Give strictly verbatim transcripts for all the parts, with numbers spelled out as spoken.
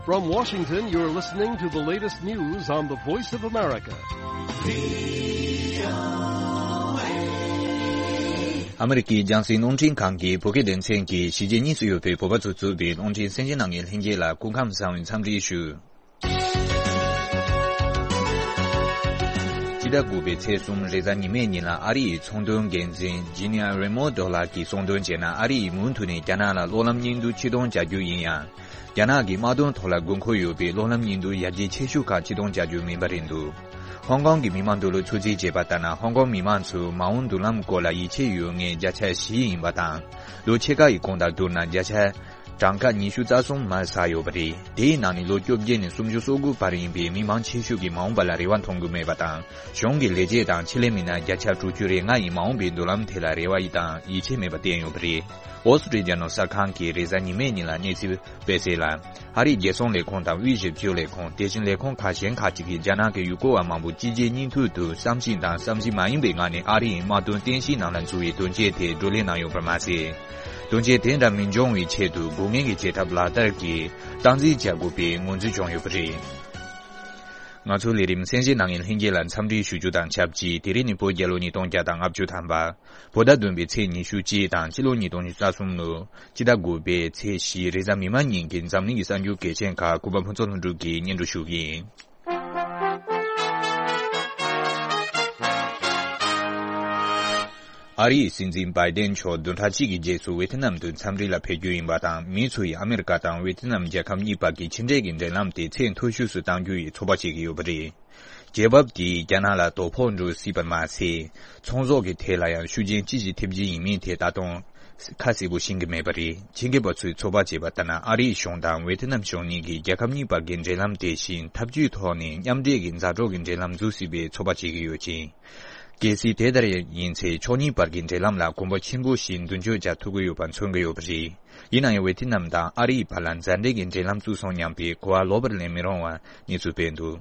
From Washington, you're listening to the latest news on the Voice of America. ཨ་མི་རི་ཀའི་རྒྱང་སྲིང་རླུང་འཕྲིན་ཁང་གི་བོད་སྐད་སྡེ་ཚན་གྱིས་གཞིས་བྱེས་གཉིས་སུ་ཡོད་པའི་བོད་པ་ཚོས་གཙོས་པའི་རླུང་འཕྲིན་གསན་མཁན་རྣམ་པ་ལྷན་རྒྱས་ལ་སྐུ་ཁམས་བཟང་བའི་འཚམས་འདྲི་ཞུ། སྤྱི་ཟླ་དགུ་པའི་ཚེས་གསུམ་རེས་གཟའ་ཉི་མའི་ཉིན་ལ་ཨ་རི་ཡི་ཚོང་དོན་འགན་འཛིན་ཇི་ནི་ཨ་རེ་མོ་ཌོ་ལགས་ཀྱིས་གསུངས་དོན་བྱས་ན། ཨ་རི་ཡིས་མུ་མཐུད་ནས་རྒྱ་ནག་ལ་གློག་ལམ་བརྙན་ཐུང་ཕྱིར་གཏོང་བྱ་རྒྱུ་ཡིན་ཡང་། རྒྱ་ནག་གི་དམག་དོན་ཐོག་ལ་དགོས་མཁོ་ཡོད་པའི་གློག་ལམ་བརྙན་ཐུང་ཡར་རྒྱས་ཆེ་ཤོས་ཁག་ཕྱིར་གཏོང་བྱ་རྒྱུ་མིན་པ་རེད་འདུག་ཧོང་ཀོང་གི་མི་མང་འདུ་ལོ་ཚོད་རྩིས་བྱས་པ་ལྟར་ན། ཧོང་ཀོང་མི་མང་ཚོས་མ་འོངས་མདུན་ལམ་སྐོར་ལ་ཡིད་ཆེས་ཡོད་མཁན་བརྒྱ་ཆ་བཞི་ཡིན་པ་དང་། ལོ་ཕྱེད་ཀ་ཡི་གོང་དང་བསྡུར་ན་བརྒྱ་ཆ་གྲངས་ཀ་ཉི་ཤུ་རྩ་གསུམ་མར་ཟག་ཡོད་པ་རེད། དེའི་ནང་ནས་ལོ་བཅོ་བརྒྱད་ནས་སུམ་ཅུ་སོ་དགུ་བར་ཡིན་པའི་མི་མང་ཆེ་ཤོས་ཀྱིས་མ་འོངས་པ་ལ་རེ་བ་མཐོང་གི་མེད་པ་དང་། གཞུང་གི་ལས་བྱེད་དང་ཆེད་ལས་མི་སྣ་བརྒྱ་ཆ་དྲུག་ཅུ་རེ་ལྔ་ཡིས་མ་འོངས་པའི་མདུན་ལམ་ཐད་ལ་རེ་བ་དང་ཡིད་ཆེས་མེད་པ་བསྟན་ཡོད་པ་རེད། ཨོ་སི་ཀྲི་ཡ་ནང་གསར་ཁང་གིས་རེས་གཟའ་ཉི་མའི་ཉིན་ལ་གནས་ཚུལ་སྤེལ་གསལ་ལ། ཨ་རིའི་རྒྱལ་སྲུང་ལས་ཁུངས་དང་དབུས་ཞིབ་དཔྱོད་ལས་ཁུངས། དེ་བཞིན་ལས་ཁུངས་ཁག་གཞན་ཁག་ཅིག་གིས་རྒྱ་ནག་གི་ཡུལ་སྐོར་བ་མང་པོ་སྤྱི་རྒྱའི་སྙིང་ཐིག་ཏུ་བསམ་བཞིན་དང་བསམ་བཞིན་མ་ཡིན་པའི་ངང་ནས་ཨ་རི་ཡི་དམག་དོན་རྟེན་གཞིའི་ནང་ལ་འཛུལ་བའི་དོན་རྐྱེན་དེ་བགྲོ་གླེང་གནང་ཡོད་པར་མ་ཟད། དོན་རྐྱེན་དེ་འདྲ་མི་འབྱུང་བའི་ཆེད་དུ་དགོས་ངེས་ཀྱི་བྱེད་ཐབས་ལག་བསྟར་གྱིས་སྟངས་འཛིན་བྱ་དགོས་པའི་ངོས་འཛིན་བྱུང་ཡོད་པ་རེད། ང་ཚོའི་ལས་རིམ་གསན་གཟིགས་གནང་མཁན་ལྷན་རྒྱས་ལ་འཚམས་འདྲི་ཞུ་རྒྱུ་དང་ཆབས་ཅིག་དེ་རིང་ནི་བོད་རྒྱལ་ལོ་ཉིས་སྟོང་བརྒྱ་དང་ལྔ་བཅུ་ཐམ་པ། བོད་ཟླ་བདུན་པའི་ཚེས་ཉི་ཤུ་གཅིག་དང་ཕྱི་ལོ་ཉིས་སྟོང་ཉི་ཤུ་རྩ་གསུམ་ལོ་སྤྱི་ཟླ་དགུ་པའི་ཚེས་བཞི་རེས་གཟའ་མིག་དམར་ཉིན་གྱི་འཛམ་གླིང་གི་གསར་འགྱུར་གལ་ཆེན་ཁག་གུས་པ་ཕུན་ཚོགས་ལྷུན་གྲུབ་ཀྱིས་སྙན་སྒྲོན་ཞུ་གི་ཡིན། ཨ་རིའི་སྲིད་འཛིན་བྷའི་ཏན་མཆོག་བདུན་ཕྲག་གཅིག་གི་རྗེས་སུ་ཝེ་ཐི་ནམ་དུ་འཚམས་འདྲི་ལ་ཕེབས་རྒྱུ་ཡིན་པ་དང་། མི་ཚོ་ཡིས་ཨ་མེ་རི་ཀ་དང་ཝེ་ཐི་ནམ་རྒྱལ་ཁབ་གཉིས་བར་གྱི་ཕྱི་འབྲེལ་གྱི་འབྲེལ་ལམ་དེ་ཚད་མཐོ་ཤོས་སུ་གཏང་རྒྱུ་ཡི་ཚོད་དཔག་བྱེད་ཀྱི་ཡོད་པ་རེད། རྒྱལ་བབ་དེས་རྒྱ་ནག་ལ་དོ་ཕོག་འགྲོ་སྲིད་པར་མ་ཟད། ཚོང་ཟོག་གི་ཐད་ལ་ཡང་ཤུགས་རྐྱེན་ཅི་ཞིག་ཐེབས་རྒྱུ་ཡིན་མིན་ཐད་ད་དུང་ཁ་གསལ་པོ་ཤེས་ཀྱི་མེད་པ་རེད། ཆེད་མཁས་པ་ཚོས་ཚོད་དཔག་བྱས་པ་ལྟར་ན། ཨ་རིའི་གཞུང་དང་ཝེ་ཐི་ནམ་གཞུང་གཉིས་ཀྱིས་རྒྱལ་ཁབ་གཉིས་བར་གྱི་འབྲེལ་ལམ་དེ་བཞིན་འཐབ་ཇུས་ཐོག་ནས་མཉམ་འབྲེལ་གྱི་མཛའ་གྲོགས་ཀྱི་འབྲེལ་ལམ་འཛུགས་སྲིད་པའི་ཚོད་དཔག་བྱེད་ཀྱི་ཡོད་ཅིང་། གལ་སྲིད་དེ་ལྟར་ཡིན་ཚེ། ཕྱོགས་གཉིས་བར་གྱི་འབྲེལ་ལམ་ལ་གོམ་པ་ཆེན་པོ་ཞིག་མདུན་སྐྱོད་བྱ་ཐུབ་ཀྱི་ཡོད་པ་མཚོན་གྱི་ཡོད་པ་རེད། ཡིན་ན་ཡང་ཝེ་ཐི་ནམ་དང་ཨ་རིའི་བར་ལ་མཛའ་འབྲེལ་གྱི་འབྲེལ་ལམ་བཙུགས་སོང་སྙམ་པའི་གོ་བ་ལོག་པར་ལེན་མི་རུང་བར་གནས་ཚུལ་སྤེལ་འདུག་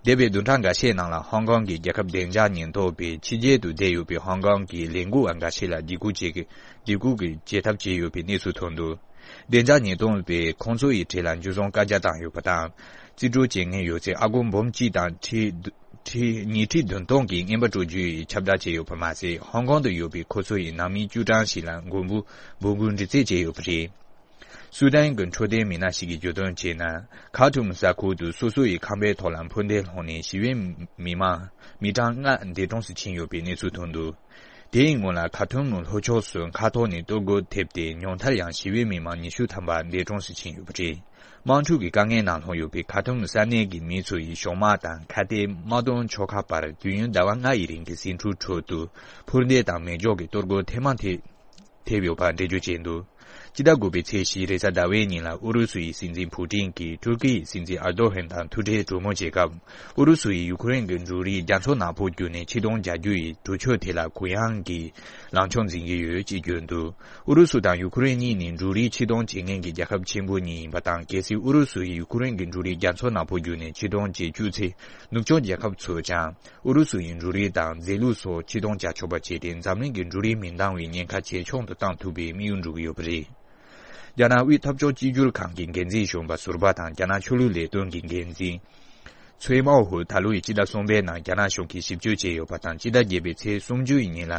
འདས་པའི་བདུན་ཕྲག་འགའ་ཤས་ནང་ལ་ཧོང་ཀོང་གི་རྒྱལ་ཁབ་བདེ་འཇགས་ཉེན་རྟོག་པས་ཕྱི་རྒྱལ་དུ་བསྡད་ཡོད་པའི་ཧོང་ཀོང་གི་ལས་འགུལ་བ་འགའ་ཤས་ལ་འཇིགས་སྐུལ་བྱེད་ཀྱི་འཇིགས་སྐུལ་གྱི་བྱེད་ཐབས་བྱས་ཡོད་པའི་གནས་ཚུལ་ཐོན་འདུག་བདེ་འཇགས་ཉེན་རྟོག་པས་ཁོང་ཚོ་ཡི་གྲས་ལ་འཇུ་བཟུང་བཀའ་རྒྱ་བཏང་ཡོད་པ་དང་། རྩིས་སྤྲོད་བྱེད་མཁན་ཡོད་ཚད་ཨ་སྒོར་འབུམ་གཅིག་དང་ཁྲི་ཁྲི་ཉིས་ཁྲི་བདུན་སྟོང་གི་རྔན་པ་སྤྲོད་རྒྱུའི་ཁྱབ་བསྒྲགས་བྱས་ཡོད་པ་མ་ཟད། ཧོང་ཀོང་དུ་ཡོད་པའི་ཁོ་ཚོ་ཡི་ནང་མི་བཅུ་གྲངས་ཤིག་ལ་མགོན་པོ་འབོད་སྐུལ་འདྲི་རྩད་བྱས་ཡོད་པ་རེད། སུའུ་ཏན་གྱི་འཕྲོད་བསྟེན་མི་སྣ་ཞིག་གིས་བརྗོད་དོན་བྱས་ན། ཁ་ཐུམ་ས་ཁུལ་དུ་སོ་སོ་ཡི་ཁང་པའི་ཐོག་ལ་འཕུར་མདེལ་ལྷུང་ནས་ཞི་བའི་མི་མང་མི་གྲངས་ལྔ་འདས་གྲོངས་སུ་ཕྱིན་ཡོད་པའི་གནས་ཚུལ་ཐོན་འདུག་དེའི་སྔོན་ལ་ཁ་ཐུམ་ལྷོ་ཕྱོགས་སུ་མཁའ་ཐོག་ནས་གཏོར་རྒོལ་ཐེབས་ཏེ་ཉུང་མཐར་ཡང་ཞི་བའི་མི་མང་ཉི་ཤུ་ཐམ་པ་འདས་གྲོངས་སུ་ཕྱིན་ཡོད་པ་རེད། དམག་འཁྲུག་གི་དཀའ་ངལ་ནང་ལྷུང་ཡོད་པའི་ཁ་ཐུམ་ས་གནས་ཀྱི་མི་ཚོ་ཡིས་གཞུང་དམག་དང་ཁ་གཏད་དམག་དོན་ཕྱོགས་ཁག་བར་དུས་ཡུན་ཟླ་བ་ལྔ་ཡི་རིང་གི་ཟིང་འཁྲུག་ཁྲོད་དུ་འཕུར་མདེལ་དང་མེ་སྒྱོགས་ཀྱི་གཏོར་རྒོལ་ཐེངས་མང་ཐེ་ཐེབས་ཡོད་པ་འགྲེལ་བརྗོད་བྱས་འདུག་སྤྱི་ཟླ་དགུ་པའི་ཚེས་བཞི་རེས་གཟའ་ཟླ་བའི་ཉིན་ལ་ཨུ་རུ་སུ་ཡི་སྲིད་འཛིན་ཕུ་ཀྲིན་གྱིས་ཏུར་ཀི་ཡི་སྲིད་འཛིན་ཨར་དོ་ཧན་དང་ཐུག་འཕྲད་གྲོས་མོལ་བྱེད་སྐབས། ཨུ་རུ་སུ་ཡིས་ཡུ་ཁུ་རེན་གྱི་འབྲུ་རིགས་རྒྱ་མཚོ་ནག་པོ་བརྒྱུད་ནས་ཕྱིར་གཏོང་བྱ་རྒྱུ་ཡི་གྲོས་ཆོད་དེ་ལ་གུ་ཡངས་ཀྱི་ལངས་ཕྱོགས་འཛིན་གྱི་ཡོད་ཅེས་བརྗོད་འདུག་ཨུ་རུ་སུ་དང་ཡུ་ཁུ་རེན་གཉིས་ནི་འབྲུ་རིགས་ཕྱིར་གཏོང་བྱེད་མཁན་གྱི་རྒྱལ་ཁབ་ཆེན་པོ་གཉིས་ཡིན་པ་དང་། གལ་སྲིད་ཨུ་རུ་སུ་ཡིས་ཡུ་ཁུ་རེན་གྱི་འབྲུ་རིགས་རྒྱ་མཚོ་ནག་པོ་བརྒྱུད་ནས་ཕྱིར་གཏོང་བྱེད་བཅུག་ཚེ། ནུབ་ཕྱོགས་རྒྱལ་ཁབ་ཚོས་ཀྱང་ཨུ་རུ་སུ་ཡི་འབྲུ་རིགས་དང་རྫས་ལུད་སོགས་ཕྱིར་གཏོང་བྱ་ཆོག་པ་བྱས་ཏེ། འཛམ་གླིང་གི་འབྲུ་རིགས་མི་འདང་བའི་ཉེན་ཁ་ཇེ་ཆུང་དུ་བཏང་ཐུབ་པའི་དམིགས་ཡུལ་འགྲུབ་ཀྱི་ཡོད་པ་རེད། རྒྱ་ནག་དབུས་འཐབ་ཕྱོགས་གཅིག་གྱུར་ཁང་གི་འགན་འཛིན་གཞོན་པ་ཟུར་པ་དང་། རྒྱ་ནག་ཆོས་ལུགས་ལས་དོན་གྱི་འགན་འཛིན་ཚོའེ་མའོ་ཧུ་ད་ལོ་ཡི་སྤྱི་ཟླ་གསུམ་པའི་ནང་རྒྱ་ནག་གཞུང་གིས་ཞིབ་དཔྱོད་བྱས་ཡོད་པ་དང་། སྤྱི་ཟླ་བརྒྱད་པའི་ཚེས་སུམ་ཅུ་ཡི་ཉིན་ལ་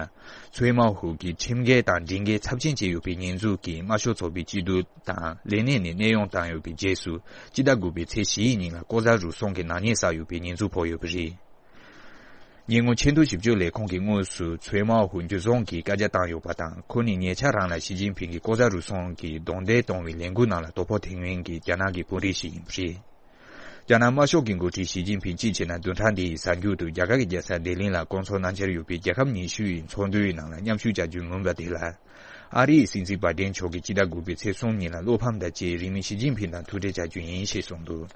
ཚོའེ་མའོ་ཧུ་གིས་ཁྲིམས་འགལ་དང་སྒྲིག་འགལ་ཚབས་ཆེན་བྱས་ཡོད་པའི་ཉེས་འཛུགས་ཀྱིས་དམར་ཤོག་ཚོགས་པའི་སྐྱིད་སྡུག་དང་ལས་གནས་ནས་གནས་དབྱུང་བཏང་ཡོད་པའི་རྗེས་སུ། སྤྱི་ཟླ་དགུ་པའི་ཚེས་བཞི་ཡི་ཉིན་ལ་ལྐོག་ཟ་རུལ་སུངས་ཀྱི་ནག་ཉེས་བསགས་ཡོད་པའི་ཉེས་འཛུགས་ཕོག་ཡོད་པ་རེད། ཉེ་སྔོན་ཆེས་མཐོའི་ཞིབ་དཔྱོད་ལས་ཁུངས་ཀྱིས་དངོས་སུ་ཚོའེ་མའོ་ཧུ་འཇུ་བཟུང་གིས་བཀའ་རྒྱ་བཏང་ཡོད་པ་དང་། ཁོ་ནི་ཉེ་ཆར་རང་ལ་ཞི་ཅིན་ཕིང་གིས་ལྐོག་ཟ་རུལ་སུངས་ཀྱིས་རྡུང་རྡེག་གཏོང་བའི་ལས་འགུལ་ནང་ལ་དོ་ཕོག་ཐེབས་མཁན་གྱི་རྒྱ་ནག་གི་དཔོན་རིགས་ཤིག་ཡིན་པ་རེད། རྒྱ་ནག་དམར་ཤོག་གི་འགོ་ཁྲིད་ཞི་ཅིན་ཕིང་གཅིག་བྱས་ན་བདུན་ཕྲག་འདི་ཡི་གཟའ་མཇུག་ཏུ་རྒྱ་གར་གྱི་རྒྱལ་ས་ལྡི་ལི་ལ་སྐོང་ཚོགས་གནང་འཆར་ཡོད་པའི་རྒྱལ་ཁབ་ཉི་ཤུ་ཡི་ཚོགས་འདུའི་ནང་ལ་མཉམ་ཞུགས་བྱ་རྒྱུའི་མུན་པ་དེ་ལ། ཨ་རིའི་སྲིད་འཛིན་བྷའི་ཏན་མཆོག་གིས་སྤྱི་ཟླ་དགུ་པའི་ཚེས་གསུམ་ཉིན་ལ་བློ་ཕམ་དང་བཅས་རིང་མིན་ཞི་ཅིན་ཕིང་དང་ཐུག་འཕྲད་བྱ་རྒྱུ་ཡིན་ཞེས་གསུངས་འདུག་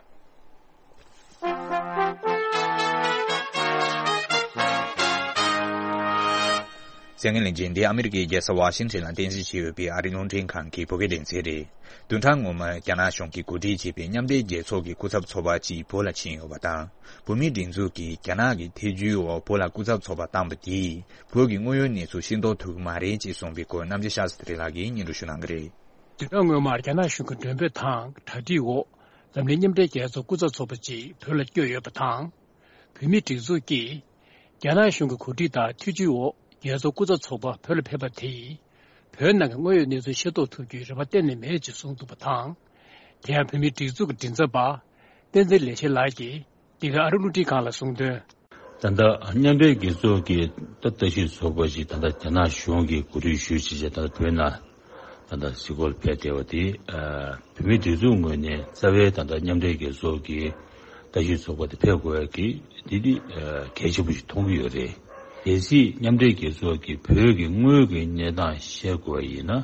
གསན་མཁན་ལྷན་རྒྱས། འདི་ཨ་མི་རི་ཀའི་རྒྱལ་ས་ཝ་ཤིང་ཊོན་ལ་རྟེན་གཞི་བྱས་ཡོད་པའི་ཨ་རིའི་རླུང་འཕྲིན་ཁང་གི་བོད་སྐད་སྡེ་ཚན་རེད། བདུན་ཕྲག་སྔོན་མར་རྒྱ་ནག་གཞུང་གིས་གོ་སྒྲིག་བྱས་པའི་མཉམ་འབྲེལ་རྒྱལ་ཚོགས་ཀྱི་སྐུ་ཚབ་ཚོགས་པ་གཅིག་བོད་ལ་ཕྱིན་ཡོད་པ་དང་། བོད་མིའི་སྒྲིག་འཛུགས་ཀྱིས་རྒྱ་ནག་གི་ཐེ་ཇུས་འོག་བོད་ལ་སྐུ་ཚབ་ཚོགས་པ་བཏང་བ་དེས་བོད་ཀྱི་དངོས་ཡོད་གནས་ཚུལ་ཤེས་རྟོགས་ཐུབ་ཀྱི་མ་རེད་ཅེས་གསུངས་པའི་སྐོར་རྣམ་རྒྱལ་ཤཱསྟྲི་ལགས་ཀྱིས་སྙན་སྒྲོན་ཞུ་གནང་གི་རེད། བདུན་ཕྲག་སྔོན་མར་རྒྱ་ནག་གཞུང་གི་འགྲེམས་སྤེལ་དང་གྲ་སྒྲིག་འོག་འཛམ་གླིང་མཉམ་འབྲེལ་རྒྱལ་ཚོགས་སྐུ་ཚབ་ཚོགས་པ་ཅིག་བོད་ལ་བསྐྱོད་ཡོད་པ་དང་། བོད་མིའི་སྒྲིག་འཛུགས་ཀྱིས་རྒྱ་ནག་གཞུང་གི་གོ་སྒྲིག་དང་ཐུགས་རྗེ་འོག་རྒྱལ་ཚོགས་སྐུ་ཚབ་ཚོགས་པ་བོད་ལ་ཕེབས་པ་དེས། བོད་ནང་གི་དངོས་ཡོད་གནས་ཚུལ་ཤེས་རྟོགས་ཐུབ་རྒྱུའི་རེ་བ་གཏན་ནས་མེད་ཅེས་གསུངས་འདུག་པ་དང་། དེ་ཡང་བོད་མིའི་སྒྲིག་འཛུགས་ཀྱི་མགྲིན་ཚབ་པ་བསྟན་འཛིན་ལེགས་བཤད་ལགས་ཀྱིས་འདི་ག་ཨ་རི་རླུང་འཕྲིན་ཁང་ལ་གསུངས་དོན། ད་ལྟ་མཉམ་འབྲེལ་རྒྱལ་ཚོགས་ཀྱི་ད་ལྟ་བཀྲ་ཤིས་ཚོགས་པ་ཞིག་ད་ལྟ་རྒྱ་ནག་གཞུང་གིས་གོ་སྒྲིག་ཞུས་བྱས་བྱས་ད་ལྟ་བོད་ནང་ད་ལྟ་གཟིགས་སྐོར་ཕེབས་བསྡད་པ་དེ། ཨ། བོད་མིའི་སྒྲིག་འཛུགས་ངོས་ནས་རྩ་བའི་ད་ལྟ་མཉམ་འབྲེལ་རྒྱལ་ཚོགས་ཀྱི་བཀྲ་ཤིས་ཚོགས་པ་དེ་ཕེབས་དགོས་ཡ་གི་འདི་འདི་ཨ་གལ་ཆེན་པོ་ཞིག་མཐོང་གི་ཡོད་རེད། གལ་སྲིད་མཉམ་འབྲེལ་རྒྱལ་ཚོགས་ཀྱིས་བོད་ཀྱི་དངོས་ཀྱི་གནས་སྟངས་བཤད་དགོས་པ་ཡིན་ན།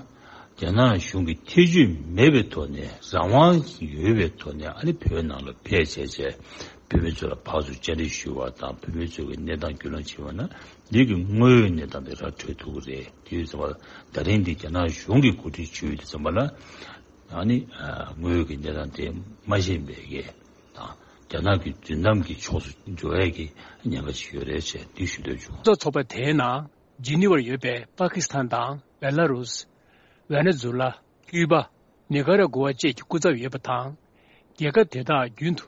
རྒྱ་ནག་གཞུང་གི་ཐེ་བྱུས་མེད་པའི་ཐོག་ནས་རང་དབང་ཡོད་པའི་ཐོག་ནས་ཨ་ནི་བོད་ནང་ལ་ཕེབས་བྱས་བྱས་བོད་མི་ཚོ་ལ་ཕར་ཚུར་བཅར་འདྲི་ཞུ་བ་དང་བོད་མི་ཚོ་གི་གནས་སྟངས་རྒྱུས་ལོན་བྱས་པ་ན་འདི་གི་དངོས་ཡོད་གནས་སྟངས་དེ་ར་འཕྲོད་ཐུབ་ཀྱི་རེད། དེ་ཡོད་ཙམ་པ་ལ་ད་རིང་འདི་རྒྱ་ནག་གཞུང་གིས་གོ་སྒྲིག་ཞུས་ཡོད་དུས་ཙམ་པ་ལ་ཨ་ནི་དངོས་ཡོད་ཀྱི་གནས་སྟངས་དེ་མ་ཤེས་པའི་གི་དང་རྒྱ་ནག་གི་རྫུན་གཏམ་གྱི་ཕྱོགས་སུ་འགྲོ་ཡས་ཀྱི་ཉེན་ཁ་ཅིག་ཡོད་རེད་ཅེས་འདི་ཞུ་འདོད་བྱུང་། གཙོ་ཚོགས་པ་དེའི་ནང་། ཇི་ནི་ཝར་ཡོད་པའི་པ་ཀི་སི་ཐན་དང་བེ་ལ་རུས། ཝེ་ནེ་ཛུ་ལ། ཀུའུ་པ། ནི་ཀ་ར་གུ་ཝ་བཅས་ཀྱི་སྐུ་ཚབ་ཡོད་པ་དང་། རྒྱལ་ཁབ་དེ་དག་རྒྱུན་དུ་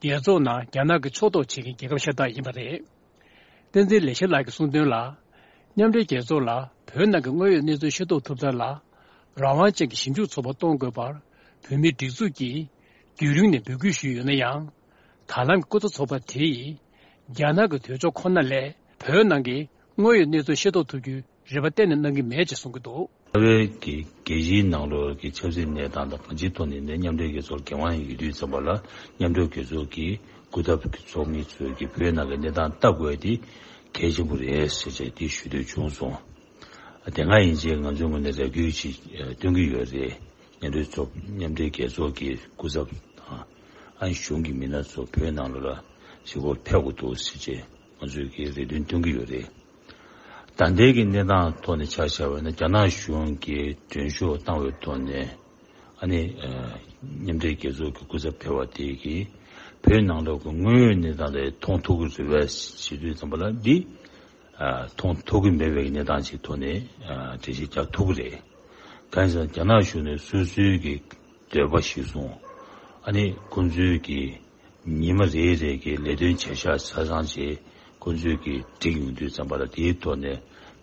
རྒྱལ་ཚོགས་ནང་རྒྱ་ནག་གི་ཕྱོགས་གཏོགས་བྱེད་མཁན་རྒྱལ་ཁབ་ཤ་སྟག་ཡིན་པ་རེད། བསྟན་འཛིན་ལེགས་བཤད་ལགས་ཀྱིས་གསུངས་དོན་ལ། མཉམ་འབྲེལ་རྒྱལ་ཚོགས་ལ་བོད་ནང་གི་དངོས་ཡོད་གནས་ཚུལ་ཤེས་རྟོགས་ཐུབ་ཐབས་ལ། རང་དབང་ཅན་གྱི་ཞིབ་འཇུག་ཚོགས་པ་གཏོང་དགོས་པར་བོད་མིའི་སྒྲིག་འཛུགས་ཀྱིས་རྒྱུན་རིང་ནས་འབོད་སྐུལ་ཞུས་ཡོད་ན་ཡང་། ད་ལམ་གྱི་སྐུ་ཚབ་ཚོགས་པ་དེ་ཡིས། རྒྱ་ནག་གི་དོལ་ཕྱོགས་ཁོ་ན་ལས་བོད་ནང་གི་དངོས་ཡོད་གནས་ཚུལ་ཤེས་རྟོགས་ཐུབ་རྒྱུའི་རེ་བ་གཏན་ནས་གནང་གི་མེད་ཅེས་གསུང་གི་འདུག། རྩ་བའི་གི་རྒྱལ་སྤྱིའི་ནང་ལོགས་ཀྱི་ཆབ་སྲིད་གནས་སྟངས་དང་གང་ཅིའི་ཐོག་ནས་ནས་མཉམ་འབྲེལ་རྒྱལ་ཚོགས་འགན་དབང་ཡོད་དུས་ཙམ་པ་ལ་མཉམ་འབྲེལ་རྒྱལ་ཚོགས་ཀྱི་སྐུ་ཚབ་ཀྱི་ཚོགས་མི་ཚོས་ཀྱི་བོད་ནང་གི་གནས་སྟངས་ལྟ་དགོས་དེ་གལ་ཆེན་པོ་རེད་ཟེར་བྱས་དེ་ཞུ་འདོད་བྱུང་སོང་། དེ་སྔ་ཡིན་ཕྱིན་ང་ཚོའི་ངོས་ནས་རེ་སྐུལ་ཅིག་སྟོན་གྱི་ཡོད་རེད། མཉམ་འབྲེལ་ཚོགས་མཉམ་འབྲེལ་རྒྱལ་ཚོགས་ཀྱི་སྐུ་ཚབ་དང་། ཨ་ནི་གཞུང་གི་མི་སྣ་ཚོ་བོད་ནང་ལོགས་ལ་གཟིགས་སྐོར་ཕེབས་དགོས་འདུག་ཟེར་བྱས་ང་ཚོས་ཀྱི་རེ་འདུན་བཏོན་གྱི་ཡོད་རེད། ད་ལྟའི་གི་གནས་སྟངས་ཐོག་ནས་ཆ་བཞག་པ་ཡིན་ན་རྒྱ་ནག་གཞུང་གིས་མགྲོན་ཤོག་བཏང་བའི་ཐོག་ནས་ཨ་ནི་མཉམ་འབྲེལ་རྒྱལ་ཚོགས་ཀྱི་སྐུ་ཚབ་ཕེབས་པ་དེ་གིས་བོད་ནང་ལོགས་ཀྱི་དངོས་ཡོད་གནས་སྟངས་དེ་མཐོང་ཐུབ་ཀྱི་རེད་པས་ཞུ་དུས་ཙམ་པ་ལ་འདི། མཐོང་ཐུབ་ཀྱི་མེད་པའི་གནས་སྟངས་ཅིག་ཐོག་ནས་འགྲེལ་བཤད་རྒྱག་ཐུབ་ཀྱི་རེད། གང་ཡིན་ཟེར་ན་རྒྱ་ནག་གཞུང་ནས་སོ་སོའི་གི་འདོད་པ་གཞིར་བཟུང་ཨ་ནི་ཁོང་ཚོའི་གི་ཉི་མ་རེ་རེ་གི་ལས་དོན་བྱ་གཞག་ཆ་ཚང་བྱས་ཁོང་ཚོའི་གི་བསྒྲིགས་ཡོང་དུས་ཙམ་པ་ལ་དེའི་ཐོག་ནས་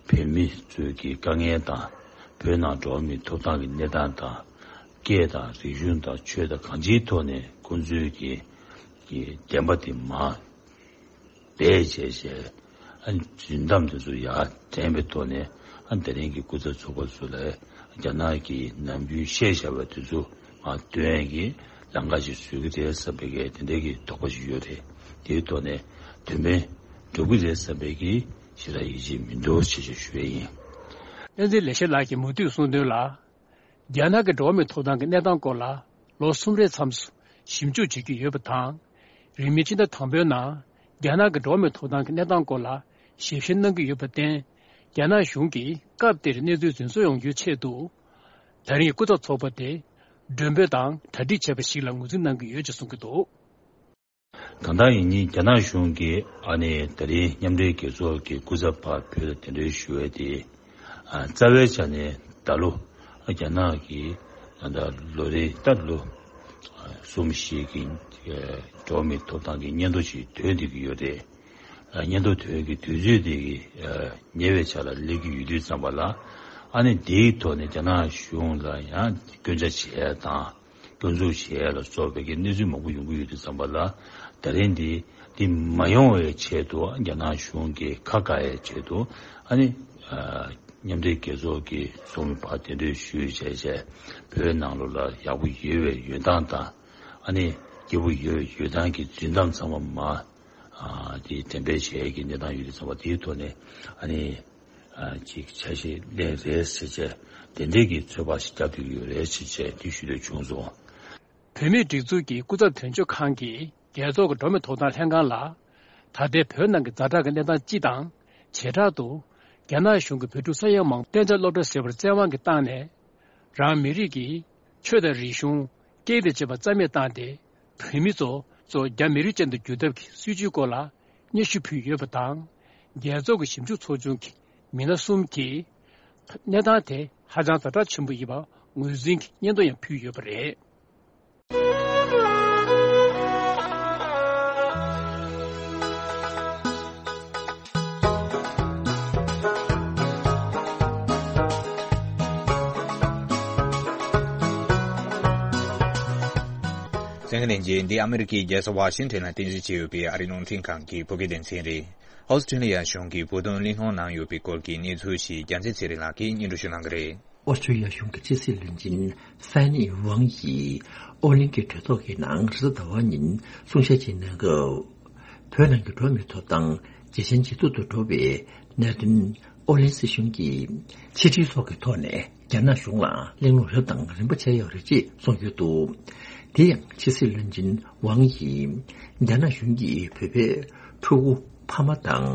བོད་མི་ཚོའི་གི་དཀའ་ངལ་དང་བོད་ནང་འགྲོ་བ་མིའི་ཐོབ་ཐང་གི་གནས་སྟངས་དང་སྐད་དང་རིག་གཞུང་དང་ཆོས་དང་གང་ཅིའི་ཐོག་ནས་ཁོང་ཚོའི་གི་གི་བདེན་པ་དེ་མ། བེད་སྤྱད་བྱས། ཨ་ནི་རྫུན་གཏམ་དེ་ཚོ་ཡར་དྲན་པའི་ཐོག་ནས་ཨ་དེ་རིང་གི་སྐུ་ཚབ་ཚོགས་པ་ཚོ་ལ་རྒྱ་ནག་གིས་ནམ་རྒྱུན་བཤད་བཞག་པ་དེ་ཚོ་མར་སྟོན་ཡས་ཀྱི་ལམ་ཁ་ཞིག་བཟོ་གི་རེད་བསམ་པའི་གི་དེ་འདྲའི་གི་དོགས་པ་ཞིག་ཡོད་རེད། དེའི་ཐོག་ནས་དོན་ཕན་འགྲུབ་ཀྱི་རེད་བསམ་པའི་གི་ཞེ་དྲག་ཡིད་ཆེས་མི་འདུག་ཅེས་ཞུ་ཡས་ཡིན། བསྟན་འཛིན་ལེགས་བཤད་ལགས་ཀྱིས་མུ་མཐུད་གསུངས་དོན་ལ། རྒྱ་ནག་གི་འགྲོ་བ་མིའི་ཐོབ་ཐང་གི་གནས་སྟངས་སྐོར་ལ་ལོ་གསུམ་རེའི་མཚམས་སུ་ཞིབ་འཇུག་བྱེད་ཀྱི་ཡོད་པ་དང་། རིང་མིན་ཕྱི་ཟླ་དང་པོའི་ནང་རྒྱ་ནག་གི་འགྲོ་བ་མིའི་ཐོབ་ཐང་གི་གནས་སྟངས་སྐོར་ལ་ཞིབ་བཤེར་གནང་གི་ཡོད་པར་བརྟེན། རྒྱ་ནག་གཞུང་གིས་སྐབས་དེར་གནས་ཚུལ་རྫུན་བཟོ་ཡོང་རྒྱུའི་ཆེད་དུ། ད་རིང་གི་སྐུ་ཚབ་ཚོགས་པ་དེ་མགྲོན་འབོད་དང་གྲ་སྒྲིག་བྱས་པ་ཞིག་ལ་ངོས་འཛིན་གནང་གི་ཡོད་ཅེས་གསུང་གི་འདུག། གང་ལྟར་ཡིན་ནའི་རྒྱ་ནག་གཞུང་གིས་ཨ་ནི་ད་རིང་མཉམ་འབྲེལ་རྒྱལ་ཚོགས་ཀྱི་སྐུ་ཚབ་ཕར་བོད་ལ་གདན་འདྲེན་ཞུ་བའི་དེ། ཨ་རྩ་བའི་ཆ་ནས་ད་ལོ་རྒྱ་ནག་གིས་ད་ལོ་རེའི་ད་ལོ་གསུམ་བཞི་གི་འགྲོ་བ་མིའི་ཐོབ་ཐང་གི་སྙན་ཐོ་ཞིག་ཐོན་བསྡད་ཀྱི་ཡོད་རེད། ཨ་སྙན་ཐོ་ཐོན་གྱི་དུས་ཚོད་དེ་གི་ཉེ་བའི་ཆ་ལ་སླེབས་ཀྱི་ཡོད་དུས་ཙམ་པ་ལ་ཨ་ནི་དེའི་ཐོག་ནས་རྒྱ་ནག་གཞུང་ལ་ཡང་སྐྱོན་ཆ་བྱས་དང་། སྐྱོན་འཛུགས་བྱས་ལ་སོགས་པའི་གི་གནས་ཚུལ་མང་པོ་ཡོང་གི་ཡོད་དུས་ཙམ་པ་ལ་ད་རིང་འདི་འདི་མ་ཡོང་བའི་ཆེད་དུ་རྒྱ་ནག་གཞུང་གིས་ཁ་བཀག་ཡའི་ཆེད་དུ་ཨ་ནི་མཉམ་འབྲེལ་རྒྱལ་ཚོགས་ཀྱི་ཚོགས་མི་ཕར་གདན་འདྲེན་ཞུས་བྱས་བྱས་བོད་ནང་ལོགས་ལ་ཡག་པོ་ཡོད་པའི་ཡོད་སྟངས་དང་ཨ་ནི་སྐྱིད་པོ་ཡོད་པའི་ཡོད་སྟངས་ཀྱི་རྫུན་གཏམ་ཚང་མ་མ་འདི་འགྲེམས་སྤེལ་བྱས་ཀྱི་གནས་སྟངས་ཡོད་དུས་ཙམ་པ་དེའི་ཐོག་ནས་ཨ་ནི། ཅིག་ཆ་ཤས་ལེན་རེད་ཟེར་བྱས་དེ་འདྲས་ཀྱི་ཚོད་དཔག་ཞིག་བརྒྱབ་ཐུབ་ཀྱི་ཡོད་རེད་ཅེས་བྱས་འདི་ཞུ་འདོད་བྱུང་སོང་། བོད་མིའི་སྒྲིག་འཛུགས་ཀྱི་སྐུ་ཚབ་དོན་གཅོད་ཁང་གིས་རྒྱལ་ཚོགས་ཀྱི་འགྲོ་བ་མིའི་ཐོབ་ཐང་ལྷན་ཁང་ལ། ད་ལྟའི་བོད་ནང་གི་ཛ་དྲག་གི་གནས་སྟངས་སྤྱི་དང་། བྱེ་བྲག་ཏུ། རྒྱ་ནག་གཞུང་གིས་བོད་ཕྲུག་ས་ཡ་མང་པོ་གཏན་འཇགས་སློབ་གྲྭར་བསྐྱལ་བར་བཙན་དབང་གིས་བཏང་ནས། རང་མི་རིགས་ཀྱི་ཆོས་དང་རིག་གཞུང་། སྐད་དང་བཅས་པ་རྩ་མེད་བཏང་སྟེ། བོད་མི་ཚོ་ཚོ་རྒྱ་མི་རིགས་ཅན་དུ་བསྒྱུར་ཐབས་ཀྱི་སྲིད་བྱུས་སྐོར་ལ་སྙན་ཞུ་ཕུལ་ཡོད་པ་དང་། རྒྱལ་ཚོགས་ཀྱི་ཞིབ་འཇུག་ཚོགས་ཆུང་གི་མི་སྣ་གསུམ་གྱིས། གནས་སྟངས་དེ་ཧ་ཅང་ཛ་དྲག་ཆེན་པོ་ཡིན་པ་ངོས་འཛིན་གྱི་སྙན་ཐོ་ཡང་ཕུལ་ཡོད་པ་རེད། གཏན་འཁེལ་ལན་རྗེས། འདི་ཨ་མི་རི་ཀའི་རྒྱལ་ས་ཝ་ཤིང་ཊོན་ལ་རྟེན་གཞི་བྱས་ཡོད་པའི་ཨ་རིའི་རླུང་འཕྲིན་ཁང་གི་བོད་སྐད་སྡེ་ཚན་རེད། ཨོ་སི་ཀྲི་ལི་ཡ་གཞུང་གིས་བོད་དོན་གླེང་སློང་གནང་ཡོད་པའི་སྐོར་གྱི་གནས་ཚུལ་ཞིག་རྒྱལ་མཚན་ཚེ་རིང་ལགས་ཀྱིས་སྙན་སྒྲོན་ཞུ་གནང་གི་རེད། ཨོ་སི་ཀྲི་ལི་ཡ་གཞུང་གི་ཕྱི་སྲིད་བློན་ཆེན་ཧྥན་ནི་ཝང་ཡིས་ཨོ་གླིང་གི་གྲོས་ཚོགས་ཀྱི་ནང་རེས་གཟའ་ཟླ་བ་ཉིན་གསུང་བཤད་ཅིག་གནང་སྐབས། བོད་ནང་གི་འགྲོ་བ་མིའི་ཐོབ་ཐང་ཇེ་ཞན་ཇེ་སྡུག་ཏུ་འགྲོ་བའི་གནད་དོན། ཨོ་གླིང་སྲིད་གཞུང་གིས་ཕྱི་འབྲེལ་སོགས་ཀྱི་ཐོག་ནས་རྒྱ་ནག་གཞུང་ལ་གླེང་སློང་རབ་དང་རིམ་པ་བྱས་ཡོད་རེད་ཅེས་གསུངས་ཡོད་འདུག། དེ་ཡང་ཕྱི་སྲིད་བློན་ཆེན་ཝང་ཡིས། རྒྱ་ནག་གཞུང་གིས་བོད་པའི་ཕྲུ་གུ་ཕ་མ་དང་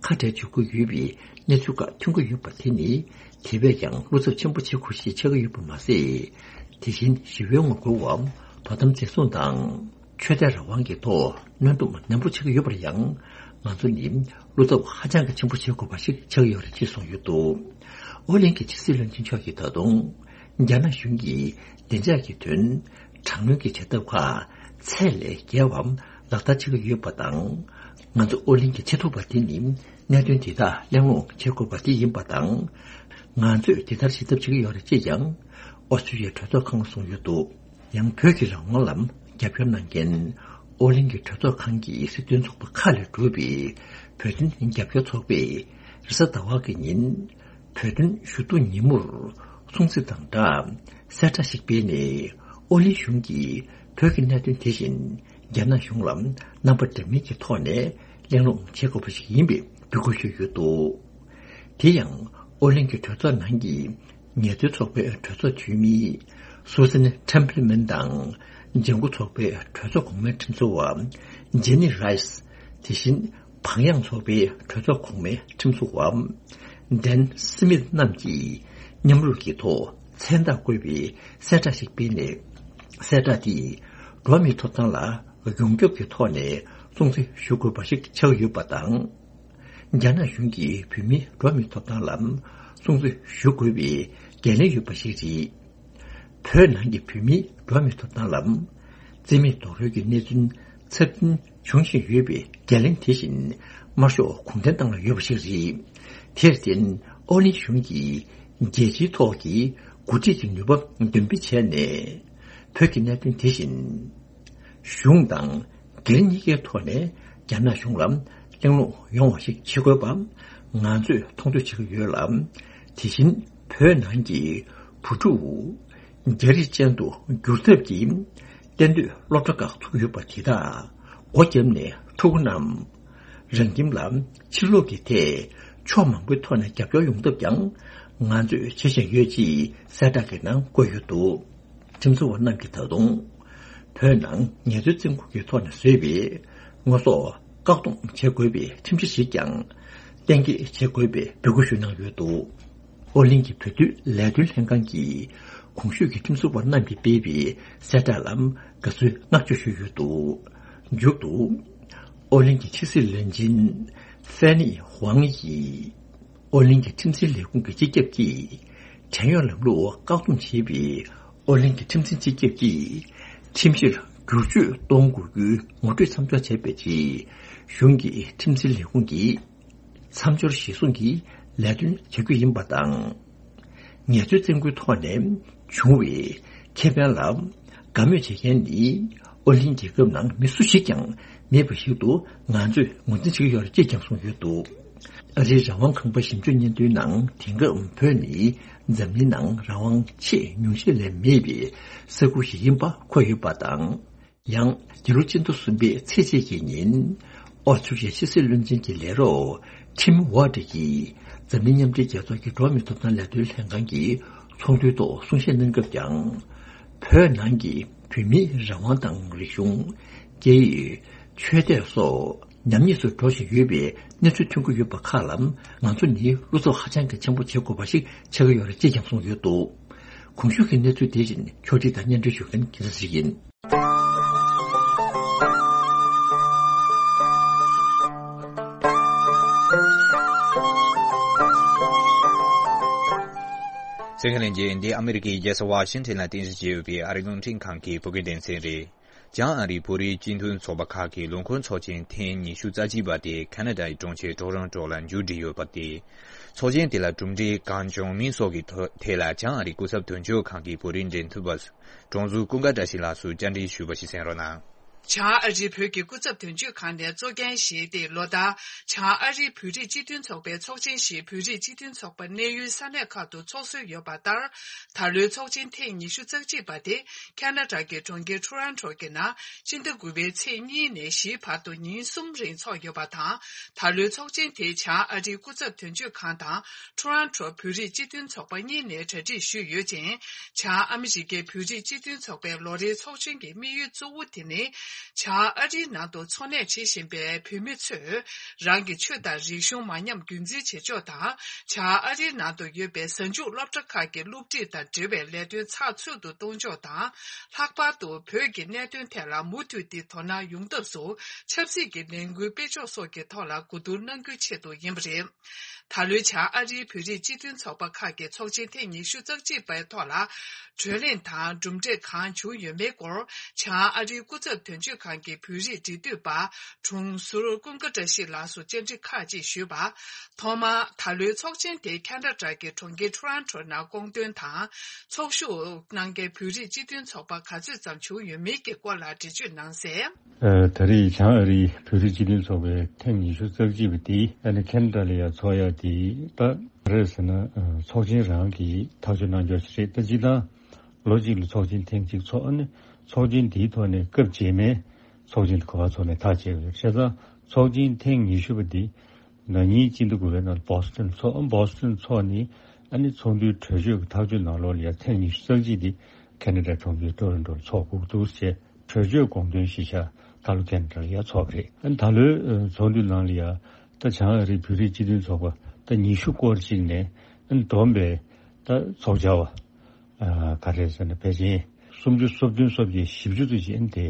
ཁ་བྲལ་བྱེད་ཀྱི་ཡོད་པའི་གནས་ཚུལ་ཁག་ཐོན་གྱི་ཡོད་པ་དེ་ནི། དེ་བས་ཀྱང་བློ་འཚབ་ཆེན་པོ་བྱེད་དགོས་ཞེས་ཆགས་ཀྱི་ཡོད་པ་མ་ཟད། དེ་བཞིན་ཞི་བའི་ངོ་རྒོལ་བ། དོ་དམ་འཛིན་བཟུང་དང་། ཆོས་དད་རང་དབང་གི་ཐོག་གནོན་སྡོམ་ནན་པོ་བྱེད་ཀྱི་ཡོད་པར་ཡང་། ང་ཚོ་ནི་བློ་འཚབ་ཧ་ཅང་གི་ཆེན་པོ་བྱེད་དགོས་པ་ཞིག་ཆགས་ཡོད་རེད་ཅེས་གསུངས་ཡོད་འདུག། ཨོ་གླིང་གི་ཕྱི་སྲིད་བློན་ཆེན་མཆོག་གིས་ད་དུང་། རྒྱ་ནག་གཞུང་གིས་བདེ་འཇགས་ཀྱི་དོན། དྲག་གནོན་གྱི་བྱེད་ཐབས་ཁག་ཚད་ལས་བརྒལ་བ་ལག་བསྟར་བྱེད་ཀྱི་ཡོད་པ་དང་། ང་ཚོ་ཨོ་གླིང་གི་ཆེས་མཐོ་བ་དེ་ནི་གནད་དོན་དེ་དག་གླེང་སློང་བྱེད་དགོས་པ་དེ་ཡིན་པ་དང་། ང་ཚོས་དེ་ལྟར་ཞིབ་ལྟ་བྱེད་ཀྱི་ཡོད་རེད་ཅེས་ཀྱང་ཨོ་སི་ཀྲི་ལི་ཡའི་གྲོས་ཚོགས་ཁང་ལ་གསུངས་ཡོད་འདུག། ཡང་བོད་ཀྱི་རང་དབང་ལ་རྒྱབ་སྐྱོར་གནང་མཁན་ཨོ་གླིང་གི་གྲོས་ཚོགས་ཁང་གི་སྲིད་དོན་ཚོགས་པ་ཁག་ལས་གྲུབ་པའི་བོད་དོན་རྒྱབ་སྐྱོར་ཚོགས་པས་རེས་གཟའ་ཟླ་བ་གི་ཉིན་བོད་དོན་ཞུ་གཏུག་ཉིན་མོར་སྲུང་བརྩི་དང་སྦྲགས་གསལ་བསྒྲགས་ཤིག་སྤེལ་ནས། ཨོ་གླིང་གཞུང་གིས་བོད་ཀྱི་གནད་དོན་དེ་བཞིན་རྒྱ་ནག་གཞུང་ལ་རྣམ་པ་འདྲ་མིན་གྱི་ཐོག་ནས་གླེང་སློང་བྱེད་དགོས་པ་ཞིག་ཡིན་པའི་འབོད་སྐུལ་ཞུས་ཡོད་འདུག། དེ་ཡང་ཨོ་གླིང་གི་གྲོས་ཚོགས་ནང་གི་ངལ་རྩོལ་ཚོགས་པའི་གྲོས་ཚོགས་འཐུས་མི་སུ་སན་ཊེམ་པལ་མན་དང་། ལྗང་ཁུ་ཚོགས་པའི་གྲོས་ཚོགས་གོང་མའི་ཁྲིམས་བཟོ་བ་ཇེ་ནི་རའི་སི། དེ་བཞིན་བག་ཡངས་ཚོགས་པའི་གྲོས་ཚོགས་གོང་མའི་ཁྲིམས་བཟོ་བ་ཌན་སི་མིད་རྣམས་ཀྱིས་མཉམ་རུབ་ཀྱི་ཐོག་མཚན་རྟགས་བཀོད་པའི་གསལ་བསྒྲགས་ཤིག་སྤེལ་ནས། གསལ་བསྒྲགས་དེས་འགྲོ་བ་མིའི་ཐོབ་ཐང་ལ་ཡོངས་ཁྱབ་ཀྱི་ཐོག་ནས་སྲུང་བརྩི་ཞུ་དགོས་པ་ཞིག་ཆགས་ཡོད་པ་དང་། རྒྱ་ནག་གཞུང་གིས་བོད་མིའི་འགྲོ་བ་མིའི་ཐོབ་ཐང་ལ་སྲུང་བརྩི་ཞུ་དགོས་པའི་འགན་ལེན་ཡོད་པ་ཞིག་རེད། བོད་ནང་གི་བོད་མིའི་འགྲོ་བ་མིའི་ཐོབ་ཐང་ལ་བརྩི་མེད་རྡོག་རོལ་གྱི་གནས་ཚུལ་ཚབས་ཆེན་འབྱུང་བཞིན་ཡོད་པའི་འགན་ལེན་དེ་བཞིན་དམར་ཤོག་གུང་ཁྲན་ཏང་ལ་ཡོད་པ་ཞིག་རེད། དེར་བརྟེན་ཨོ་གླིང་གཞུང་གིས་རྒྱལ་སྤྱིའི་ཐོག་གི་འགོ་ཁྲིད་ཀྱི་ནུས་པ་འདོན་སྤེལ་བྱས་ནས། བོད་ཀྱི་གནད་དོན་དེ་བཞིན་གཞུང་དང་སྒེར་གཉིས་ཀའི་ཐོག་ནས་རྒྱ་ནག་གཞུང་ལ་གླེང་སློང་ཡོང་བ་ཞིག་བྱེད་དགོས་པ་ང་ཚོས་མཐོང་ཆོས་བྱེད་ཀྱི་ཡོད་ལ། དེ་བཞིན་བོད་ནང་གི་བུ་ཕྲུག་རྒྱ་རིགས་ཅན་དུ་འགྱུར་ཐབས་ཀྱི་གཏན་སྡོད་སློབ་གྲྭ་ཁག་ཚུགས་ཡོད་པ་དེ་དག་སྒོ་བརྒྱབ་ནས་ཕྲུ་གུ་རྣམས་རང་ཁྱིམ་ལ་ཕྱིར་ལོག་གི་ཐད་ཕྱོགས་མང་པོའི་ཐོག་ནས་རྒྱབ་སྐྱོར་ཡོང་ཐབས་ཀྱང་ང་ཚོས་བྱེད་བཞིན་ཡོད་ཅེས་གསལ་བསྒྲགས་ཀྱི་ནང་བཀོད་ཡོད་འདུག། ཁྲིམས་བཟོ་བ་རྣམས་ཀྱིས་ད་དུང་བོད་ནང་ངལ་རྩོལ་བཙོན་ཁང་གི་ཐོག་ནས་བཟོས་པའི་དངོས་ཟོག་བཀག་སྡོམ་བྱེད་དགོས་པའི་ཁྲིམས་གཞི་ཞིག་ཀྱང་གཏན་འཁེལ་བྱེད་དགོས་པའི་འབོད་སྐུལ་ཞུ་གནང་ཡོད་འདུག། ཨོ་གླིང་གི་བོད་དོན་ལས་དོན་ལྷན་ཁང་གིས་གོང་ཞུས་ཀྱི་ཁྲིམས་བཟོ་བ་རྣམས་ཀྱིས་སྤེལ་བའི་གསལ་བསྒྲགས་ལ་དགའ་བསུའི་བསྔགས་བརྗོད་ཞུས་ཡོད་འདུག། མཇུག་ཏུ་ཨོ་གླིང་གི་ཕྱི་སྲིད་བློན་ཆེན་ཧྥན་ནི་ཧུའང་ཡིས། ཨོ་གླིང་གི་ཁྲིམས་འཛིན་ལས་ཁུངས་ཀྱི་སྤྱི་ཁྱབ་ཀྱིས་བྲན་གཡོག་ལམ་ལུགས་བཀག་སྡོམ་བྱས་པའི་ཨོ་གླིང་གི་ཁྲིམས་འཛིན་སྤྱི་ཁྱབ་ཀྱིས་ཁྲིམས་གཞིར་བསྒྱུར་བཅོས་གཏོང་དགོས་རྒྱུའི་ངོ་སྤྲོད་མཚམས་འཇོག་བྱས་པའི་རྗེས། གཞུང་གི་ཁྲིམས་འཛིན་ལས་ཁུངས་ཀྱིས་མཚམས་སྦྱོར་གཞིར་བཟུང་གིས་ལས་དོན་བྱ་རྒྱུ་ཡིན་པ་དང་། ངལ་རྩོལ་བཙོན་ཁང་ཐོག་ནས་བྱུང་བའི་ཁེ་ཕན་ལ་དགའ་མོས་བྱེད་མཁན་ནི་ཨོ་གླིང་རྒྱལ་ཁབ་ནང་མི་སུ་ཞིག་ཀྱང་མེད་པ་ཞིག་ཏུ་ང་ཚོས་ངོས་འཛིན་བྱེད་ཀྱི་ཡོད་རེད་ཅེས་ཀྱང་གསུངས་ཡོད་འདུག། ཨ་རིའི་རང་དབང་ཁང་པ་ཞིབ་འཇུག་སྙན་ཐོའི་ནང་དེང་སྐབས་བོད་ནི་འཛམ་གླིང་ནང་རང་དབང་ཆེས་ཉུང་ཤས་ལས་མེད་པའི་ས་ཁུལ་ཞིག་ཡིན་པ་འཁོད་ཡོད་པ་དང་། ཡང་འདི་ལོ་སྤྱི་ཟླ་གསུམ་པའི་ཚེས་གཅིག་གི་ཉིན་ཨོ་སི་ཀྲི་ལི་ཡའི་ཕྱི་སྲིད་བློན་ཆེན་གྱི་ལས་རོགས་ཁྲིམ་ཝར་ཌི་ཡིས་འཛམ་གླིང་མཉམ་འབྲེལ་རྒྱལ་ཚོགས་ཀྱི་འགྲོ་བ་མིའི་ཐོབ་ཐང་ལས་དོན་ལྷན་ཁང་གི་ཚོགས་འདུའི་ཐོག་གསུང་བཤད་གནང་སྐབས་ཀྱང་། བོད་ནང་གི་བོད་མིའི་རང་དབང་དང་རིག་གཞུང་། སྐད་ཡིག་ཆོས་དད་སོགས་ཉམས་ཉེས་སུ་འགྲོ་བཞིན་ཡོད་པའི་གནས་ཚུལ་ཐོན་གྱི་ཡོད་པ་ཁག་ལ་ང་ཚོ་ནི་བློ་འཚབ་ཧ་ཅང་གི་ཆེན་པོ་བྱེད་དགོས་པ་ཞིག་ཆགས་ཀྱི་ཡོད་རེད་ཅེས་ཀྱང་གསུངས་ཡོད་འདུག། གོང་ཞུས་ཀྱི་གནས་ཚུལ་དེ་བཞིན་ཕྱོགས་སྒྲིག་དང་སྙན་སྒྲོན་ཞུ་མཁན་གྱི་ས་ཞིག་ཡིན། གསན་མཁན་ལྷན་རྒྱས། འདི་ཨ་མི་རི་ཀའི་རྒྱལ་ས་ཝ་ཤིང་ཊོན་ལ་རྟེན་གཞི་བྱས་ཡོད་པའི་ཨ་རིའི་རླུང་འཕྲིན་ཁང་གི་བོད་སྐད་སྡེ་ཚན་རེད། བྱང་ཨ་རིའི་བོད་རིགས་སྤྱི་མཐུན་ཚོགས་པ་ཁག་གི་ལོ་འཁོར་ཚོགས་ཆེན་ཐེངས་ཉི་ཤུ་རྩ་གཅིག་པ་དེ་ཁ་ན་ཌའི་གྲོང་ཁྱེར་ཊོ་རོན་ཊོ་ལ་མཇུག་བསྒྲིལ་ཡོད་པ་དེ། ཚོགས་ཆེན་དེ་ལ་གྲུབ་འབྲས་གང་བྱུང་མིན་སོགས་ཀྱི་ཐོག་ཐད་ལ་བྱང་ཨ་རིའི་སྐུ་ཚབ་དོན་གཅོད་ཁང་གི་བོད་རིགས་འབྲེལ་མཐུད་པ་ཀྲོང་ཚོ་ཀུན་དགའ་བཀྲ་ཤིས་ལགས་སུ་བཅར་འདྲི་ཞུས་པ་ཞིག་གསན་རོགས་གནང་། བྱང་ཨ་རིའི་བོད་ཀྱི་སྐུ་ཚབ་དོན་གཅོད་ཁང་ནས་གཙོ་འགན་བཞེས་ཏེ། ལོ་ལྟར་བྱང་ཨ་རིའི་བོད་རིགས་སྤྱི་མཐུན་ཚོགས་པའི་ཚོགས་ཆེན་ཞིག་བོད་རིགས་སྤྱི་མཐུན་ཚོགས་པ་གནས་ཡུལ་ས་གནས་ཁག་ཏུ་འཚོགས་སྲོལ་ཡོད་པ་ལྟར། ད་ལོའི་ཚོགས་ཆེན་ཐེངས་ཉི་ཤུ་རྩ་གཅིག་པ་དེ་ཁ་ན་ཌ་གི་གྲོང་ཁྱེར་ཊོ་རོན་ཊོ་གི་ནང་སྤྱི་ཟླ་དགུ་པའི་ཚེས་གཉིས་ནས་བཞིའི་བར་དུ་ཉིན་གསུམ་རིང་འཚོགས་ཡོད་པ་དང་། ད་ལོའི་ཚོགས་ཆེན་དེ་བྱང་ཨ་རིའི་སྐུ་ཚབ་དོན་གཅོད་ཁང་དང་། ཊོ་རོན་ཊོ་བོད་རིགས་སྤྱི་མཐུན་ཚོགས་པ་གཉིས་ནས་གྲ་སྒྲིག་ཞུས་ཡོད་ཅིང་། བྱང་ཨ་མི་རི་ཀའི་བོད་རིགས་སྤྱི་མཐུན་ཚོགས་པའི་ལོ་རེའི་ཚོགས་ཆེན་གྱི་དམིགས་ཡུལ་གཙོ་བོ་དེ་ནི། བྱང་ཨ་རིའི་ནང་དུ་འཚོ་གནས་བྱེད་བཞིན་པའི་བོད་མི་ཚོས་རང་གི་ཆོས་དང་རིག་གཞུང་མ་ཉམས་རྒྱུན་འཛིན་བྱེད་ཕྱོགས་དང་། བྱང་ཨ་རིའི་ནང་དུ་ཡོད་པའི་གཟའ་མཇུག་སློབ་གྲྭ་ཁག་གི་སློབ་ཁྲིད་དང་འབྲེལ་བའི་ལས་དོན་ཚགས་ཚུད་དུ་གཏོང་ཕྱོགས་དང་། ལྷག་པར་དུ་བོད་ཀྱི་གནད་དོན་ཐད་ལ་མུ་མཐུད་དེ་དོ་སྣང་ཡོང་ཐབས་སུ་ཆབ་སྲིད་ཀྱི་ལས་འགུལ་སྤེལ་ཕྱོགས་སོགས་ཀྱི་ཐོག་ལ་གོ་བསྡུར་གནང་རྒྱུའི་ཆེད་དུ་ཡིན་པ་རེད། ད་ལོའི་བྱང་ཨ་རིའི་བོད་རིགས་སྤྱི་མཐུན་ཚོགས་པ་ཁག་གི་ཚོགས་ཆེན་ཐེངས་ཉི་ཤུ་རྩ་གཅིག་པའི་ཐོག་ལ། གྲོས་གླེང་དང་གྲུབ་འབྲས་གང་བྱུང་ཡོད་མེད་སྐོར། བྱང་ཨ་རིའི་སྐུ་ཚབ་དོན་གཅོད་ཁང་གི་བོད་རིགས་འབྲེལ་མཐུད་པ་དྲུང་ཟུར་ཀུན་དགའ་བཀྲ་ཤིས་ལགས་སུ་བཅར་འདྲི་ཁག་ཅིག་ཞུས་པ། ཐོག་མར་ད་ལོའི་ཚོགས་ཆེན་དེ་ཁ་ན་ཌ་གི་གྲོང་ཁྱེར་ཊོ་རོན་ཊོ་ནང་སྐོང་འདོན་དང་། ཚོགས་ཞུགས་གནང་མཁན་བོད་རིགས་སྤྱི་མཐུན་ཚོགས་པ་ག་ཚོད་ཙམ་བྱུང་ཡོད་མེད་ཀྱི་སྐོར་ལ་འགྲེལ་བརྗོད་གནང་གསལ། ཨ། ད་རེས་བྱང་ཨ་རིའི་བོད་རིགས་སྤྱི་མཐུན་ཚོགས་པའི་ཐེངས་ཉི་ཤུ་རྩ་གཅིག་པ་དེ་ཨ་ནི་ཁ་ན་ཌ་ལ་ཡང་ཚོགས་ཡག་དེ་ད་ག་རེ་ཟེར་ན། ཨ། ཚོགས་ཆེན་རང་གིས་ཐག་གཅོད་གནང་ཕྱོགས་ཤིག་རེད། ད་སྤྱིར་བཏང་ལོ་གཅིག་ལ་ཚོགས་ཆེན་ཐེངས་གཅིག་ཚོགས། ཨ་ནི་ཚོགས་ཆེན་དེའི་ཐོག་ནས་སྐབས་རྗེས་མའི་ཚོགས་ཆེན་དེ་ག་པར་ཚོགས་ནས་ཐག་བཅད་པ་རེད། བྱས་ཙང་ཚོགས་ཆེན་ཐེངས་ཉི་ཤུ་པ་དེ་ན་ནིང་སྤྱི་ཟླ་དགུ་པའི་ནང་བོ་སི་ཊོན་ཚོགས། བོ་སི་ཊོན་ཚོགས་ནས་ཨ་ནི་ཚོགས་འདུའི་གྲོས་ཆོད་ཀྱི་ཐག་གཅོད་ནང་ལོགས་ལ་ཡང་ཐེངས་ཉི་ཤུ་རྩ་གཅིག་དེ་ཁ་ན་ཌའི་གྲོང་ཁྱེར་ཊོ་རོན་ཊོར་ཚོགས་དགོས་འདུག་ཅེས་གྲོས་ཆོད་དགོངས་དོན་གཞིར་བཞག་ད་ལོ་ཁ་ན་ཌ་ལ་ཡང་ཚོགས་པ་རེད། ཨ་ནི་ད་ལོའི་ཨ་ཚོགས་འདུའི་ནང་ལ་ཡང་ད་བྱང་ཨ་རིའི་བོད་རིགས་སྤྱི་མཐུན་ཚོགས་པ་ད་ཉི་ཤུ་སྐོར་ཅིག་ནས་ཨ་ནི་བསྡོམས་པའི་ད་ཚོགས་བཅར་བ་ཨ་ག་རེ་ཟེར་ན་ཕལ་ཆེར་སུམ་ཅུ་སོ་བདུན་སོ་བརྒྱད་བཞི་བཅུ་ཙམ་ཞིག་ཨ་ནི་དེ་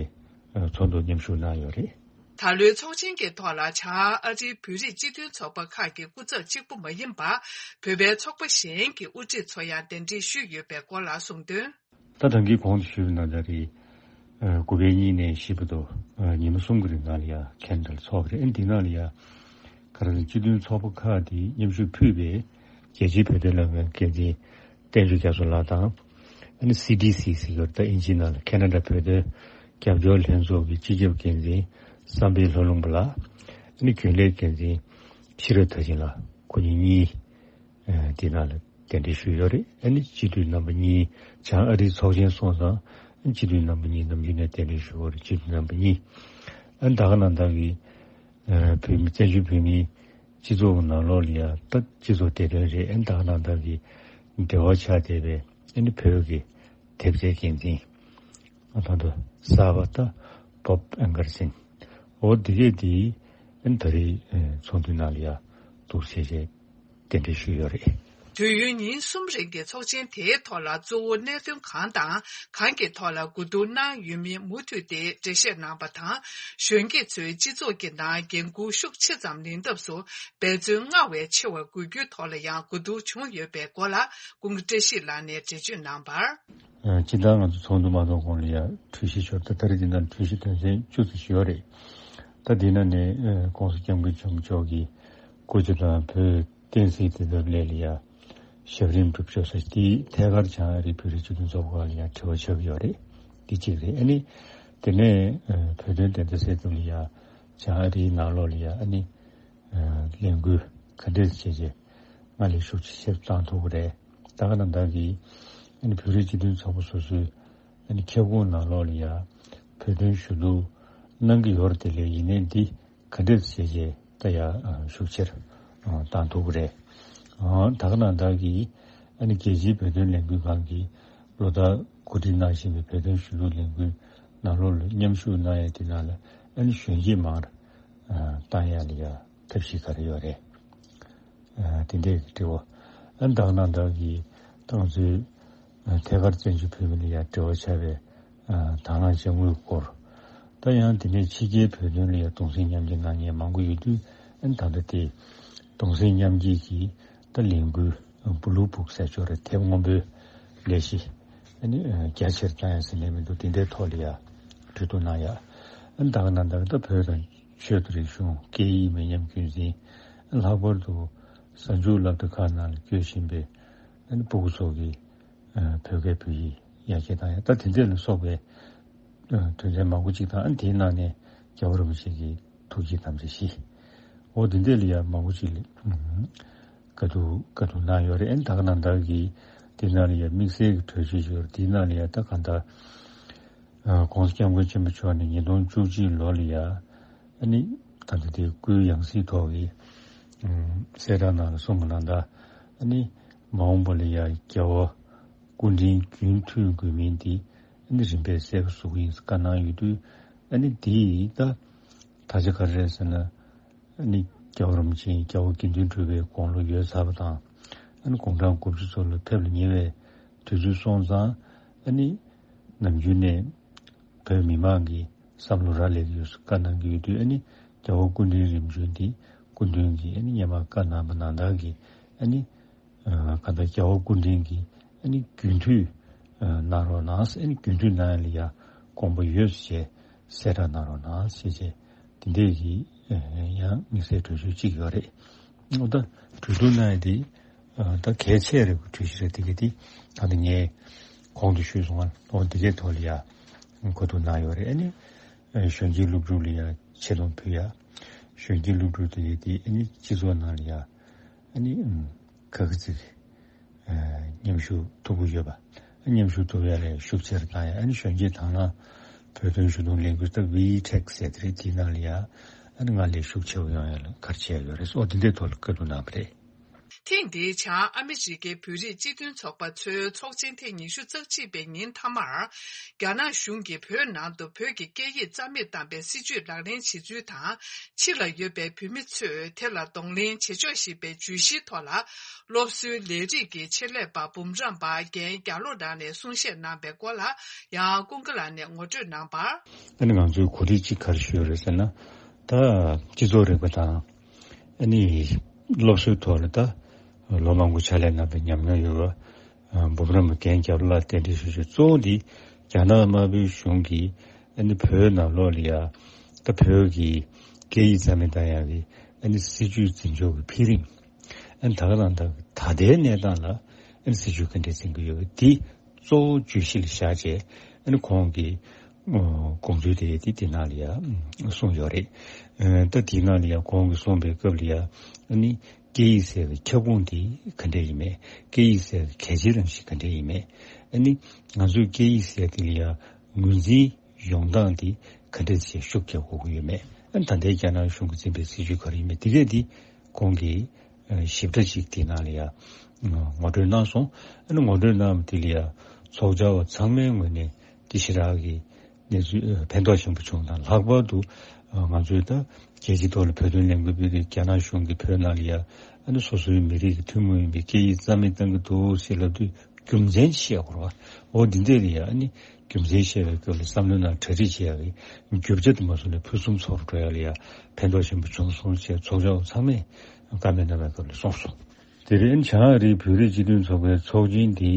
ཨ་ཚོགས་འདུར་མཉམ་ཞུགས་གནང་ཡོད་རེད། ད་ལོའི་ཚོགས་ཆེན་གྱི་ཐོག་ལ་བྱང་ཨ་རིའི་བོད་རིགས་སྤྱི་མཐུན་ཚོགས་པ་ཁག་གི་སྐུ་ཚབ་གཅིག་པུ་མ་ཡིན་པར་བོད་པའི་ཚོགས་པ་གཞན་གྱི་དབུ་ཁྲིད་ཚོ་ཡང་གདན་འདྲེན་ཞུས་ཡོད་པའི་སྐོར་ལ་གསུངས་དོན། ད་ད་གིན་གོང་དུ་ཞུས་པ་ནང་ལྟར་རེད། ཨ། དགུ་པའི་གཉིས་ནས་བཞི་བར་དུ་ཨ་ཉི་མ་གསུམ་གྱི་རིང་ལ་ཡང་ཁ་ན་ཌར་ཚོགས་པ་རེད། ཨ་ནི་འདི་ནང་ལ་ཡང་ག་རེ་ཟེར་ན་སྤྱི་མཐུན་ཚོགས་པ་ཁག་དེ་མཉམ་ཞུགས་ཕུལ་བའི་རྒྱལ་སྤྱིའི་བོད་དོན་ལྷན་ཁང་འགན་འཛིན་བསྟན་ཆོས་རྒྱ་མཚོ་ལགས་དང་། ཨ་ནི་སི་ཌི་སི་ཟེར་གྱི་ཡོད་རེད། ད་དབྱིན་ཇིའི་ནང་ལ་ཁ་ན་ཌ་བོད་དོན་རྒྱབ་སྐྱོར་ལྷན་ཚོགས་ཀྱི་སྤྱི་ཁྱབ་འགན་འཛིན་བསམ་འཕེལ་ལྷོ་ལུང་པ་ལགས། ཨ་ནི་རྒྱུན་ལས་འགན་འཛིན་ཤེས་རབ་མཐར་ཕྱིན་ལགས། ཁོ་གཉིས་གཉིས། ཨ། དེ་ནང་ལ་གདན་འདྲེན་ཞུས་ཡོད་རེད། ཨ་ནི་སྤྱི་འཐུས་རྣམ་པ་གཉིས། བྱང་ཨ་རིའི་ཚོགས་ཆེན་སོང་ཙང་སྤྱི་འཐུས་རྣམ་པ་གཉིས་ནམ་རྒྱུན་ནས་གདན་འདྲེན་ཞུ་དགོས་རེད། སྤྱི་འཐུས་རྣམ་པ་གཉིས། ཨ་ནི་ད་ག་ནང་བཞིན་གྱི་ཨ་བོད་མི་བཙན་བྱོལ་བོད་མིའི་སྤྱི་ཚོགས་ཀྱི་ནང་ལོགས་ལ་ཡང་ད་སྤྱི་ཚོགས་བདེ་དོན་རེད། ཨ་ནི་ད་ག་ནང་བཞིན་གྱི་འབྲེལ་བ་ཆགས་བསྡད་པའི་ཨ་ནི་བོད་ཀྱི་དེབ་སྐྱེལ་འགན་འཛིན། ཨ། ད་ལྟ་གསར་པ་ད་བོབ་ཨན་ཀར་སན། འོ་དེ་གས་དེ་ཨ་ནི་ད་རེས་ཨ་ཚོགས་འདུའི་ནང་ལ་ཡང་འདུག་བྱས་བྱས་གདན་འདྲེན་ཞུས་ཡོད་རེད། དུས་ཡུན་ཉིན་གསུམ་རིང་གི་ཚོགས་ཆེན་དེའི་ཐོག་ལ་གཙོ་བོ་གནད་དོན་གང་དང་གང་གི་ཐོག་ལ་གོ་བསྡུར་གནང་ཡོད་མིན་མུ་མཐུད་དེ་འགྲེལ་བཤད་གནང་བ་དང་། གཞོན་སྐྱེས་ཚོས་སྤྱི་ཚོགས་ཀྱི་ནང་འགན་འཁུར་ཤུགས་ཆེ་ཙམ་ལེན་ཐབས་སུ་འབད་བརྩོན་སྔར་བས་ཆེ་བ་དགོས་རྒྱུའི་ཐོག་ལ་ཡང་གོ་བསྡུར་བྱུང་ཡོད་པའི་སྐོར་ལ་ཀུན་དགའ་བཀྲ་ཤིས་ལགས་ནས་འགྲེལ་བརྗོད་གནང་བར། ཨ། སྤྱིར་བཏང་ང་ཚོ་ཚོགས་འདུ་མ་གཏོགས་གོང་ལ་ཡང་གྲོས་གཞི་ཤོར། ད་ད་རེས་འདི་ནང་གྲོས་གཞི་དོན་ཚན་བཅུ་ཙམ་ཞིག་ཡོད་རེད། ད་འདི་ནང་ནས་ཨ་༸གོང་ས་༸སྐྱབས་མགོན་ཆེན་པོ་མཆོག་གིས་སྐུ་ཚེ་དང་བོད་བསྟན་སྲིད་བདེན་མཐའ་སླད་ལ་ཡང་ཞབས་རིམ་སྒྲུབ་ཕྱོགས་སོགས་དེ་ཐད་ཀར་བྱང་ཨ་རིའི་བོད་རིགས་སྤྱི་མཐུན་ཚོགས་པ་ལ་ཡང་དྲི་བ་ཆགས་ཀྱི་ཡོད་རེད། འདི་གཅིག་རེད། ཨ་ནི་དེ་ནས་ཨ་བོད་དོན་བདེན་མཐའ་གསལ་ཐབས་ལ་ཡང་བྱང་ཨ་རིའི་ནང་ལོགས་ལ་ཡང་ཨ་ནི་ལས་འགུལ་ག་འདྲས་བྱས་རྗེས་སྔར་ལས་ཤུགས་ཆེ་ཆེར་བཏང་ཐུབ་ཀྱི་རེད། ད་ག་ནང་བཞིན་གྱི་ཨ་ནི་བོད་རིགས་སྤྱི་མཐུན་ཚོགས་པ་སོ་སོའི་ཨ་ནི་ཁྱབ་ཁོངས་ནང་ལོགས་ལ་ཡང་བོད་དོན་ཞུ་གཏུག་གནང་གི་ཡོད་རེད། དེ་ལས་ཡིན་ནའི་འདི་ག་འདྲས་བྱས་རྗེས་ད་ཡང་ཤུགས་ཆེར་བཏང་ཐུབ་ཀྱི་རེད། ད་ག་ནང་བཞིན་གྱི་ཨ་ནི་རྒྱལ་སྤྱིའི་བོད་དོན་ལས་འགུལ་ཁང་གིས་ལོ་ལྟར་གོ་སྒྲིག་གནང་བཞིན་པའི་བོད་དོན་ཞུ་གཏུག་ལས་འགུལ་ནང་ལོགས་ལ་མཉམ་ཞུགས་གནང་ཡ་དེ་ནང་ལ་ཨ་ནི་གཞོན་སྐྱེས་མང་རུ་བཏང་ཡ་ལ་ཡ་ཐབས་ཤེས་ག་རེ་ཡོད་རེད། ཨ། དེ་འདྲའི་དྲི་བ། ཨ། ད་ག་ནང་བཞིན་གྱི་ད་ང་ཚོའི་ཨ་ཐད་ཀར་བཙན་བྱོལ་བོད་མི་ལ་ཡང་འབྲེལ་བ་ཆགས་པའི་ཨ་དང་བླངས་དཔྱ་དངུལ་སྐོར། ད་ཡང་དེ་ནས་ཕྱི་རྒྱལ་བོད་དོན་ལ་ཡང་གདུང་སེམས་མཉམ་སྐྱེད་གནང་མཁན་མང་པོ་ཡོད་དུས། ཨ་ནི་ད་ལྟ་དེ་གདུང་སེམས་མཉམ་སྐྱེད་ཀྱི་ད་ལས་འགུལ་བླུ་བུག་ཟེར་ཆོག་རེད། དེབ་སྔོན་པོའི་ལས་གཞི་ཨ་ནི་རྒྱ་ཆེར་བཏང་ཡ་ཟེར་ནས་མི་འདུག་དེ་འདྲའི་ཐོག་ལ་ཡང་ གྲོས་བསྡུར་གནང་ཡ། ཨ་ནི་ད་ག་ནང་ལྟར་ད་བོད་དང་ཆོས་དང་རིག་གཞུང་སྐད་ཡིག་མི་ཉམས་རྒྱུན་འཛིན། ལྷག་པར་དུ་གཟའ་མཇུག་སློབ་གྲྭ་ཁག་ནང་ལ་སྐྱོད་བཞིན་པའི་ཨ་ནི་སྤུ་གུ་ཚོ་གི་ཨ་བོད་སྐད་བོད་ཡིག་ཡར་རྒྱས་བཏང་ཡ། ད་དེ་འདྲ་ལ་སོགས་པའི་ཨ་དོན་ཚན་མང་པོ་ཅིག་དང་། ཨ་ནི་དེའི་ནང་ནས་རྒྱལ་བ་རིན་པོ་ཆེ་གི་ཐུགས་བསྐྱེད་དམ་བཅའ་བཞི། འོ་དེ་འདྲ་ལ་ཡ་མང་པོ་ཅིག་ལ་ཨ་བཀའ་བསྡུར་བཀའ་བསྡུར་གནང་ཡོད་རེད། ཨ་ནི་ད་ག་ནང་ལྟར་གྱི་དེ་ནང་ལ་ཡ་དམིགས་བསལ་གྱི་གྲོས་ཆོད་ཅིག་ཡོད་རེད། དེའི་ནང་ལ་ཡ་ད་གང་ལྟར་ཨ་༸གོང་ས་༸སྐྱབས་མགོན་ཆེན་པོ་མཆོག་ནས་ཉིས་སྟོང་བཅུ་གཅིག་ལོ་ལ་ཡ་ཨ་ནི་ད་ལྟ་དེ་སྐུའི་ཡང་སྲིད་ཐོག་གི་ཨ་གསལ་བསྒྲགས་ནང་ལ་གསུངས་པ་ནང་ལྟར། ཨ་ནི་མ་འོངས་པ་ལ་ཡ་རྒྱལ་བ་སྐུ་ཕྲེང་རྒྱུན་མཐུད་དགོས་མིན་དེ་ཨ་ནི་རིམ་པས་གསལ་པོ་བཟོ་གི་ཡིན་ཟེར་བཀའ་གནང་ཡོད་དུས། ཨ་ནི་དེ་ད་ད་ཆ་ག་རེ་རེད་ཟེར་ན། ཨ་ནི་རྒྱལ་བ་རིན་པོ་ཆེ་རྒྱལ་བ་དགེ་འདུན་གྲུབ་པའི་དགུང་ལོ་ཡོལ་ཚར་བ་དང་། ཨ་ནི་དགུང་གྲངས་དགུ་བཅུ་ཚོ་ལ་ཕེབས་ལ་ཉེ་བའི་དུས་ཚོད་སོང་ཙང་། ཨ་ནི་ནམ་རྒྱུན་ནས་བོད་མི་མང་གི་བསམ་བློ་རག་ལས་ཀྱི་ཡོད་ཟེར་བཀའ་གནང་གི་ཡོད་དུས། ཨ་ནི་རྒྱལ་བ་སྐུ་ཕྲེང་རིམ་བྱོན་དེ་སྐུ་མདུན་གྱིས་ཨ་ནི་སྔོན་མ་བཀའ་གནང་པ་ནང་ལྟར་གྱི་ཨ་ནི་ཨ་གང་ལྟར་རྒྱལ་བ་སྐུ་ཕྲེང་གིས་ཨ་ནི་རྒྱུན་མཐུད་ཨ་གནང་རོགས་གནང་ཟེར། ཨ་ནི་རྒྱུན་མཐུད་གནང་ཡ་ལ་ཡ་དགོངས་པ་ཡོད་ཟེར་གསལ་བསྒྲགས་གནང་རོགས་གནང་ཟེར་བྱས། དེ་འདྲས་ཀྱི་ཨ་ཡང་དམིགས་བསལ་གྲོས་ཆོད་ཅིག་ཡོད་རེད། འོ་ད་གྲོས་བསྡུར་གནང་ཡ་དེ་ཨ་ད་གལ་ཆེ་རེད་པ། གྲོས་གཞི་རེད། དེ་ག་དེ་ད་ལྟ་ངས་གོང་དུ་ཞུས་སོང་ང་། འོ་དེ་གའི་ཐོག་ལ་ཡ་གོ་བསྡུར་གནང་ཡོད་རེད། ཨ་ནི་ཨ་གཞོན་སྐྱེས་སློབ་ཕྲུག་ལ་ཡ་ཆེ་མཐོང་ཕུལ་ཡ། གཞོན་སྐྱེས་སློབ་ཕྲུག་དེ་ག་དེ་ཨ་ནི་སྤྱི་ཚོགས་ནང་ལ་ཡ་ཨ་ནི་ཨམ་ཁ་ཁ་ཚིག་ཨ་མཉམ་ཞུགས་ཐུབ་ཀྱི་ཡོད་པ། ཨ་མཉམ་ཞུགས་ཐུབ་ཡ་ལ་ཤུགས་ཆེ་རུ་བཏང་ཡ། ཨ་ནི་གཞོན་སྐྱེས་དང་བླངས་བོད་དོན་ཞུ་གཏུག་ལས་འགུལ་ད་ཝི་ཊེག་ཟེར་དེ་རེད། དེའི་ནང་ལ་ཡ་ཨ་ནི་སྔར་ལས་ཤུགས་ཆེ་བ་ཡོང་ཡ་ལ་གལ་ཆེ་ཡ་ཡོད་རེད། ཨོ་དེ་འདྲའི་ཐོག་ལ་བཀའ་བསྡུར་གནང་བ་རེད། ཐེངས་འདིའི་བྱང་ཨ་མི་རི་ཀའི་བོད་རིགས་སྤྱི་མཐུན་ཚོགས་པ་ཚོའི་ཚོགས་ཆེན་ཐེངས་ཉི་ཤུ་རྩ་གཅིག་པའི་ཉིན་མཐའ་མར། རྒྱ་ནག་གཞུང་གིས་བོད་ནང་དུ་བོད་ཀྱི་སྐད་ཡིག་རྩ་མེད་བཏང་པའི་སྲིད་ཇུས་ལག་ལེན་བྱེད་ཚུལ་དང་། ཕྱི་ལ་ཡོད་པའི་བོད་མི་ཚོས་དེ་ལ་གདོང་ལེན་བྱེད་ཆོག་ཞེས་པའི་བརྗོད་གཞིའི་ཐོག་ལ། སློབ་གསོའི་ལས་རིགས་ཀྱི་ཆེད་ལས་པ་འབུམ་རམས་པ་རྒན་རྒྱ་ལོ་རང་ནས་གསུང་བཤད་གནང་པའི་སྐོར་ལ་ཡང་ཀུན་དགའ་ལགས་ནས་ངོ་སྤྲོད་གནང་བར། ཨ་ནི་ང་ཚོས་གོ་སྒྲིག་ཅིག་ག་རེ་ཞུས་ཡོད་རེད་ཟེར་ན། ད་སྤྱི་ཚོགས་རིག་པ་དང་ཨ་ནི་སློབ་གསོའི་ཐོག་ལ་ད་ལོ་མང་པོ་ཕྱག་ལས་གནང་པའི་ཉམས་མྱོང་ཡོད་པ། ཨ་འབུམ་རམས་པ་རྒན་རྒྱ་ལོ་ལགས་རྟེན་འབྲེལ་ཞུ་ཞུ། གཙོ་བོ་འདི་རྒྱ་ནག་དམར་པོའི་གཞུང་གིས་ཨ་ནི་བོད་ནང་ལོགས་ལ་ཡ་ད་བོད་ཀྱི་སྐད་ཡིག་རྩ་མེད་བཏང་ཡག་གི་ཨ་ནི་སྲིད་ཇུས་འཛིན་ཕྱོགས་ཀྱི་འཕེལ་རིམ། ཨ་ནི་ད་ག་རང་ད་ད་ལྟའི་གནས་སྟངས་ལ་ཨ་ནི་སྲིད་ཇུས་ག་འདྲས་འཛིན་གྱི་ཡོད་པ་འདི་གཙོ་བོ་བརྗོད་གཞི་ལ་བཞག་བྱས། ཨ་ནི་ཁོང་གིས་ཨོ་དགོངས་ཚུལ་དེ་དེ་དེ་ནང་ལ་ཡ་གསུངས་ཡོད་རེད། ཨ་ད་དེའི་ནང་ལ་ཡ་ཁོང་གིས་གསུངས་པའི་སྐབས་ལ་ཡ་ཨ་ནི་སྐད་ཡིག་ཟེར་བའི་ཁྱབ་ཁོངས་དེ་ག་འདྲས་ཡིན་མེད། སྐད་ཡིག་ཟེར་བའི་གལ་ཆེའི་རང་བཞིན་ག་འདྲས་ཡིན་མེད། ཨ་ནི་ང་ཚོའི་སྐད་ཡིག་ཟེར་དེ་ལ་ཡ་ངོས་འཛིན་ཡོང་སྟངས་དེ་ག་འདྲས་བྱས་ཤུགས་རྒྱག་དགོས་ཀྱི་ཡོད་མེད། ཨ་ནི་ད་ལྟའི་རྒྱ་ནག་གཞུང་གིས་འཛིན་པའི་སྲིད་ཇུས་ག་རེ་ཡིན་མེད། དེ་གས་དེ་ཁོང་གིས་ཨ་ཞིབ་ཕྲ་ཞིག་དེ་ནང་ལ་ཡ་ངོ་སྤྲོད་གནང་སོང་། ཨ་ནི་ངོ་སྤྲོད་གནང་བ་དེ་ལ་ཡ་ཚོགས་བཅར་བ་ཚང་མའི་ངོས་ནས་དེ་ཞེ་དྲག་གི་གནས་ཚུལ་ཨ་ཕན་ཐོགས་ཆེན་པོ་བྱུང་དང་། ལྷག་པར་དུ་ཨ་ང་ཚོས་ད་རྒྱལ་སྤྱིའི་ཐོག་ལ་བོད་དོན་ལས་འགུལ་སྤེལ་དུས་རྒྱ་ནག་གཞུང་གིས་བོད་ནང་ལ་ཡ་ཨ་ནི་སོ་སོའི་མི་རིགས་ཀྱི་ཐུན་མོང་ཡིན་པའི་སྐད་ཡིག་རྩ་མེད་བཏང་གི་འདུག་ཟེར་ལབ་དུས། རྒྱུ་མཚན་བཤད་དགོས་རེད་བ། འོ་འདི་འདྲས་ལ་ཡ་ཨ་ནི་རྒྱུ་མཚན་བཤད་པའི་སྐབས་ལ་བསམ་བློའི་ནང་གྲ་སྒྲིག་བྱེད་ཡག་གི་རྒྱུ་ཆ་དེ་མ་སོང་ནས་ཕུན་སུམ་ཚོགས་སུ་འགྲོ་ཡག་ལ་ཡ་ཕན་ཐོགས་ཆེན་པོ་བྱུང་སོང་ཞེས་ཚོགས་བཅར་བ་ཚང་མས་བཀའ་མོལ་གནང་བའི་སྐབས་ལ་གསུངས་སོང་། དེ་རིང་བྱང་ཨ་རིའི་བོད་རིགས་སྤྱི་མཐུན་ཚོགས་པའི་ཚོགས་ཆེན་འདི་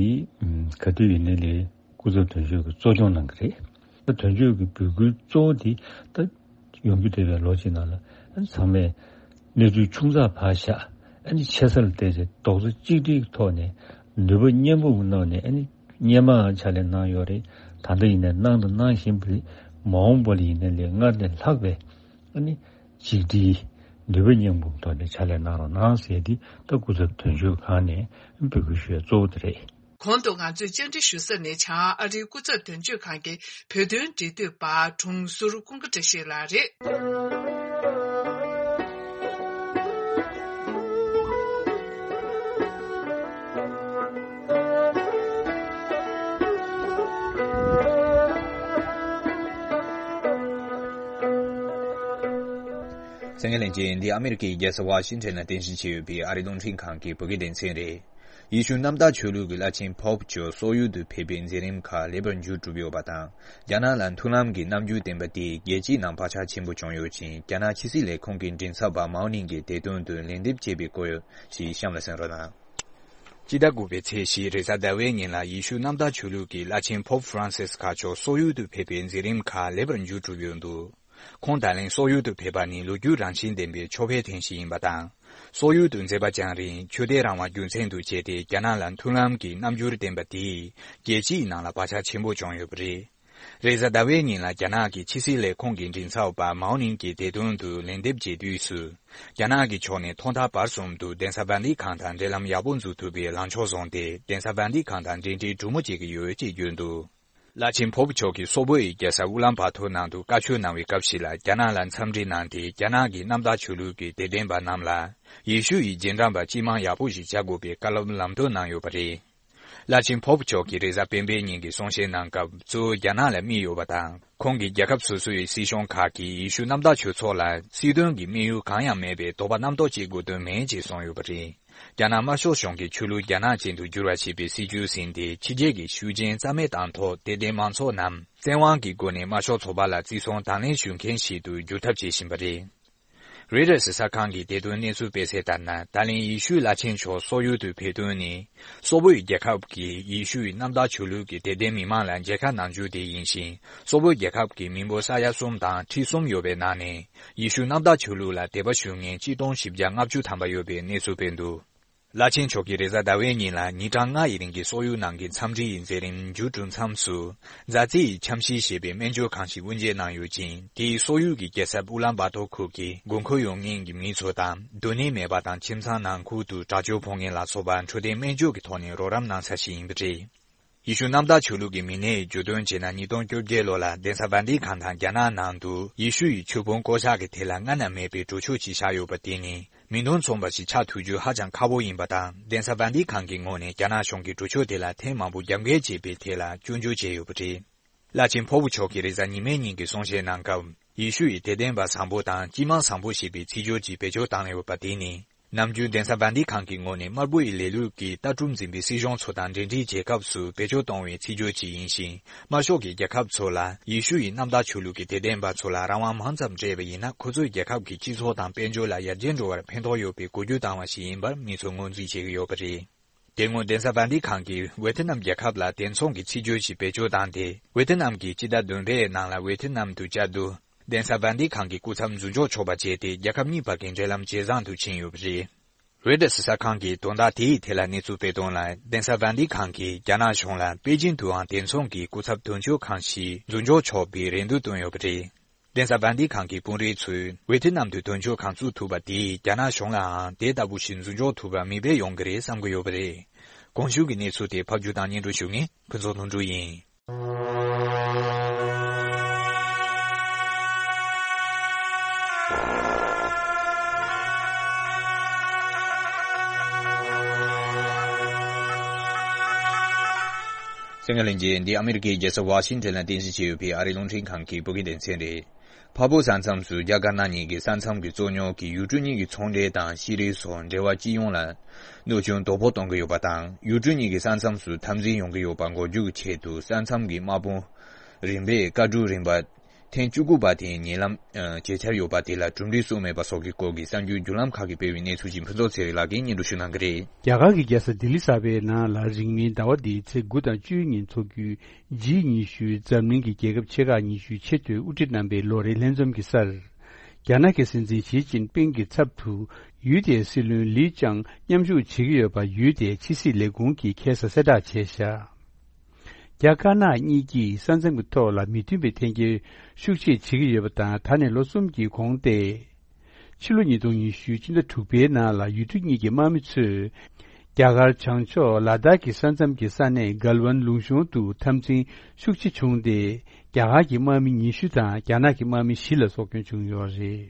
ག་དུས་ཡིན་ནའི་ལས་སྐུ་ཚབ་དོན་གཅོད་ཀྱིས་གཙོ་སྐྱོང་གནང་གི་རེད། ད་དོན་གཅོད་ཀྱི་འབོད་སྐུལ་གཙོ་བོ་དེ་ད་ཡོང་རྒྱུ་བསྡད་པའི་ལོ་གཅིག་ནང་ལ་ཚང་མས་གནས་ཚུལ་ཆུང་ཙག་ཕར་བཞག་ཨ་ནི་ཆེ་ས་ལ་བལྟས་ཏེ་རྡོག་རྩ་གཅིག་སྒྲིལ་གྱི་ཐོག་ནས་ནུས་པ་མཉམ་སྤུངས་ཀྱི་ཐོག་ནས་ཨ་ནི་སྔོན་མའང་ཕྱག་ལས་གནང་ཡོད་རེད། ད་ལྟ་ཡིན་ནའི་གནང་དང་གནང་བཞིན་པ་རེད། མ་འོངས་པ་ལ་ཡིན་ནའི་ལས་སྔར་ལས་ལྷག་པའི་ཨ་ནི་གཅིག་སྒྲིལ་ནུས་པ་མཉམ་སྤུངས་ཐོག་ནས་ཕྱག་ལས་གནང་རོགས་གནང་ཟེར་ཏེ་ད་སྐུ་ཚབ་དོན་གཅོད་ཁང་ནས་འབོད་སྐུལ་ཞུ་ཡ་གཙོ་བོ་དེ་རེད། གོང་དུ་ང་ཚོས་བཅར་འདྲི་ཞུ་ས་ནི་བྱང་ཨ་རིའི་སྐུ་ཚབ་དོན་གཅོད་ཁང་གི་བོད་དོན་འབྲེལ་མཐུད་པ་དྲུང་ཟུར་ཀུན་དགའ་བཀྲ་ཤིས་ལགས་རེད། གསན་མཁན་ལྷན་རྒྱས། འདི་ཨ་མི་རི་ཀའི་རྒྱལ་ས་ཝ་ཤིང་ཊོན་ལ་རྟེན་གཞི་བྱས་ཡོད་པའི་ཨ་རིའི་རླུང་འཕྲིན་ཁང་གི་བོད་སྐད་སྡེ་ཚན་རེད། ཡེ་ཤུ་གནམ་བདག་ཆོས་ལུགས་ཀྱི་བླ་ཆེན་པོབ་མཆོག་སོག་ཡུལ་དུ་ཕེབས་པའི་མཛད་རིམ་ཁག་ལེགས་པར་མཇུག་གྲུབ་ཡོད་པ་དང་། རྒྱ་ནག་ལ་མཐུན་ལམ་གྱི་རྣམ་འགྱུར་བསྟན་པ་དེ་རྒྱལ་སྤྱིའི་ནང་བག་ཆགས་ཆེན་པོ་བྱུང་ཡོད་ཅིང་། རྒྱ་ནག་ཕྱི་སྲིད་ལས་ཁུངས་ཀྱི་མགྲིན་ཚབ་པ་མའོ་ནིང་གིས་དེ་དོན་དུ་ལན་འདེབས་བྱས་པའི་སྐོར་ཞིག་གཤམ་ལ་གསན་རོགས་གནང་། སྤྱི་ཟླ་དགུ་པའི་ཚེས་བཞི་རེས་གཟའ་ཟླ་བའི་ཉིན་ལ་ཡེ་ཤུ་གནམ་བདག་ཆོས་ལུགས་ཀྱི་བླ་ཆེན་Pope Francis་མཁའ་མཆོག་སོག་ཡུལ་དུ་ཕེབས་པའི་མཛད་རིམ་ཁག་ལེགས་པར་མཇུག་གྲུབ་ཡོད་འདུག་ཁོང་ད་ལན་སོག་ཡུལ་དུ་ཕེབས་པ་ནི་ལོ་རྒྱུས་རང་བཞིན་ལྡན་པའི་ཆོས་པའི་ཐེངས་ཤིག་ཡིན་པ་དང་། སོག་ཡུལ་དུ་མཛད་པ་རྒྱང་རིང་ཆོས་དད་རང་དབང་རྒྱུ་མཚན་དུ་བྱས་ཏེ་རྒྱ་ནག་ལ་མཐུན་ལམ་གྱི་རྣམ་འགྱུར་བསྟན་པ་དེས་རྒྱལ་སྤྱིའི་ནང་ལ་བག་ཆགས་ཆེན་པོ་བྱུང་ཡོད་པ་རེད། རེས་གཟའ་ཟླ་བའི་ཉིན་ལ་རྒྱ་ནག་གི་ཕྱི་སྲིད་ལས་ཁུངས་ཀྱི་མགྲིན་ཚབ་པ་མའོ་ནིང་གིས་དེ་དོན་དུ་ལན་འདེབས་བྱས་དུས་སུ། རྒྱ་ནག་གི་ཕྱོགས་ནས་ཐོག་མཐའ་བར་གསུམ་དུ་གདན་ས་ཝན་ཏི་ཁང་དང་འབྲེལ་ལམ་ཡག་པོ་འཛུགས་ཐུབ་པའི་ལངས་ཕྱོགས་བཟུང་སྟེ་གདན་ས་ཝན་ཏི་ཁང་དང་འབྲེལ་འདྲིས་གྲོས་མོལ་བྱེད་ཀྱི་ཡོད་ཅེས་བརྗོད་འདུག་བླ་ཆེན་Pope མཆོག་གིས་སོག་པོའི་རྒྱལ་ས་ཨུ་ལན་བྷ་ཐོར་ནང་དུ་བཀའ་ཆོས་གནང་བའི་སྐབས་ཤིག་ལ་རྒྱ་ནག་ལ་འཚམས་འདྲི་གནང་སྟེ། རྒྱ་ནག་གི་གནམ་བདག་ཆོས་ལུགས་ཀྱི་དད་ལྡན་པ་རྣམས་ལ་ཡེ་ཤུ་ཡི་རྗེས་འབྲང་པ་སྤྱི་དམངས་ཡག་པོ་ཞིག་བྱ་དགོས་པའི་བཀའ་སློབ་ལམ་སྟོན་གནང་ཡོད་པ་རེད། བླ་ཆེན་Pope མཆོག་གིས་རེས་གཟའ་སྤེན་པའི་ཉིན་གྱི་གསུང་བཤད་གནང་སྐབས། གཙོ་བོ་རྒྱ་ནག་ལ་དམིགས་ཡོད་པ་དང་། ཁོང་གིས་རྒྱལ་ཁབ་སོ་སོའི་སྲིད་གཞུང་ཁག་གིས་ཡེ་ཤུ་གནམ་བདག་ཆོས་ཚོགས་ལ་སྲིད་དོན་གྱི་དམིགས་ཡུལ་གང་ཡང་མེད་པའི་དོགས་པ་རྣམ་རྟོག་སྐྱེ་དགོས་དོན་མེད་ཅེས་གསུངས་ཡོད་པ་རེད། རྒྱ་ནག་དམར་ཤོག་གཞུང་གིས་ཆོས་ལུགས་རྒྱ་ནག་ཅན་དུ་བསྒྱུར་བ་ཞེས་པའི་སྲིད་བྱུས་ཟིན་ཏེ། ཕྱི་རྒྱལ་གྱི་ཤུགས་རྐྱེན་རྩ་མེད་བཏང་ཐོག་དད་ལྡན་མང་ཚོགས་རྣམས་བཙན་དབང་གི་སྒོ་ནས་དམར་ཤོག་ཚོགས་པ་ལ་བརྩི་སྲུང་དང་ལེན་ཞུ་མཁན་ཞིག་ཏུ་བསྒྱུར་ཐབས་བྱེད་བཞིན་པ་རེད། རོའི་ཊར་གསར་ཁང་གིས་དེ་དོན་གནས་ཚུལ་སྤེལ་གསལ་ལྟར་ན། ད་ལན་ཡེ་ཤུའི་བླ་ཆེན་མཆོག་སོག་ཡུལ་དུ་ཕེབས་དོན་ནི། སོག་པོའི་རྒྱལ་ཁབ་ཀྱིས་ཡེ་ཤུའི་གནམ་བདག་ཆོས་ལུགས་ཀྱི་དད་ལྡན་མི་མང་ལ་མཇལ་ཁ་གནང་རྒྱུ་དེ་ཡིན་ཞིང་། སོག་པོའི་རྒྱལ་ཁབ་ཀྱི་མི་འབོར་ས་ཡ་གསུམ་དང་ཁྲི་གསུམ་ཡོད་པའི་ནང་ནས། ཡེ་ཤུ་གནམ་བདག་ཆོས་ལུགས་ལ་དད་པ་ཞུ་མཁན་གཅིག་སྟོང་བཞི་བརྒྱ་ལྔ་བཅུ་ཐམ་པ་ཡོད་པའི་གནས་ཚུལ་སྤེལ་འདུག་བླ་ཆེན་མཆོག་གིས་རེས་གཟའ་ཟླ་བའི་ཉིན་ལ་ཉིན་གྲངས་ལྔ་ཡི་རིང་གི་སོག་ཡུལ་ནང་གི་འཚམས་འདྲི་ཡི་མཛད་རིམ་མཇུག་གྲུབ་མཚམས་སུ། ཛཱ་ཙི་ཡི་འཆམ་གཤིས་ཞེས་པའི་སྨན་བཅོས་ཁང་ཞིག་དབུ་འབྱེད་གནང་ཡོད་ཅིང་། དེས་སོག་ཡུལ་གྱི་རྒྱལ་ས་ཨུ་ལན་བྷ་ཐོར་ཁུལ་གྱི་དགོས་མཁོ་ཡོད་མཁན་གྱི་མི་ཚོ་དང་། སྡོད་གནས་མེད་པ་དང་ཁྱིམ་ཚང་ནང་ཁུལ་དུ་དྲག་སྤྱོད་ཕོག་མཁན་ལ་སོགས་པ་འཕྲོད་བསྟེན་སྨན་བཅོས་ཀྱི་ཐོག་ནས་རོགས་རམ་གནང་ས་ཞིག་ཡིན་པ་རེད། ཡེ་ཤུ་གནམ་བདག་ཆོས་ལུགས་ཀྱི་མི་སྣས་བརྗོད་དོན་བྱས་ན། ཉིས་སྟོང་བཅོ་བརྒྱད་ལོ་ལ་གདན་ས་ཝན་ཏི་ཁང་དང་རྒྱ་ནག་ནང་དུ་ཡེ་ཤུ་ཡི་ཆོས་དཔོན་བསྐོ་གཞག་གི་ཐད་ལ་སྔ་ན་མེད་པའི་གྲོས་ཆོད་ཅིག་བཞག་ཡོད་པ་དེ་ནི། མིང་དོན་མཚུངས་པ་ཞིག་ཆགས་ཐུབ་རྒྱུ་ཧ་ཅང་ཁག་པོ་ཡིན་པ་དང་། གདན་ས་ཝན་ཏི་ཁང་གི་ངོས་ནས་རྒྱ་ནག་གཞུང་གིས་གྲོས་ཆོད་དེ་ལ་ཐེངས་མང་པོ་རྒྱབ་འགལ་བྱས་པའི་ཐད་ལ་སྐྱོན་བརྗོད་བྱས་ཡོད་པ་རེད། བླ་ཆེན་Pope མཆོག་གིས་རེས་གཟའ་ཉི་མའི་ཉིན་གྱི་གསུང་བཤད་གནང་སྐབས། ཡེ་ཤུ་ཡི་དད་ལྡན་པ་བཟང་པོ་དང་སྤྱི་དམངས་བཟང་པོ་ཞེས་པའི་ཚིག་སྦྱོར་ཅིག་བེད་སྤྱོད་བཏང་ཡོད་པ་དེ་ནི། ནམ་རྒྱུན་གདན་ས་ཝན་ཏི་ཁང་གི་ངོས་ནས་དམར་པོ་ཡི་ལས་ལུགས་ཀྱི་ལྟ་གྲུབ་འཛིན་པའི་སྲིད་གཞུང་ཚོ་དང་འབྲེལ་འདྲིས་བྱེད་སྐབས་སུ་བེད་སྤྱོད་གཏོང་བའི་ཚིག་སྦྱོར་ཅིག་ཡིན་ཞིང་། དམར་ཤོག་གི་རྒྱལ་ཁབ་ཚོ་ལ་ཡེ་ཤུ་ཡི་གནམ་བདག་ཆོས་ལུགས་ཀྱི་དད་ལྡན་པ་ཚོ་ལ་རང་དབང་མང་ཙམ་སྤྲད་པ་ཡིན་ན། ཁོ་ཚོའི་རྒྱལ་ཁབ་ཀྱི་སྤྱི་ཚོགས་དང་དཔལ་འབྱོར་ལ་ཡར་རྒྱས་འགྲོ་བར་ཕན་ཐོགས་ཡོད་པའི་འགུལ་སྐྱོད་བཏང་བ་ཞིག་ཡིན་པར་མི་ཚོས་ངོས་འཛིན་བྱེད་ཀྱི་ཡོད་པ་རེད། དེ་སྔོན་གདན་ས་ཝན་ཏི་ཁང་གིས་ཝེ་ཐི་ནམ་རྒྱལ་ཁབ་ལ་དེ་མཚུངས་ཀྱི་ཚིག་སྦྱོར་ཞིག་བེད་སྤྱོད་བཏང་སྟེ། ཝེ་ཐི་ནམ་གྱིས་སྤྱི་ཟླ་བདུན་པའི་ནང་ལ་ཝེ་ཐི་ནམ་དུ་བཅའ་བསྡུ། གདན་ས་ཝན་ཏི་ཁང་གི་སྐུ་ཚབ་འཛུལ་འཇོག་ཆོག་པ་བྱས་ཏེ། རྒྱལ་ཁབ་གཉིས་བར་གྱི་འབྲེལ་ལམ་ཇེ་བཟང་དུ་ཕྱིན་ཡོད་པ་རེད། རོའི་ཊར་གསར་ཁང་གིས་དོན་དག་དེའི་ཐད་ལ་གནས་ཚུལ་སྤེལ་དོན་ལ། གདན་ས་ཝན་ཏི་ཁང་གིས་རྒྱ་ནག་གཞུང་ལ་པེ་ཅིན་དུའང་དེ་མཚུངས་ཀྱི་སྐུ་ཚབ་དོན་གཅོད་ཁང་ཞིག་འཛུལ་འཇོག་ཆོག་པའི་རེ་འདུན་བཏོན་ཡོད་པ་རེད། གདན་ས་ཝན་ཏི་ཁང་གི་དཔོན་རིགས་ཚོས་ཝེ་ཐི་ནམ་དུ་དོན་གཅོད་ཁང་བཙུགས་ཐུབ་པ་དེས་རྒྱ་ནག་གཞུང་ལའང་དེ་ལྟ་བུ་ཞིག་འཛུལ་འཇོག་ཐུབ་པར་མིག་དཔེ་ཡོང་གི་རེད་བསམ་གྱི་ཡོད་པ་རེད། གོང་ཞུས་ཀྱི་གནས་ཚུལ་དེ་ཕབ་སྒྱུར་དང་སྙན་སྒྲོན་ཞུ་མཁན་ཕུན་ཚོགས་ལྷུན་གྲུབ་ཡིན། གསན་མཁན་ལྷན་རྒྱས། འདི་ཨ་མི་རི་ཀའི་རྒྱལ་ས་ཝ་ཤིང་ཊོན་ལ་རྟེན་གཞི་བྱས་ཡོད་པའི་ཨ་རིའི་རླུང་འཕྲིན་ཁང་གི་བོད་སྐད་སྡེ་ཚན་རེད། འཕགས་བོད་ས་མཚམས་སུ་རྒྱ་དཀར་ནག་གཉིས་ཀྱི་ས་མཚམས་ཀྱི་རྩོད་རྙོག་གིས་ཡུལ་གྲུ་གཉིས་ཀྱི་ཚོང་འབྲེལ་དང་ཤེས་རིག་སོགས་འབྲེལ་བ་སྤྱི་ཡོངས་ལ་གནོད་སྐྱོན་དོ་ཕོག་གཏོང་གི་ཡོད་པ་དང་། ཡུལ་གྲུ་གཉིས་ཀྱི་ས་མཚམས་སུ་འཐབ་འཛིང་ཡོང་གི་ཡོད་པ་འགོག་རྒྱུ་གི་ཆེད་དུ། ས་མཚམས་ཀྱི་དམག་དཔུང་རིམ་པས་བཀའ་འཁྲོལ་རིམ་པ་ཐེངས་བཅུ་དགུ་པ་དེ་ཉེ་ལམ་ཨ་བྱེད་འཆར་ཡོད་པ་དེ་ལ་གྲུབ་འབྲས་སུ་མེད་པ་སོགས་ཀྱི་སྐོར་གྱི་གསར་འགྱུར་བརྒྱུད་ལམ་ཁག་གིས་སྤེལ་བའི་གནས་ཚུལ་ཅིག་ཕུན་ཚོགས་ཚེ་རིང་ལགས་ཀྱིས་སྙན་སྒྲོན་ཞུ་གནང་གི་རེད། རྒྱ་གར་གྱི་རྒྱལ་ས་ལྡི་ལི་གསར་པའི་ནང་ལ་རིང་མིན་ཟླ་བ་འདིའི་ཚེས་དགུ་དང་བཅུའི་ཉིན་འཚོགས་རྒྱུའི་ཇི་ཉི་ཤུའི་འཛམ་གླིང་གི་རྒྱལ་ཁབ་ཆེ་ཁག་ཉི་ཤུའི་ཆེས་མཐོའི་དབུ་ཁྲིད་རྣམ་པའི་ལོ་རེའི་ལྷན་འཛོམས་ཀྱི་སར། རྒྱ་ནག་གི་སྲིད་འཛིན་ཞི་ཅིན་ཕིང་གི་ཚབ་ཏུ་ཡུལ་དེའི་སྲིད་བློན་ལི་ཅང་མཉམ་ཞུགས་བྱེད་ཀྱི་ཡོད་པ་ཡུལ་དེའི་ཕྱི་སྲིད་ལས་ཁུངས་ཀྱིས་ཁ་སང་གསལ་བསྒྲགས་བྱས་བཞག་རྒྱ་དཀར་ནག་གཉིས་ཀྱིས་ས་མཚམས་ཀྱི་ཐོག་ལ་མི་མཐུན་པའི་འཐེན་འཁྱེར་ཤུགས་ཆེ་བྱེད་ཀྱི་ཡོད་པ་དང་། ད་ནས་ལོ་གསུམ་གྱི་གོང་སྟེ། ཕྱི་ལོ་ཉིས་སྟོང་ཉི་ཤུ་སྤྱི་ཟླ་དྲུག་པའི་ནང་ལ་ཡུལ་གྲུ་གཉིས་ཀྱི་དམག་མི་ཚོས་རྒྱ་གར་བྱང་ཕྱོགས་ལ་དྭགས་ཀྱི་ས་མཚམས་ཀྱི་ས་གནས་གལ་ཝན་ལུང་གཤོང་དུ་འཐབ་འཛིང་ཤུགས་ཆེ་བྱུང་སྟེ། རྒྱ་གར་གྱི་དམག་མི་ཉི་ཤུ་དང་རྒྱ་ནག་གི་དམག་མི་བཞི་ལ་སྲོག་སྐྱོན་བྱུང་ཡོད་རེད།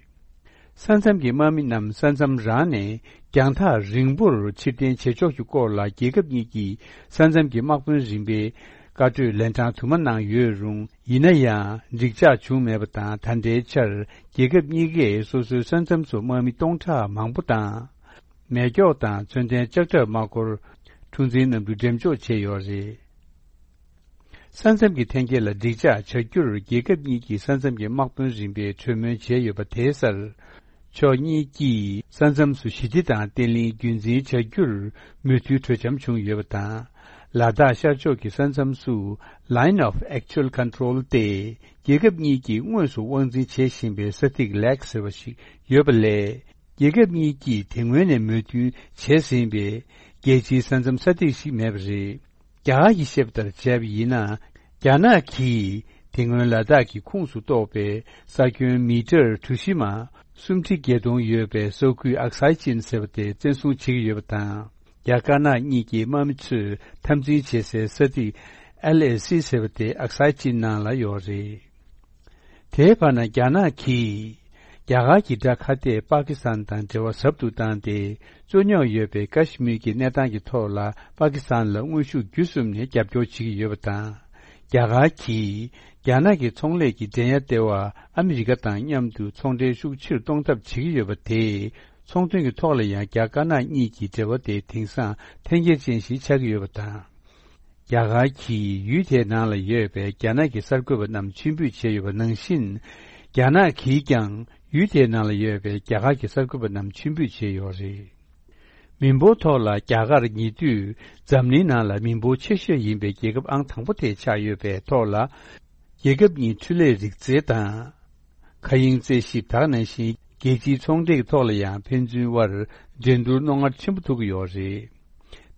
ས་མཚམས་ཀྱི་དམག་མི་རྣམས་ས་མཚམས་རང་ནས་རྒྱང་ཐག་རིང་པོར་ཕྱིར་འཐེན་བྱེད་ཕྱོགས་ཀྱི་སྐོར་ལ་རྒྱལ་ཁབ་གཉིས་ཀྱི་ས་མཚམས་ཀྱི་དམག་དཔོན་རིམ་པས་བཀའ་གྲོས་ལན་གྲངས་དུ་མ་གནང་ཡོད་རུང་། ཡིན་ན་ཡང་འགྲིག་འཇགས་བྱུང་མེད་པ་དང་། ད་ལྟའི་ཆར་རྒྱལ་ཁབ་གཉིས་ཀས་སོ་སོའི་ས་མཚམས་སུ་དམག་མི་སྟོང་ཕྲག་མང་པོ་དང་། མེ་སྒྱོགས་དང་མཚོན་ལྡན་ལྕགས་ཁྲབ་དམག་འཁོར་འཁྲུག་འཛིང་གནང་རྒྱུ་འགྲེམས་འཇོག་བྱས་ཡོད་རེད། ས་མཚམས་ཀྱི་འཐེན་འཁྱེར་ལ་འགྲིག་འཇགས་བྱ་རྒྱུར་རྒྱལ་ཁབ་གཉིས་ཀྱི་ས་མཚམས་ཀྱི་དམག་དཔོན་རིམ་པས་གྲོས་མོལ་བྱས་ཡོད་པ་དེའི་སར། ཕྱོགས་གཉིས་ཀྱིས་ས་མཚམས་སུ་ཞི་བདེ་དང་བརྟན་ལྷིང་རྒྱུན་འཛིན་བྱ་རྒྱུར་མོས་མཐུན་གྲོས་འཆམ་བྱུང་ཡོད་པ་དང་། ལ་དྭགས་ཤར་ཕྱོགས་ཀྱི་ས་མཚམས་སུ་Line of Actual Control སྟེ། རྒྱལ་ཁབ་གཉིས་ཀྱིས་དངོས་སུ་དབང་འཛིན་བྱེད་བཞིན་པའི་ས་ཐིག་ལེག་ཟེར་བ་ཞིག་ཡོད་པ་ལས། རྒྱལ་ཁབ་གཉིས་ཀྱིས་དེ་སྔོན་ནས་མོས་མཐུན་བྱས་ཟིན་པའི་རྒྱལ་སྤྱིའི་ས་མཚམས་ས་ཐིག་ཞིག་མེད་པ་རེད། རྒྱ་གར་གྱིས་བཤད་པ་ལྟར་བྱས་པ་ཡིན་ན། རྒྱ་ནག་གིས་དེ་སྔོན་ལ་དྭགས་ཀྱི་ཁོངས་སུ་གཏོགས་པའི་ས་ཁྱོན་མི་ཊར་གྲུ་བཞི་མ་སུམ་ཁྲི་བརྒྱད་སྟོང་ཡོད་པའི་ས་ཁུལ་ཨག་སའི་ཅིན་ཟེར་བ་དེ་བཙན་བཟུང་བྱེད་ཀྱི་ཡོད་པ་དང་། རྒྱ་དཀར་ནག་གཉིས་ཀྱི་དམག་མི་ཚོས་འཐབ་འཛིང་བྱེད་སའི་ས་ཐིག་ཨེལ་ཨེ་སི་ཟེར་བ་དེ་ཨག་སའི་ཅིན་ནང་ལ་ཡོད་རེད། དེའི་བར་ན་རྒྱ་ནག་གིས་རྒྱ་གར་གྱི་དགྲ་ཁ་གཏད་པ་ཀི་སི་ཐན་དང་འབྲེལ་བ་ཟབ་ཏུ་བཏང་སྟེ། རྩོད་རྙོག་ཡོད་པའི་ཀ་ཤི་མིར་གྱི་གནས་སྟངས་ཀྱི་ཐོག་ལ་པ་ཀི་སི་ཐན་ལ་དངོས་ཤུགས་བརྒྱུད་གསུམ་ནས་རྒྱབ་སྐྱོར་བྱེད་ཀྱི་ཡོད་པ་དང་། རྒྱ་གར་གྱིས་རྒྱ་ནག་གི་ཚོང་ལས་ཀྱི་འགྲན་ཡ་ལྟེ་བ་ཨ་མི་རི་ཀ་དང་མཉམ་དུ་ཚོང་འབྲེལ་ཤུགས་ཆེར་གཏོང་ཐབས་བྱེད་ཀྱི་ཡོད་པ་དེས། ཚོང་དོན་གྱི་ཐོག་ལ་ཡང་རྒྱ་དཀར་ནག་གཉིས་ཀྱི་འབྲེལ་བ་དེ་དེང་སང་འཐེན་འཁྱེར་ཅན་ཞིག་ཆགས་ཀྱི་ཡོད་པ་དང་། རྒྱ་གར་གྱིས་ཡུལ་དེའི་ནང་ལ་ཡོད་པའི་རྒྱ་ནག་གི་གསར་འགོད་པ་རྣམས་ཕྱིར་འབུད་བྱས་ཡོད་པ་ནང་བཞིན། རྒྱ་ནག་གིས་ཀྱང་ཡུལ་དེའི་ནང་ལ་ཡོད་པའི་རྒྱ་གར་གྱི་གསར་འགོད་པ་རྣམས་ཕྱིར་འབུད་བྱས་ཡོད་རེད། མི་འབོར་ཐོག་ལ་རྒྱ་གར་ཉེ་དུས་འཛམ་གླིང་ནང་ལ་མི་འབོར་ཆེ་ཤོས་ཡིན་པའི་རྒྱལ་ཁབ་ཨང་དང་པོ་དེ་ཆགས་ཡོད་པའི་ཐོག་ལ། རྒྱལ་ཁབ་གཉིས་འཕྲུལ་ལས་རིག་རྩལ་དང་། མཁའ་དབྱིངས་རྩད་ཞིབ་དག་ནང་བཞིན་རྒྱལ་སྤྱིའི་ཚོང་འབྲེལ་གྱི་ཐོག་ལ་ཡང་ཕན་ཚུན་དབར་འགྲན་བསྡུར་རྣོ་ངར་ཆེན་པོ་ཐུག་གི་ཡོད་རེད།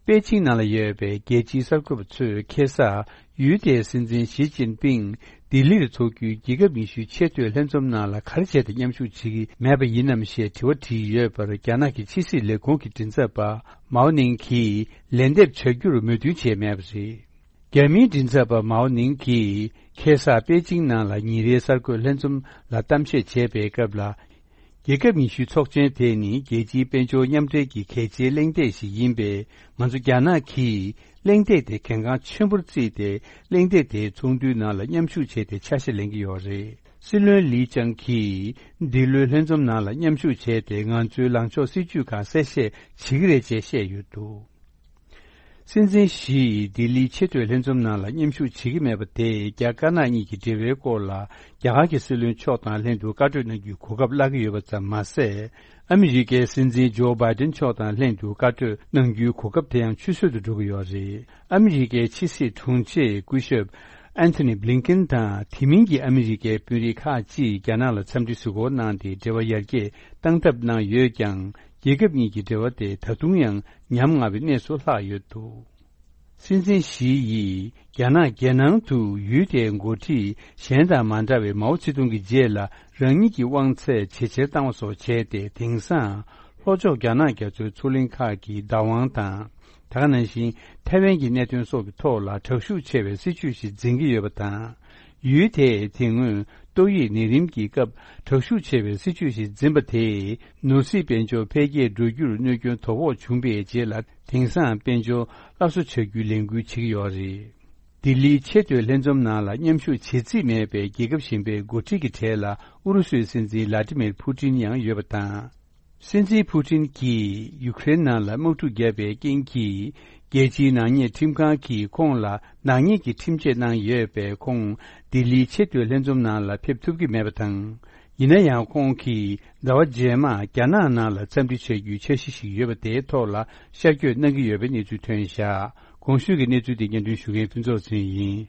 པེ་ཅིང་ནང་ལ་ཡོད་པའི་རྒྱལ་སྤྱིའི་གསར་འགོད་པ་ཚོས་ཁ་སང་ཡུལ་དེའི་སྲིད་འཛིན་ཞི་ཅིན་ཕིང་ལྡི་ལིར་འཚོགས་རྒྱུའི་རྒྱལ་ཁབ་ཉི་ཤུའི་ཆེས་མཐོའི་ལྷན་འཛོམས་ནང་ལ་ག་རེ་བྱས་ཏེ་མཉམ་ཞུགས་བྱེད་ཀྱི་མེད་པ་ཡིན་ནམ་ཞེས་དྲི་བ་དྲིས་ཡོད་པར། རྒྱ་ནག་གི་ཕྱི་སྲིད་ལས་ཁུངས་ཀྱི་མགྲིན་ཚབ་པ་མའོ་ནིང་གིས་ལན་འདེབས་བྱ་རྒྱུར་མོས་མཐུན་བྱས་མེད་པ་རེད། རྒྱ་མིའི་མགྲིན་ཚབ་པ་མའོ་ནིང་གིས་ཁ་སང་པེ་ཅིང་ནང་ལ་ཉིན་རེའི་གསར་འགོད་ལྷན་འཛོམས་ལ་གཏམ་བཤད་བྱས་པའི་སྐབས་ལ། རྒྱལ་ཁབ་ཉི་ཤུའི་ཚོགས་ཆེན་དེ་ནི་རྒྱལ་སྤྱིའི་དཔལ་འབྱོར་མཉམ་འབྲེལ་གྱི་གལ་ཆེའི་གླེང་སྟེགས་ཤིག་ཡིན་པས། ང་ཚོ་རྒྱ་ནག་གིས་གླེང་སྟེགས་དེ་གལ་འགངས་ཆེན་པོར་བརྩིས་ཏེ། གླེང་སྟེགས་དེའི་ཚོགས་འདུའི་ནང་ལ་མཉམ་ཞུགས་བྱས་ཏེ་ཆ་ཤས་ལེན་གྱི་ཡོད་རེད། སྲིད་བློན་ལི་ཅང་གིས་འདི་ལོའི་ལྷན་འཛོམས་ནང་ལ་མཉམ་ཞུགས་བྱས་ཏེ། ང་ཚོའི་ལངས་ཕྱོགས་སྲིད་ཇུས་ཁག་གསལ་བཤད་བྱེད་ཀྱི་རེད་ཅེས་བཤད་ཡོད་འདུག་སྲིད་འཛིན་ཞི་ཡིས་ལྡི་ལིའི་ཆེས་མཐོའི་ལྷན་འཛོམས་ནང་ལ་མཉམ་ཞུགས་བྱེད་ཀྱི་མེད་པ་དེས། རྒྱ་དཀར་ནག་གཉིས་ཀྱི་འབྲེལ་བའི་སྐོར་ལ་རྒྱ་གར་གྱི་སྲིད་བློན་མཆོག་དང་ལྷན་དུ་བཀའ་གྲོས་གནང་རྒྱུའི་གོ་སྐབས་བརླག་གི་ཡོད་པ་ཙམ་མ་ཟད། ཨ་མི་རི་ཀའི་སྲིད་འཛིན་ཇོ་བྷའི་ཏིན་མཆོག་དང་ལྷན་དུ་བཀའ་གྲོས་གནང་རྒྱུའི་གོ་སྐབས་དེ་ཡང་ཆུད་ཟོས་སུ་འགྲོ་གི་ཡོད་རེད། ཨ་མི་རི་ཀའི་ཕྱི་སྲིད་དྲུང་ཆེ་སྐུ་ཞབས་ཨན་ཐོ་ནི་བྷི་ལིན་ཀིན་དང་དེ་མིན་གྱི་ཨ་མི་རི་ཀའི་དཔོན་རིགས་ཁག་ཅིག་རྒྱ་ནག་ལ་འཚམས་འདྲི་གཟིགས་སྐོར་གནང་སྟེ། འབྲེལ་བ་ཡར་རྒྱས་གཏང་ཐབས་གནང་ཡོད་ཀྱང་། རྒྱལ་ཁབ་གཉིས་ཀྱི་འབྲེལ་བ་དེ་ད་དུང་ཡང་ཉམ་ང་བའི་གནས་སུ་ལྷག་ཡོད་འདུག་སྲིད་འཛིན་ཞི་ཡིས་རྒྱ་ནག་རྒྱལ་ནང་དུ་ཡུལ་དེའི་འགོ་ཁྲིད་གཞན་དང་མ་འདྲ་བའི་མའོ་ཙེ་ཏུང་གི་རྗེས་ལ་རང་ཉིད་ཀྱི་དབང་ཚད་ཇེ་ཆེར་བཏང་བ་སོགས་བྱས་ཏེ། དེང་སང་ལྷོ་ཕྱོགས་རྒྱ་ནག་རྒྱ་མཚོའི་མཚོ་གླིང་ཁག་གི་བདག་དབང་དང་། དེ་ག་ནང་བཞིན་ཐའེ་ཝན་གྱི་གནད་དོན་སོགས་ཀྱི་ཐོག་ལ་དྲག་ཤུགས་ཆེ་བའི་སྲིད་ཇུས་ཤིག་འཛིན་གྱི་ཡོད་པ་དང་། ཡུལ་དེས་དེ་སྔོན་ཏོག་དབྱིབས་ནད་རིམས་ཀྱི་སྐབས་དྲག་ཤུགས་ཆེ་བའི་སྲིད་ཇུས་ཤིག་འཛིན་པ་དེས། ནོར་སྲིད་དཔལ་འབྱོར་འཕེལ་རྒྱས་འགྲོ་རྒྱུར་གནོད་སྐྱོན་དོ་ཕོག་བྱུང་བའི་རྗེས་ལ། དེང་སང་དཔལ་འབྱོར་སླར་གསོ་བྱ་རྒྱུའི་ལས་འགུལ་བྱེད་ཀྱི་ཡོད་རེད། ལྡི་ལིའི་ཆེས་མཐོའི་ལྷན་འཛོམས་ནང་ལ་མཉམ་ཞུགས་བྱེད་རྩིས་མེད་པའི་རྒྱལ་ཁབ་གཞན་པའི་འགོ་ཁྲིད་ཀྱི་གྲས་ལ་ཨུ་རུ་སུའི་སྲིད་འཛིན་ལ་ཏི་མིར་ཕུ་ཏིན་ཡང་ཡོད་པ་དང་། སྲིད་འཛིན་ཕུ་ཏིན་གྱིས་ཡུ་ཀེ་རེན་ནང་ལ་དམག་འཁྲུག་བརྒྱབ་པའི་རྐྱེན་གྱིས། རྒྱལ་སྤྱིའི་ནག་ཉེས་ཁྲིམས་ཁང་གིས་ཁོང་ལ་ནག་ཉེས་ཀྱི་ཁྲིམས་ཆད་གནང་ཡོད་པས། ཁོང་ལྡི་ལིའི་ཆེས་མཐོའི་ལྷན་འཛོམས་ནང་ལ་ཕེབས་ཐུབ་ཀྱི་མེད་པ་དང་། ཡིན་ན་ཡང་། ཁོང་གིས་ཟླ་བ་རྗེས་མར་རྒྱ་ནག་ནང་ལ་འཚམས་འདྲི་བྱ་རྒྱུའི་འཆར་གཞི་ཞིག་ཡོད་པ་དེའི་ཐོག་ལ་ཤར་བསྐྱོད་གནང་གི་ཡོད་པའི་གནས་ཚུལ་ཐོན་བཞག་གོང་ཞུས་ཀྱི་གནས་ཚུལ་དེ་སྙན་སྒྲོན་ཞུ་མཁན་ཕུན་ཚོགས་ཚེ་རིང་ཡིན།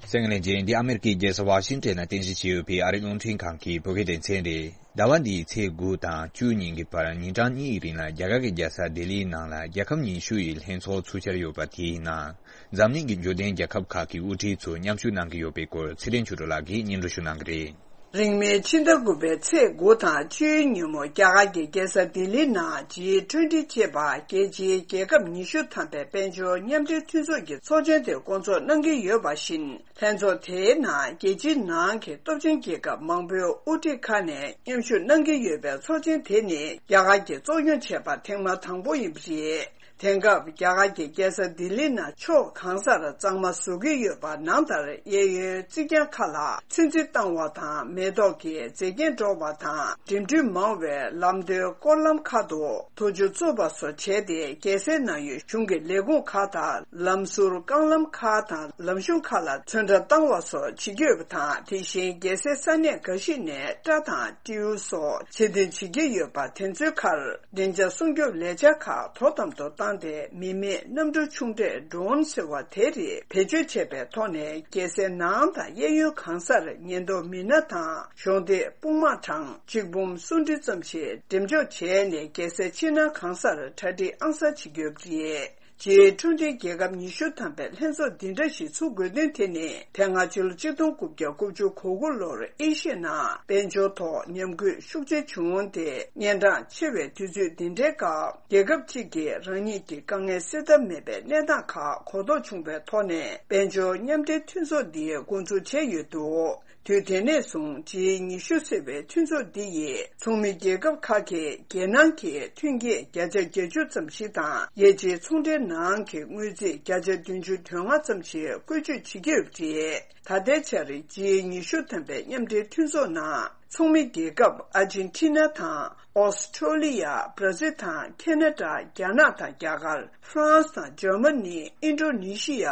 གསན་མཁན་ལྷན་རྒྱས། འདི་ཨ་མེ་རི་ཀའི་རྒྱལ་ས་ཝ་ཤིང་ཊོན་ནང་རྟེན་གཞི་བྱས་ཡོད་པའི་ཨ་རིའི་རླུང་འཕྲིན་ཁང་གི་བོད་སྐད་སྡེ་ཚན་རེད། ཟླ་བ་འདིའི་ཚེས་དགུ་དང་བཅུ་ཉིན་གྱི་བར་ཉིན་གྲངས་གཉིས་ཀྱི་རིང་ལ་རྒྱ་གར་གྱི་རྒྱལ་ས་ལྡི་ལིའི་ནང་ལ་རྒྱལ་ཁབ་ཉི་ཤུ་ཡི་ལྷན་ཚོགས་ཚུགས་འཆར་ཡོད་པ། དེའི་ནང་འཛམ་གླིང་གི་འབྱོར་ལྡན་རྒྱལ་ཁབ་ཁག་གི་དབུ་ཁྲིད་ཚོ་མཉམ་ཞུགས་གནང་གི་ཡོད་པའི་སྐོར་ཚེ་རིང་ཆོས་སྒྲོན་ལགས་ཀྱིས་སྙན་སྒྲོན་ཞུ་གནང་གི་རེད། རིང་མིན་ཕྱི་ཟླ་དགུ་པའི་ཚེས་དགུ་དང་བཅུའི་ཉིན་མོ་རྒྱ་གར་གྱི་རྒྱལ་ས་ལྡི་ལི་ནང་ཇི་ཊུན་ཊི་ཅེས་པ་རྒྱལ་སྤྱིའི་རྒྱལ་ཁབ་ཉི་ཤུ་ཐམ་པའི་དཔལ་འབྱོར་མཉམ་འབྲེལ་མཐུན་ཚོགས་ཀྱི་ཚོགས་ཆེན་དེ་སྐོང་ཚོགས་གནང་གི་ཡོད་པ་བཞིན། ལྷན་ཚོགས་དེའི་ནང་རྒྱལ་སྤྱིའི་ནང་གི་སྟོབས་ཆེན་རྒྱལ་ཁབ་མང་པོའི་དབུ་ཁྲིད་ཁག་ནས་མཉམ་ཞུགས་གནང་གི་ཡོད་པའི་ཚོགས་ཆེན་དེ་ནི་རྒྱ་གར་གྱིས་གཙོ་སྐྱོང་བྱས་པ་ཐེངས་མ་དང་པོ་ཡིན་པ་རེད། དེང་སྐབས་རྒྱ་གར་གྱི་རྒྱལ་ས་ལྡི་ལི་ནང་ཕྱོགས་གང་སར་གཙང་མ་བཟོ་གི་ཡོད་པ་ནང་ལྟར། གཡས་གཡོན་རྩིག་གྱང་ཁག་ལ་ཚོན་རྩི་བཏང་བ་དང་། མེ་ཏོག་གི་མཛེས་རྒྱན་སྤྲོ་བ་དང་། འགྲིམ་འགྲུལ་མང་བའི་ལམ་མདོའི་སྐོར་ལམ་ཁག་ཏུ་ཐོག་ཆུ་བཙུགས་པ་སོགས་བྱས་ཏེ། རྒྱལ་སའི་ནང་ཡོད་གཞུང་གི་ལས་ཁུངས་ཁག་དང་། ལམ་ཟུར་རྐང་ལམ་ཁག་དང་། ལམ་གཞུང་ཁག་ལ་ཚོན་ཁྲ་བཏང་བ་སོགས་བྱེད་ཀྱི་ཡོད་པ་དང་། དེ་བཞིན་རྒྱལ་སའི་ས་གནས་འགའ་ཞིག་ནས་སྐྲ་དང་སྤྲེའུ་སོགས་ཕྱིར་འཐེན་བྱེད་ཀྱི་ཡོད་པ། དེ་ཚོའི་ཁར་བདེ་འཇགས་སྲུང་སྐྱོབ་ལས་འཆར་ཁག་དོ་དམ་དུ་བཏང་སྟེ། མི་མེད་གནམ་གྲུ་ཆུང་གྲས་ཌོ་རོན་ཟེར་བ་དེ་རིགས་བེད་སྤྱོད་བྱས་པའི་ཐོག་ནས། རྒྱལ་སའི་ནང་དང་གཡས་གཡོན་གང་སར་ཉེན་རྟོག་མི་སྣ་དང་གཞོགས་འདེགས་དཔུང་དམག་གྲངས་གཅིག་འབུམ་སུམ་ཁྲི་ཙམ་ཞིག་འགྲེམས་འཇོག་བྱས་ནས། རྒྱལ་སའི་ཕྱི་ནང་གང་སར་གྲ་སྒྲིག་ཨང་གསར་བྱེད་ཀྱི་ཡོད་པ་རེད། སྤྱིར་འཕྲོད་བསྟེན་རྒྱལ་ཁབ་ཉི་ཤུ་ཐམ་པའི་ལྷན་ཚོགས་འདི་འདྲ་ཞིག་ཚུགས་དགོས་དོན་དེ་ནི། དེ་སྔ་ཕྱི་ལོ་ཆིག་སྟོང་དགུ་བརྒྱ་དགུ་བཅུ་གོ་དགུ་ལོར་ཨེ་ཤི་ཡའི་ནང་དཔལ་འབྱོར་ཐོག་ཉམས་རྒུད་ཤུགས་ཆེ་བྱུང་སྟེ། གཉན་འཕྲང་ཆེ་བའི་དུས་ཚོད་འདི་འདྲའི་སྐབས། རྒྱལ་ཁབ་གཅིག་གིས་རང་ཉིད་ཀྱི་དཀའ་ངལ་སེལ་ཐབས་མེད་པའི་གནས་སྟངས་ཁག་གོ་རྟོགས་བྱུང་བའི་ཐོག་ནས། དཔལ་འབྱོར་མཉམ་འབྲེལ་མཐུན་ཚོགས་འདི་འགོ་འཛུགས་བྱས་ཡོད་འདུག་དུས་དེ་ནས་བཟུང་ཇི་ཉི་ཤུ་ཟེར་བའི་མཐུན་ཚོགས་འདི་ཡིས་ཚོགས་མི་རྒྱལ་ཁབ་ཁག་གིས་རྒྱལ་ནང་གི་ཐོན་སྐྱེད་བརྒྱ་ཆ་བརྒྱད་ཅུ་ཙམ་ཞིག་དང་། རྒྱལ་སྤྱིའི་ཚོང་འབྲེལ་ནང་གི་དངུལ་རྩིས་བརྒྱ་ཆ་བདུན་ཅུ་དོན་ལྔ་ཙམ་ཞིག་བཀོལ་སྤྱོད་བྱེད་ཀྱི་ཡོད་པ་རེད། ད་ལྟའི་ཆར་ཇི་ཉི་ཤུ་ཐམ་པའི་མཉམ་འབྲེལ་མཐུན་ཚོགས་ནང་ཚོགས་མི་རྒྱལ་ཁབ་ཨར་ཇེན་ཊི་ན་དང་། ཨོ་སི་ཁྲོ་ལི་ཡ། བྷར་ཛིལ་དང་། ཁེ་ན་ཌ། རྒྱ་ནག་དང་རྒྱ་གར། ཧྥ་རན་སི་དང་འཇར་མ་ནི། ཨིན་ཌོ་ནེ་ཤི་ཡ།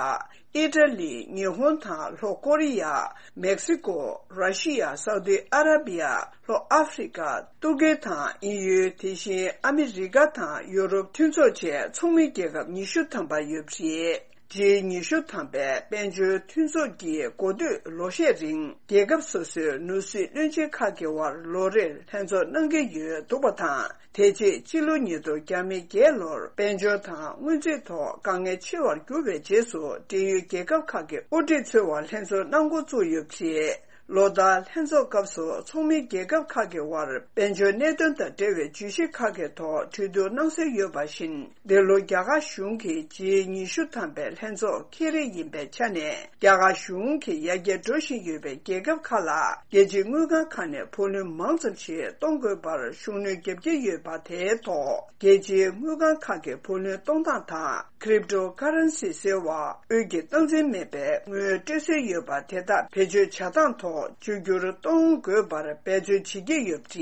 ཨི་ཊ་ལི། ཉི་ཧོང་དང་ལྷོ་ཀོ་རི་ཡ། མེག་སི་ཀོ། ར་ཤི་ཡ། སའུ་ཏི་ཨ་ར་བི་ཡ། ལྷོ་ཨ་ཧྥི་རི་ཀ། ཏུར་ཀི་དང་དབྱིན་ཡུལ། དེ་བཞིན་ཨ་མི་རི་ཀ་དང་ཡོ་རོབ་མཐུན་ཚོགས་བཅས་ཚོགས་མི་རྒྱལ་ཁབ་ཉི་ཤུ་ཐམ་པ་ཡོད་པ་རེད། ཇི་ཉི་ཤུ་ཐམ་པའི་དཔལ་འབྱོར་མཐུན་ཚོགས་ཀྱི་འགོ་སྟོད་ལོ་ཤས་རིང་རྒྱལ་ཁབ་སོ་སོའི་ནོར་སྲིད་བློན་ཆེན་ཁག་གི་དབར་ལོ་རེར་ལྷན་ཚོགས་གནང་གི་ཡོད་འདུག་པ་དང་། དེ་རྗེས་ཕྱི་ལོ་ཉིས་སྟོང་བརྒྱ་མེད་བརྒྱད་ལོར་དཔལ་འབྱོར་དང་སྔོན་རྩིས་ཐོག་དཀའ་ངལ་ཆེ་བར་གྱུར་བའི་རྗེས་སུ། འབྲེལ་ཡོད་རྒྱལ་ཁབ་ཁག་གི་དབུ་ཁྲིད་ཚོའི་དབར་ལྷན་ཚོགས་གནང་འགོ་བཙུགས་ཡོད་པ་རེད། ལོ་ལྟར་ལྷན་ཚོགས་སྐབས་སུ་ཚོགས་མི་རྒྱལ་ཁབ་ཁག་གི་དབར་དཔལ་འབྱོར་གནད་དོན་དང་འབྲེལ་བའི་བརྗོད་གཞི་ཁག་གི་ཐོག་གྲོས་བསྡུར་གནང་སྲོལ་ཡོད་པ་བཞིན། འདི་ལོ་རྒྱ་གར་གཞུང་གི་ཇི་ཉི་ཤུ་ཐམ་པའི་ལྷན་ཚོགས་ཁེ་རེ་ཡིན་པའི་ཆ་ནས། རྒྱ་གར་གཞུང་གིས་ཡར་རྒྱས་འགྲོ་བཞིན་ཡོད་པའི་རྒྱལ་ཁབ་ཁག་ལ་རྒྱལ་སྤྱིའི་དངུལ་ཁང་ཁག་ནས་བུ་ལོན་མང་ཙམ་ཞིག་གཏོང་དགོས་པར་ཤུགས་སྣོན་བརྒྱབ་ཀྱི་ཡོད་པ། དེའི་ཐོག་རྒྱལ་སྤྱིའི་དངུལ་ཁང་ཁག་གི་བུ་ལོན་གཏོང་སྟངས་དང་། ཀྲིབ་ཏོ་ཀ་རན་སི་ཟེར་བ། དབུས་ཀྱི་སྟངས་འཛིན་མེད་པའི་དངུལ་སྤྲོད་སྲོལ་ཡོད་པ་དེ་དག་བེད་སྤྱོད་བྱ་སྟངས་ཐོག་བཅོས་བསྒྱུར་གཏོང་དགོས་པར་འབད་བརྩོན་བྱེད་ཀྱི་ཡོད་པ་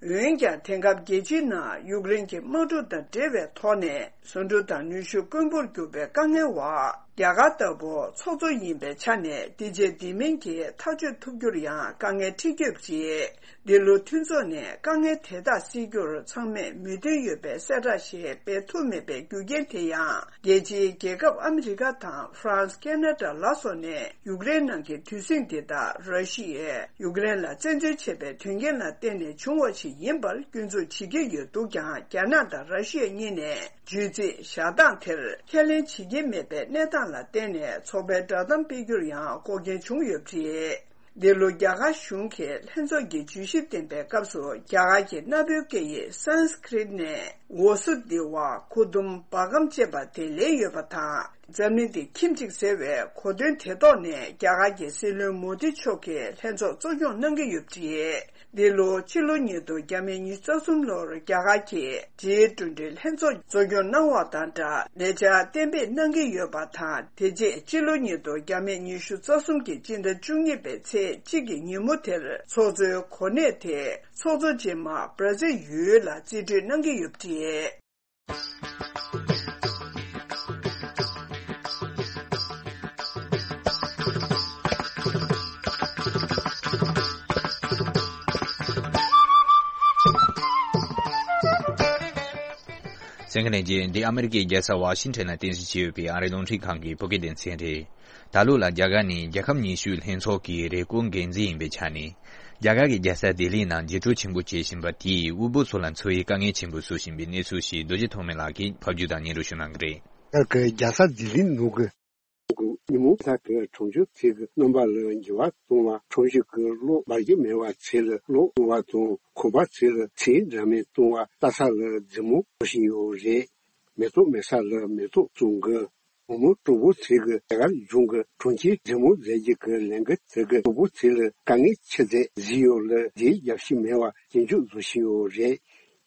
རེད། འོན་ཀྱང་། དེང་སྐབས་རྒྱལ་སྤྱིའི་ནང་ཡུཀ་རེན་གྱི་དམག་འཁྲུག་དང་འབྲེལ་བའི་ཐོག་ནས། ཟོག་འགྲུལ་དང་ནུས་ཤུགས་དཀོན་པོར་གྱུར་པའི་དཀའ་ངལ་འོག་རྒྱ་གར་ལྟ་བུ་ཚོགས་གཙོ་ཡིན་པའི་ཆ་ནས། འདི་བྱས་འདི་མིན་གྱི་ཐག་གཅོད་ཐུབ་རྒྱུར་ཡང་དཀའ་ངལ་འཕྲད་ཀྱི་ཡོད་པ་རེད། འདི་ལོ་མཐུན་ཚོགས་ནས་དཀའ་ངལ་དེ་དག་སེལ་རྒྱུར་ཚང་མས་མོས་མཐུན་ཡོད་པའི་གསལ་བསྒྲགས་ཤིག་སྤེལ་ཐུབ་མེད་པའི་རྒྱུ་རྐྱེན་དེ་ཡང་། རྒྱལ་སྤྱིའི་རྒྱལ་ཁབ་ཨ་མི་རི་ཀ་དང་ཧྥ་རན་སི། ཁེ་ན་ཌ་ལ་སོགས་ནས་ཡུཀ་རེན་ནང་གི་དུས་ཟིང་འདི་དག་ར་ཤི་ཡས་ཡུཀ་རེན་ལ་བཙན་འཛུལ་བྱས་པའི་དོན་རྐྱེན་ལ་བརྟེན་ནས་བྱུང་བ་ཞིག་ཡིན་པར་སྐྱོན་འཛུགས་བྱེད་ཀྱི་ཡོད་འདུག་ཀྱང་། རྒྱ་ནག་དང་ར་ཤི་ཡ་གཉིས་ནས་བརྗོད་ཚིག་བཞག་སྟངས་དེར་ཁས་ལེན་བྱེད་ཀྱི་མེད་པའི་གནས་སྟངས་ལ་བརྟེན་ནས། ཚོགས་པའི་བསྒྲགས་གཏམ་སྤེལ་རྒྱུར་ཡང་འགོག་རྐྱེན་བྱུང་ཡོད་པ་རེད། འདི་ལོ་རྒྱ་གར་གཞུང་གིས་ལྷན་ཚོགས་ཀྱི་བརྗོད་གཞི་བཏོན་པའི་སྐབས་སུ། རྒྱ་གར་གྱི་གནའ་བོའི་སྐད་ཡིག་སཾ་སྐྲྀཏ་ནས་ཝ་སུ་དེ་ཝ་ཀུ་ཏུམ་བྷ་ཀམ་ཅེས་པ་དེ་ལེན་ཡོད་པ་དང་། འཛམ་གླིང་འདི་ཁྱིམ་གཅིག་ཟེར་བའི་གོ་དོན་དེ་ཐོག་ནས། རྒྱ་གར་གྱི་སྲིད་བློན་མོ་དི་མཆོག་གིས་ལྷན་ཚོགས་གཙོ་སྐྱོང་གནང་གི་ཡོད་པ་རེད། འདི་ལོ་ཕྱི་ལོ་ཉིས་སྟོང་བརྒྱ་མེད་ཉི་ཤུ་རྩ་གསུམ་ལོར་རྒྱ་གར་གྱིས་ཇི་ཊུ་ཝེན་ཊི་ལྷན་ཚོགས་གཙོ་སྐྱོང་གནང་བ་དང་སྦྲགས། ལས་འཆར་གཏན་འབེབས་གནང་གི་ཡོད་པ་དང་། དེ་རྗེས་ཕྱི་ལོ་ཉིས་སྟོང་བརྒྱ་མེད་ཉི་ཤུ་རྩ་གསུམ་གྱི་སྤྱི་ཟླ་བཅུ་གཉིས་པའི་ཚེས་གཅིག་གི་ཉིན་མོ་དེར། ཚོགས་གཙོའི་གོ་གནས་དེ་ཚོགས་གཙོ་རྗེས་མ་བྷར་ཛིལ་ཡུལ་ལ་རྩིས་སྤྲོད་གནང་གི་ཡོད་པ་རེད། གསན་མཁན་ལྷན་རྒྱས། འདི་ཨ་མི་རི་ཀའི་རྒྱལ་ས་ཝ་ཤིང་ཊོན་ལ་རྟེན་གཞི་བྱས་ཡོད་པའི་ཨ་རིའི་རླུང་འཕྲིན་ཁང་གི་བོད་སྐད་སྡེ་ཚན་རེད། ད་ལོ་ལ་རྒྱ་གར་ནི་རྒྱལ་ཁབ་ཉི་ཤུའི་ལྷན་ཚོགས་ཀྱི་རེས་སྐོང་འགན་འཛིན་ཡིན་པའི་ཆ་ནས། རྒྱ་གར་གྱི་རྒྱལ་ས་ལྡི་ལི་ནང་རྒྱས་སྤྲོས་ཆེན་པོ་བྱེད་བཞིན་པ་དེས་དབུལ་པོ་ཚོ་ལ་འཚོ་བའི་དཀའ་ངལ་ཆེན་པོ་བཟོ་བཞིན་པའི་གནས་ཚུལ་ཞིག་རྡོ་རྗེ་ཐོགས་མེད་ལགས་ཀྱིས་ཕབ་སྒྱུར་དང་སྙན་སྒྲོན་ཞུ་གནང་གི་རེད། རྒྱ་གར་གྱི་རྒྱལ་ས་ལྡི་ལི་ནང་གི་ཉིན་མོ་དག་གི་གྲོང་ཆོག་ཚེས་ཀྱི་རྣམ་པ་ལ་འགྱུར་བ་གཏོང་བ། གྲོང་གཞི་གི་གློག་འབར་གྱི་མེད་པ་ཚེས་ལ་གློག་གཏོང་བ་དང་། ཁང་པ་ཚེས་ལ་ཚེས་འདྲ་མིན་གཏོང་བ། རྟ་ས་ལ་རྫི་མོ་བཟོ་བཞིན་ཡོད་རེད། མེ་ཏོག་མེད་ས་ལ་མེ་ཏོག་བཙུགས་འགོ། དགོང་མོ་དྲོ་པོ་ཚེས་ཀྱི་རྒྱ་གར་གཞུང་གི་གྲོང་ཁྱེར་རྫི་མོ་མཛད་རྗེས་ཀྱི་ལས་འགུལ་དེ་གི་དྲོ་པོ་ཚེས་ལ་དཀའ་ངལ་ཆེ་ཚད་གཟིགས་ཡོད་ལ། དེའི་རྒྱབ་ཤིག་མེད་པ་རྒྱུན་འཇུག་བཟོ་བཞིན་ཡོད་རེད།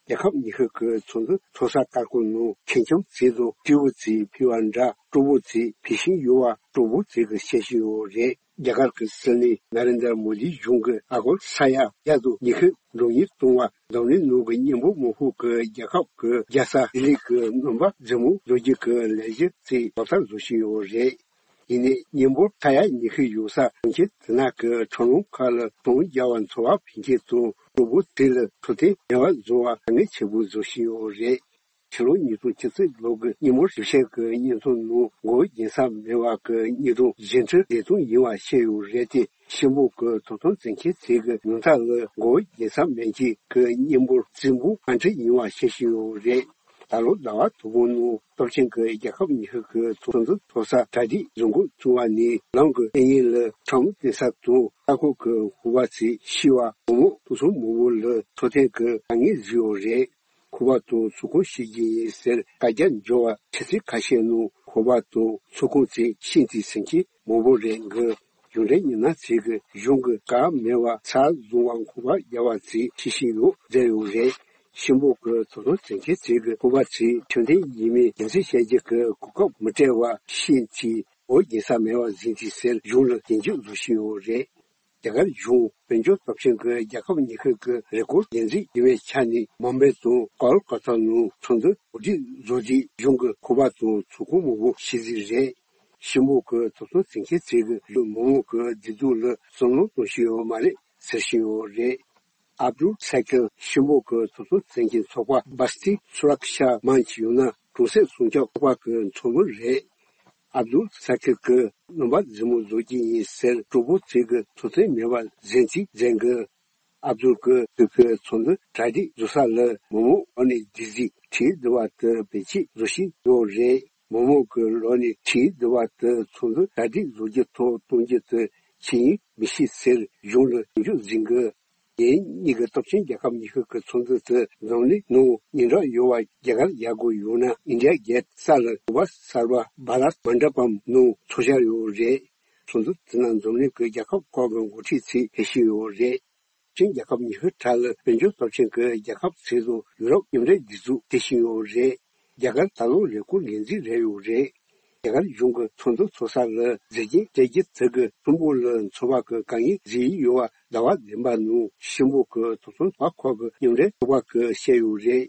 རྒྱལ་ཁབ་ཉི་ཤུ་གི་ཚོགས་འདུ་ཚོགས་ས་ཁག་གི་ནང་ཁེངས་སྐྱུང་བྱས་ཏེ་སྤྲོ་པོ་བྱས་ཕེབས་པ་འདྲ། སྤྲོ་པོ་བྱས་ཕེབས་བཞིན་ཡོད་པ་སྤྲོ་པོ་བྱས་ཀྱིས་བཤད་བཞིན་ཡོད་རེད། རྒྱ་གར་གྱི་སྲིད་བློན་ན་རེན་དྲ་མོ་དིའི་གཞུང་གིས་ཨ་སྒོར་ས་ཡ་བརྒྱ་དང་ཉི་ཤུ་འགྲོ་སོང་གཏོང་བ། འཛམ་གླིང་ནང་གི་མཉམ་སྤོར་མང་ཤོས་ཀྱི་རྒྱལ་ཁབ་ཀྱི་རྒྱལ་ས་ལྡི་ལི་གི་རྣམ་པ་རྫིག་མོ་བཟོ་རྒྱུ་གི་ལས་གཞི་དེ་ལག་བསྟར་བཟོ་བཞིན་ཡོད་རེད། ཡིན་ནའི་མཉམ་སྤོར་ས་ཡ་ཉི་ཤུ་ཡོད་ས་གྲོང་ཁྱེར་དེ་དག་གི་ཁྲོམ་ལམ་ཁག་ལ་གྲོང་རྒྱལ་བ་འཚོ་བ་ཕན་ཆད་དང་སྤྲོ་པོ་དེ་ལ་འཕྲོད་བསྟེན་མེད་པ་བཟོ་བ་དཀའ་ངལ་ཆེན་པོ་བཟོ་བཞིན་ཡོད་རེད། ཕྱི་ལོ་ཉིས་སྟོང་བཅུ་གཅིག་ལོ་གི་མཉམ་སྤོར་ཞིབ་བཤེར་གྱི་བརྙན་ཐུང་ནང་མགོ་བོ་འགྱེལ་ས་མེད་པ་གི་དངོས་གྲུབ་གཞན་འཕྲུལ་བདེ་ཐང་ཡིན་པ་བཤད་ཡོད་རེད་དེ། གཤིན་པོ་གི་ཐོབ་ཐང་འཛིན་མཁན་ཚོས་ཀྱི་ཉུང་མཐའ་ལ་མགོ་བོ་འགྱེལ་ས་མེད་མཁན་གྱི་མཉམ་སྤོར་རྫིག་མོ་ཨ་འཕྲུལ་ཡིན་པ་བཤད་བཞིན་ཡོད་རེད། ད་ལོ་ཟླ་བ་དང་པོའི་ནང་སྟོབས་ཆེན་གྱི་རྒྱལ་ཁབ་ཉི་ཤུ་གི་ཚོགས་འདུ་ཚོགས་ས་གྲ་སྒྲིག་བཟོ་འགོ་བཙུགས་པ་ནས་ལམ་གྱི་གཡས་གཡོན་ལ་ཁྲོམ་བསྟན་ས་དང་ས་ཁུག་གི་ཤུག་པ་ཚོས་ཤི་བ་བུ་མོ་སྤུ་ཚོ་མང་པོ་ལ་འཕྲོད་བསྟེན་གྱི་དཀའ་ངལ་བཟོས་ཡོད་རེད། ཁུག་པ་དང་ཚོགས་ཁང་བཤིག་རྒྱུ་ཡིན་ཟེར་བཀའ་རྒྱ་འབྱོར་བ་ཆུ་ཚོད་ཁ་ཤས་ནང་ཁུག་པ་དང་ཚོགས་ཁང་ཚོ་ཤིན་ཏུ་ཟིན་གྱི་མང་པོ་རེད་འགི། གཞུང་འབྲེལ་མི་སྣ་ཚོས་ཀྱི་གཞུང་གི་བཀའ་མེད་པ་ཚ་བཟུང་བ་ཁུག་པ་རྒྱག་པ་ཚོས་ཤེས་བཞིན་ཡོད་བསྡད་ཡོད་རེད། གཤིན་པོ་གི་ཚོགས་ཐོག་འཛིན་མཁན་ཚོས་ཀྱི་ཁུག་པ་ཚོས་ཁྲིམས་མཐུན་ཡིན་མིན་རྒྱུ་མཚན་བཤད་རྒྱུ་གི་གོ་སྐབས་མི་སྤྲད་པ་ཤིན་ཏུ་འོ་རྒྱན་ས་མེད་པ་ཟིན་ཏེ་ཟེར་གཞུང་ལ་སྐྱོན་བརྗོད་བཟོ་བཞིན་ཡོད་རེད། རྒྱ་གར་གཞུང་དཔལ་འབྱོར་སྟོབས་ཆེན་གྱི་རྒྱལ་ཁབ་ཉི་ཤུ་གི་རེ་སྐུལ་སྒེར་འཛིན་ཡིན་པའི་ཆ་ནས་མུམ་བྷེ་དང་ཀོལ་ཀ་ཏ་ནང་ཚོགས་འདུ་གོ་སྒྲིག་བཟོ་རྗེས་གཞུང་གི་ཁུག་པ་དང་ཚོགས་ཁང་མང་པོ་ཤི་གཟིགས་རེད། གཤིན་པོ་གི་ཚོགས་ཐོག་འཛིན་མཁན་ཚོས་ཀྱི་མི་མང་གི་བདེ་སྡུག་ལ་བསམ་བློ་གཏོང་བཞིན་ཡོད་མ་རེད་ཟེར་བཞིན་ཡོད་རེད། ཨབ་དུལ་ས་ཀིར་གཤིན་པོ་གི་ཚོགས་ཐོག་འཛིན་མཁན་ཚོགས་པ་སྦ་སྟི་སུ་རག་ཤ་མཱན་ཅི་ཡང་ན་གྲོང་གསེབ་སྲུང་སྐྱོབ་ཚོགས་པ་གི་ཚོགས་མི་རེད། ཨབ་དུལ་ས་ཀིར་གྱིས་རྣམ་པ་རྫིག་མོ་བཟོ་རྒྱུ་ཡིན་ཟེར་གྲོགས་པོ་ཚོས་ཀྱི་ཐུགས་བརྩེ་མེད་པ་འཛིན་ཚིག་འཛིན་གི། ཨབ་དུལ་གྱིས་བོད་ཀྱི་ཚོགས་འདུ་གྲ་སྒྲིག་བཟོ་ས་ལ་མི་མང་འོག་ནས་སྡིགས་ཚིག་བྲིས་བསྡད་པ་དེ་བེད་སྤྱོད་བཟོ་བཞིན་ཡོད་རེད། མི་མང་གི་ལོགས་ནས་བྲིས་བསྡད་པ་དེ་ཚོགས་འདུ་གྲ་སྒྲིག་བཟོ་རྒྱུ་ཐོག་གཏོང་རྒྱུ་དེ་ཅི་ཡིན་མི་ཤེས་ཟེར་གཞུང་ལ་སྐྱོན་བརྗོད་འཛིན་གི། ངེད་གཉིས་ཀྱི་སྟོབས་ཆེན་རྒྱལ་ཁབ་ཉི་ཤུ་གི་ཚོགས་འདུ་དེ་འཛམ་གླིང་ནང་སྙན་གྲགས་ཡོད་པ་རྒྱ་གར་རྒྱལ་སྒོ་ཡང་ན་ཨིན་ཌི་ཡ་གེ་ཊི་ས་ལ་གུས་པ་གསར་པ་བྷ་རཏ་མན་ཌ་པམ་ནང་ཚོགས་འཆར་ཡོད་རེད། ཚོགས་འདུ་དེ་ནང་འཛམ་གླིང་གི་རྒྱལ་ཁབ་ཁག་གི་འགོ་ཁྲིད་ཚོས་ཕེབས་བཞིན་ཡོད་རེད། སྤྱིར་རྒྱལ་ཁབ་ཉི་ཤུ་གྲས་ལ་དཔལ་འབྱོར་སྟོབས་ཆེན་གྱི་རྒྱལ་ཁབ་ཚོ་དང་ཡུ་རོབ་མཉམ་འབྲེལ་སྒྲིག་འཛུགས་དེ་བཞིན་ཡོད་རེད། རྒྱ་གར་ད་ལོ་རེ་སྐུལ་ངོས་འཛིན་རེ་ཡོད་རེད། རྒྱ་གར་གཞུང་གི་ཚོགས་འདུ་ཚོགས་ས་ལ་མཛེས་རྒྱན་སྤྲས་རྒྱུ་དེ་གིས་ཁྲོམ་སྐོར་ལ་འཚོ་བ་གི་དཀའ་ངལ་བཟོས་ཡོད་པ་ཟླ་བ་བདུན་པ་ནང་གཤིན་པོ་གི་ཐོབ་ཐང་ཚོགས་པ་ཁག་གི་མཉམ་འབྲེལ་ཚོགས་པ་གིས་བཤད་ཡོད་རེད།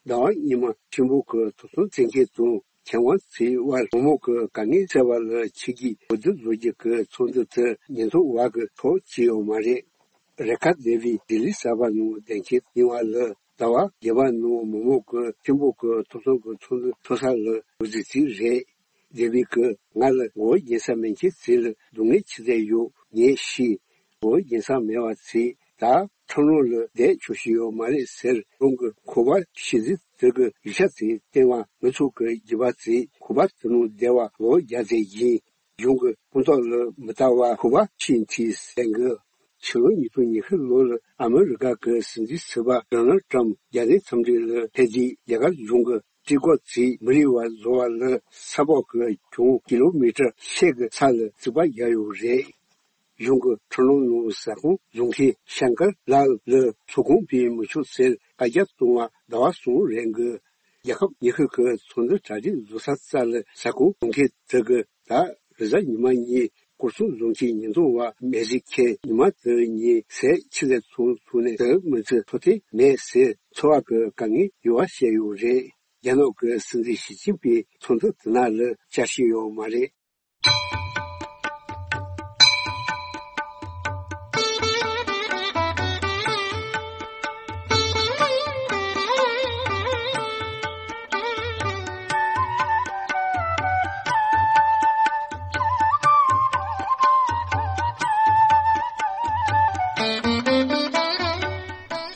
ཟླ་བ་སྔོན་མ་གཤིན་པོ་གི་ཐོབ་ཐང་འཛིན་མཁན་དང་ཁྱད་དབང་ཚོའི་དབར་མི་མང་གི་དཀའ་ངལ་སེལ་བ་ལ་ཆིག་སྒྲིལ་འོས་བསྡུ་བཟོ་རྒྱུ་གི་ཚོགས་འདུ་དེ་ཉིས་སྟོང་བར་གྱི་ཐོག་བྱས་ཡོད་མ་རེད། རེ་ཁ་དེ་བི་ལྡི་ལི་གསར་པ་ནང་བསྡད་མཁན་ཡིན་པ་ལ་ཟླ་བ་བརྒྱད་པ་ནང་མི་མང་གི་གཤིན་པོ་གི་ཐོབ་ཐང་གི་ཚོགས་འདུ་ཚོགས་ས་ལ་འགོ་འཛུགས་བྱས་རེད། དེ་བི་གིས་ང་ལ་མགོ་བོ་འགྱེལ་ས་མེད་མཁན་ཚོ་ལ་སྡུག་བསྔལ་ཆེ་ཚད་ཡོད། ངས་ཤི། མགོ་བོ་འགྱེལ་ས་མེད་པ་ཚོས་ད་ཁྲོམ་རོང་ལ་བསྡད་ཆོག་ཤེས་ཡོད་མ་རེད་ཟེར་རང་གི་ཁུག་པ་ཤི་གཟིགས་དེ་གི་ཡིག་ཆ་ཚོ་བསྟན་པ་མི་ཚོགས་ཀྱི་རྒྱུད་པ་ཚོས་ཁུག་པ་དེ་ནང་བསྡད་པ་མགོ་བོ་རྒྱག་ཚད་ཡིན། གཞུང་གི་ཕུང་ཐོག་ལ་མི་ལྟ་བ་ཁུག་པ་ཕྱིན་ཐིས་ཟེར་གི། ཕྱི་ལོ་ཉིས་སྟོང་ཉི་ཤུ་ལོ་ལ་ཨ་མི་རི་ཀ་གི་སྲིད་འཛིན་ཟུར་པ་ཌོ་ནལ་ཊམ་རྒྱལ་སའི་འཚམས་འདྲི་ལ་ཕེབས་དུས་རྒྱ་གར་གཞུང་གི་སྤྲུལ་སྐུ་ཚོས་མི་རིགས་པ་བཟོ་བ་ལ་ས་ཕོགས་ཀྱི་གྱོང་ཀི་ལོ་མི་ཊར་ཤས་ཀྱི་ས་ལ་རྩིག་པ་བརྒྱབ་ཡོད་རེད། གཞུང་གི་ཁྲོམ་ལམ་ནང་ཟ་ཁང་བཟོ་མཁན་ཤང་ཀར་ལཱལ་ལ་ཚོགས་ཁང་སྤོ་མི་ཆོག་ཟེར་བཀའ་རྒྱ་གཏོང་བ་ཟླ་བ་གསུམ་རིང་གི། རྒྱལ་ཁབ་ཉི་ཤུ་གི་ཚོགས་འདུ་གྲ་སྒྲིག་བཟོ་ས་རྩ་ལ་ཟ་ཁང་བཟོ་མཁན་དེ་གིས་ད་རེས་གཟའ་ཉི་མ་ཉིན་སྐོར་སྲུང་བཟོ་མཁན་ཉེན་རྟོག་པ་མེ་ཟི་ཁེ་ཉི་མ་དེ་ཉིན་ཟས་ཆི་ཟེར་ཚོང་ཚོང་ནས་དེ་མི་ཚེ་འཚོ་ཐེངས་མེད་ཟེར་འཚོ་བ་གི་དཀའ་ངལ་ཡོད་པ་བཤད་ཡོད་རེད། རྒྱ་ནག་གི་སྲིད་འཛིན་ཞི་ཅིན་ཕིང་ཚོགས་འདུ་དེ་ནང་ལ་བཅར་བཞིན་ཡོད་མ་རེད།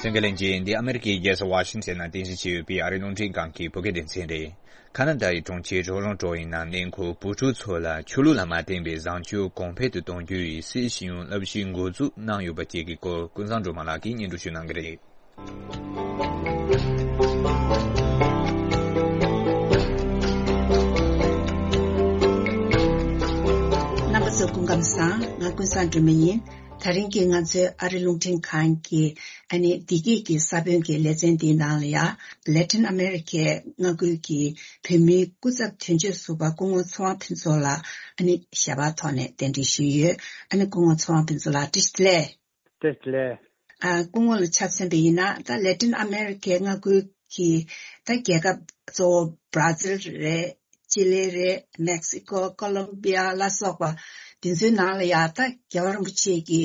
གསན་མཁན་ལྷན་རྒྱས། འདི་ཨ་མེ་རི་ཁའི་རྒྱལ་ས་ཝ་ཤིང་ཊོན་ནང་རྟེན་གཞི་བྱས་ཡོད་པའི་ཨ་རིའི་རླུང་འཕྲིན་ཁང་གི་བོད་སྐད་སྡེ་ཚན་རེད། ཁ་ན་ཌའི་གྲོང་ཁྱེར་ཊོ་རོན་ཊོ་ཡི་ནང་གནས་འཁོད་བུ་ཕྲུག་ཚོ་ལ་ཆོས་ལུགས་ལ་མ་བརྟེན་པའི་བཟང་སྤྱོད་གོང་འཕེལ་དུ་གཏོང་རྒྱུ་ཡི་སྲིད་ཤེས་ཡོན་བསླབ་གཞི་འགོ་འཛུགས་གནང་ཡོད་པ་བཅས་ཀྱི་སྐོར་ཀུན་བཟང་སྒྲོལ་མ་ལགས་ཀྱིས་སྙན་སྒྲོན་ཞུ་གནང་གི་རེད། རྣམ་པ་ཚོ་སྐུ་ཁམས་བཟང་། ང་ཀུན་བཟང་སྒྲོལ་མ་ཡིན། ད་རིང་གི་ང་ཚོའི་ཨ་རི་རླུང་འཕྲིན་ཁང་གི་ཨ་ནི་བདེ་སྐྱིད་ཀྱི་ས་བོན་གྱི་ལེ་ཚན་འདིའི་ནང་ལ་ཡ། ལེ་ཏིན་ཨ་མེ་རི་ཁའི་མངའ་ཁུལ་གྱི་བོད་མིའི་སྐུ་ཚབ་དོན་གཅོད་ཟུར་པ་སྐུ་ངོ་ཚེ་དབང་ཕུན་ཚོགས་ལགས་ཨ་ནི་ཞལ་པར་ཐོག་ནས་གདན་འདྲེན་ཞུས་ཡོད། ཨ་ནི་སྐུ་ངོ་ཚེ་དབང་ཕུན་ཚོགས་ལགས་བཀྲ་ཤིས་བདེ་ལེགས། བཀྲ་ཤིས་བདེ་ལེགས། ཨ། སྐུ་ངོ་ལ་ཆ་མཚོན་པ་ཡིན་ན་ད་ལེ་ཏིན་ཨ་མེ་རི་ཁའི་མངའ་ཁུལ་གྱི་ད་རྒྱལ་ཁབ་གཙོ་བོ་བྷ་ར་ཛིལ་རེད། ཅི་ལི་རེད། མེག་སི་ཀོ། ཀོ་ལོམ་བི་ཡ་ལ་སོགས་པ་དེ་ཚོའི་ནང་ལ་ཡ་ད་རྒྱལ་བ་རིན་པོ་ཆེ་གི་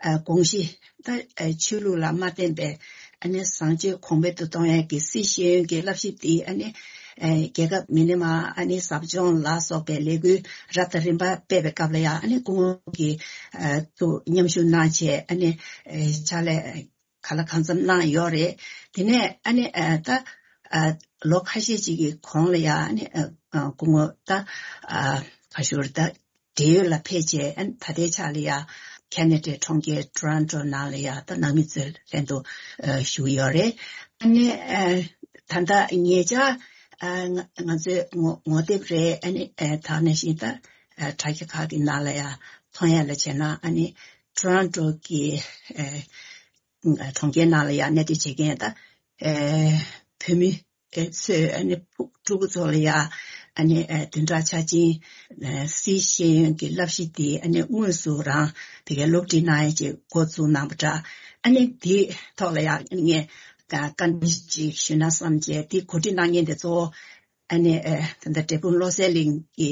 ཨ་དགོངས་གཞི་ད་ཨ་ཆོས་ལུགས་ལ་མ་བརྟེན་པའི་ཨ་ནི་བཟང་སྤྱོད་གོང་འཕེལ་དུ་གཏོང་ཡག་གི་སི་ཤེས་ཡོན་གྱི་བསླབ་གཞི་དེ་ཨ་ནི་ཨ་རྒྱལ་ཁབ་མི་ཉམས་ཨ་ནི་ཟབ་སྦྱོང་ལ་སོགས་པའི་ལས་འགུལ་རབ་དང་རིམ་པ་སྤེལ་བའི་སྐབས་ལ་ཡ་ཨ་ནི་སྐུ་ངོ་གིས་ཨ་ཏུ་མཉམ་ཞུགས་གནང་བྱས་ཨ་ནི་ཨ་ཕྱག་ལས་གང་ལ་གང་འཚམ་གནང་ཡོད་རེད། དེ་ནས་ཨ་ནི་ཨ་ད་ཨ་ལོ་ཁ་ཤས་ཅིག་གི་གོང་ལ་ཡ་ཨ་ནི་ཨ་ཨ་སྐུ་ངོ་ད་ཨ་ག་ཞུ་རེད། ད་འབྲེལ་ཡོད་ལ་ཕེབས་བྱས་ཨ་ནི་ད་ལྟའི་ཆ་ལ་ཡ་ཁེ་ན་ཌའི་གྲོང་ཁྱེར་ཊོ་རོན་ཊོ་ནང་ལ་ཡ་ད་ནང་མི་ཚོའི་ལྷན་དུ་ཨ་བཞུགས་ཡོད་རེད། ཨ་ནི་ཨ་ད་ལྟ་ཉེ་ཆར་ཨ་ང་ང་ཚོའི་ངོ་ངོ་དེབ་རེད། ཨ་ནི་ཨ་ད་ག་ནང་བཞིན་ད་ཨ་དྲ་རྒྱ་ཁག་གི་ནང་ལ་ཡ་མཐོང་ཡ་ལ་བྱས་ན་ཨ་ནི་ཊོ་རོན་ཊོ་གི་ཨ་གྲོང་ཁྱེར་ནང་ལ་ཡང་གནས་སྡོད་བྱེད་མཁན་དང་ཨེ་བོད་མི་ཨེ་ཚོས་ཨ་ནི་ཕྲུ་ཕྲུ་གུ་ཚོ་ལ་ཡང་ཨ་ནི་ཨེ་བདུན་ཕྲག་ཆ་ཆེན་ཨེ་སིའི་ཤེས་ཡོན་གྱི་བསླབ་གཞི་དེ་ཨ་ནི་དངོས་སུ་རང་དེ་གའི་སློབ་ཁྲིད་གནང་ཡ་ཅིག་འགོ་བཙུགས་གནང་པ་འདྲ། ཨ་ནི་དེའི་ཐོག་ལ་ཡང་ངས་བཀའ་འདྲི་ཅིག་ཞུས་ན་བསམ་བྱས། དེ་གོ་སྒྲིག་གནང་མཁན་དེ་གཙོ་བོ་ཨ་ནི་ཨེ་ད་ལྟ་འབྲས་སྤུངས་བློ་གསལ་གླིང་གི་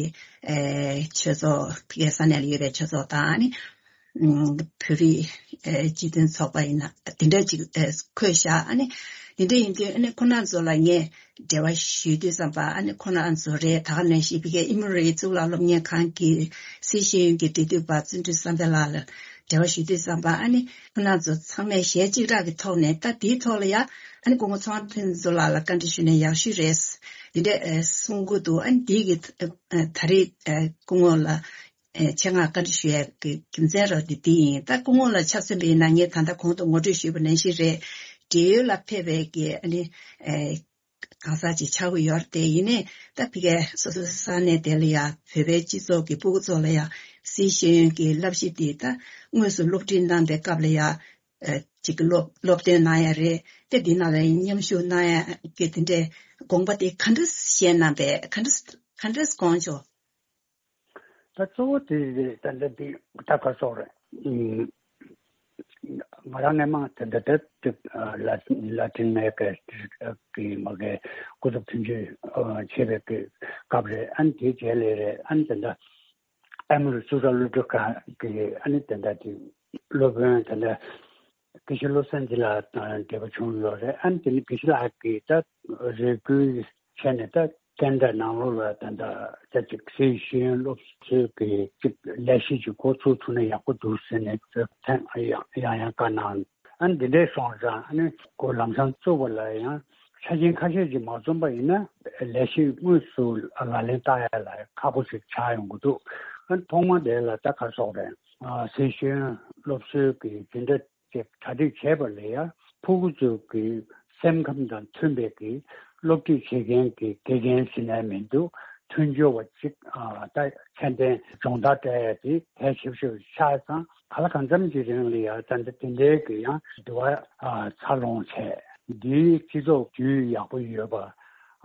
ཨེ་ཆོས་ཚོགས། ཕ་གིའི་ས་གནས་ལ་ཡོད་པའི་ཆོས་ཚོགས་དང་ཨ་ནི་ཨམ་བོད་རིགས་ཨེ་སྤྱི་མཐུན་ཚོགས་པ་ཡིན་ན་དེ་འདྲ་ཅིག་ཨེ་འཁོད་བཞག་ཨ་ནི་དེ་འདྲ་ཡིན་དུས་ཨ་ནི་ཁོང་རྣམ་ཚོ་ལ་ངས་འབྲེལ་བ་ཞུས་དུས་ཙམ་པ་ཨ་ནི་ཁོང་རྣམ་ཚོ་རེད། ད་ག་ནང་བཞིན་ཕ་གིའི་ཨི་མོ་རི་ཡའི་གཙུག་ལག་སློབ་གཉེར་ཁང་གི་སིའི་ཤེས་ཡོན་གྱི་འབྲེལ་མཐུད་པ་བརྩོན་འགྲུས་བསམ་འཕེལ་ལགས་ལ་འབྲེལ་བ་ཞུས་དུས་ཙམ་པ་ཨ་ནི་ཁོང་རྣམ་ཚོ་ཚང་མས་ཞལ་གཅིག་གྲགས་ཀྱི་ཐོག་ནས་ད་དེའི་ཐོག་ལ་ཡ་ཨ་ནི་སྐུ་ངོ་ཚེ་དབང་ཕུན་ཚོགས་ལགས་ལ་བཀའ་འདྲི་ཞུས་ན་ཡག་ཤོས་རེད། འདི་འདྲ་ཨེ་གསུང་གི་འདུག་ཨ་ནི་འདི་གི་ཨ་ད་རེས་ཨེ་སྐུ་ངོ་ལ་ཨེ་ཆེད་མངགས་བཀའ་འདྲི་ཞུ་ཡས་ཀྱི་རྒྱུ་མཚན་རོ་འདི་འདི་ཡིན། ད་སྐུ་ངོ་ལ་ཆ་མཚོན་པ་ཡིན་ན་ངས་ད་ལྟ་གོང་དུ་ངོ་སྤྲོད་ཞུས་པ་ནང་བཞིན་རེད། འབྲེལ་ཡོད་ལ་ཕེབས་པའི་གི་ཨ་ནི་ཨེ་གང་ཟག་ཅིག་ཆགས་ཀྱི་ཡོད་རེད་དེ། ཡིན་ནའི་ད་ཕ་གིའི་སོ་སོའི་ས་གནས་དེ་ལ་ཡ་བོད་པའི་སྤྱི་ཚོགས་ཀྱི་སྤུ་གུ་ཚོ་ལ་ཡ་སིའི་ཤེས་ཡོན་གྱི་བསླབ་གཞི་འདི་ད་དངོས་སུ་སློབ་ཁྲིད་གནང་པའི་སྐབས་ལ་ཡ། ཨ་ཅིག་སློབ་སློབ་སྟོན་གནང་ཡ་རེད་དེ། འདི་ནང་ལ་མཉམ་ཞུགས་གནང་ཡ་གི་དེ་འདྲའི་དགོངས་པ་དེ་ག་འདྲ་བཞེས་གནང་པས། ག་འདྲ་ག་འདྲ་དགོངས་བྱུང་། ད་གཙོ་བོ་དེ་རེད། ད་འདི་འདི་ད་ག་སོགས་རེད། ཨུམ། ང་རང་སྔས་མ་དེ་འདྲ་དེ་ལ་ལ་ཏིན་མེ་ཀ་གི་མ་གི་སྐུ་ཚབ་དོན་གཅོད་བྱེད་པའི་གི་སྐབས་རེད། ཨ་ནི་དེའི་རྗེས་ལ་རེད། ཨ་ནི་དེ་འདྲ་ཨ་མི་རི་གཙུག་ལག་སློབ་ཕྲུག་ཁང་གི་ཨ་ནི་དེ་འདྲ་དེ་སློབ་དཔོན་དེ་འདྲ་དགེ་བཤེས་བློ་བཟང་སྒྱིད་ལགས་དང་འབྲེལ་བ་བྱུང་ཡོད་རེད། ཨ་ནི་དེ་ནི་དགེ་བཤེས་ལགས་ཀྱིས་ད་རེ་སྐུལ་བྱས་ནས་ད་ཀན་ཌ་ནང་ལོགས་ལ་ད་ད་ད་ཅིག་སིའི་ཤེས་ཡོན་སློབ་གསོའི་གི་ཅིག་ལས་གཞི་ཅིག་འགོ་ཚུགས་ཐུབ་ན་ཡག་པོ་འདུག་ཟེར་ནས་ཐེངས་ཡང་ཡང་ཡང་བཀའ་གནང་། ཨ་ནི་འདི་འདྲའི་སོང་ཙང་ཨ་ནི་ཁོ་ལམ་སང་བཙུགས་པ་ལ་ཡང་ཆ་རྐྱེན་ཁ་ཤས་ཅིག་མ་འཛོམས་པ་ཡིན་ན་ལས་གཞི་དངོས་སུ་ལག་ལེན་བསྟར་ཡ་ལ་ཁག་པོ་ཞིག་ཆགས་ཡོང་གི་འདུག་ཨ་ནི་ཐོག་མ་དེ་ལ་ད་ག་སོགས་རེད། ཨ་སིའི་ཤེས་ཡོན་སློབ་གསོའི་གི་འཛིན་གྲྭ་ཅིག་གྲ་སྒྲིག་བྱས་པ་ལ་ཡ་ཕྲུ་གུ་ཚོའི་གི་སེམས་ཁམས་དང་མཐུན་པའི་གི་སློབ་ཁྲིད་བྱེད་མཁན་གྱི་དགེ་རྒན་ཟེར་ནའི་མི་འདུག་མཐུན་སྦྱོར་བ་གཅིག་ཨ་ད་ཚད་ལྡན་སྦྱོང་བརྡར་སྤྲད་ཡ་དེ་གལ་ཆེ་ཤོས་ཆགས་ཙང་། གང་ལ་གང་འཚམ་གྱི་རིང་ལ་ཡ་ད་འདི་དེ་འདྲའི་གི་ཡང་འདུ་བ་ཨ་འཚར་ལོངས་བྱས། འདིའི་སྤྱི་ཚོགས་རྒྱུས་ཡག་པོ་ཡོད་པ།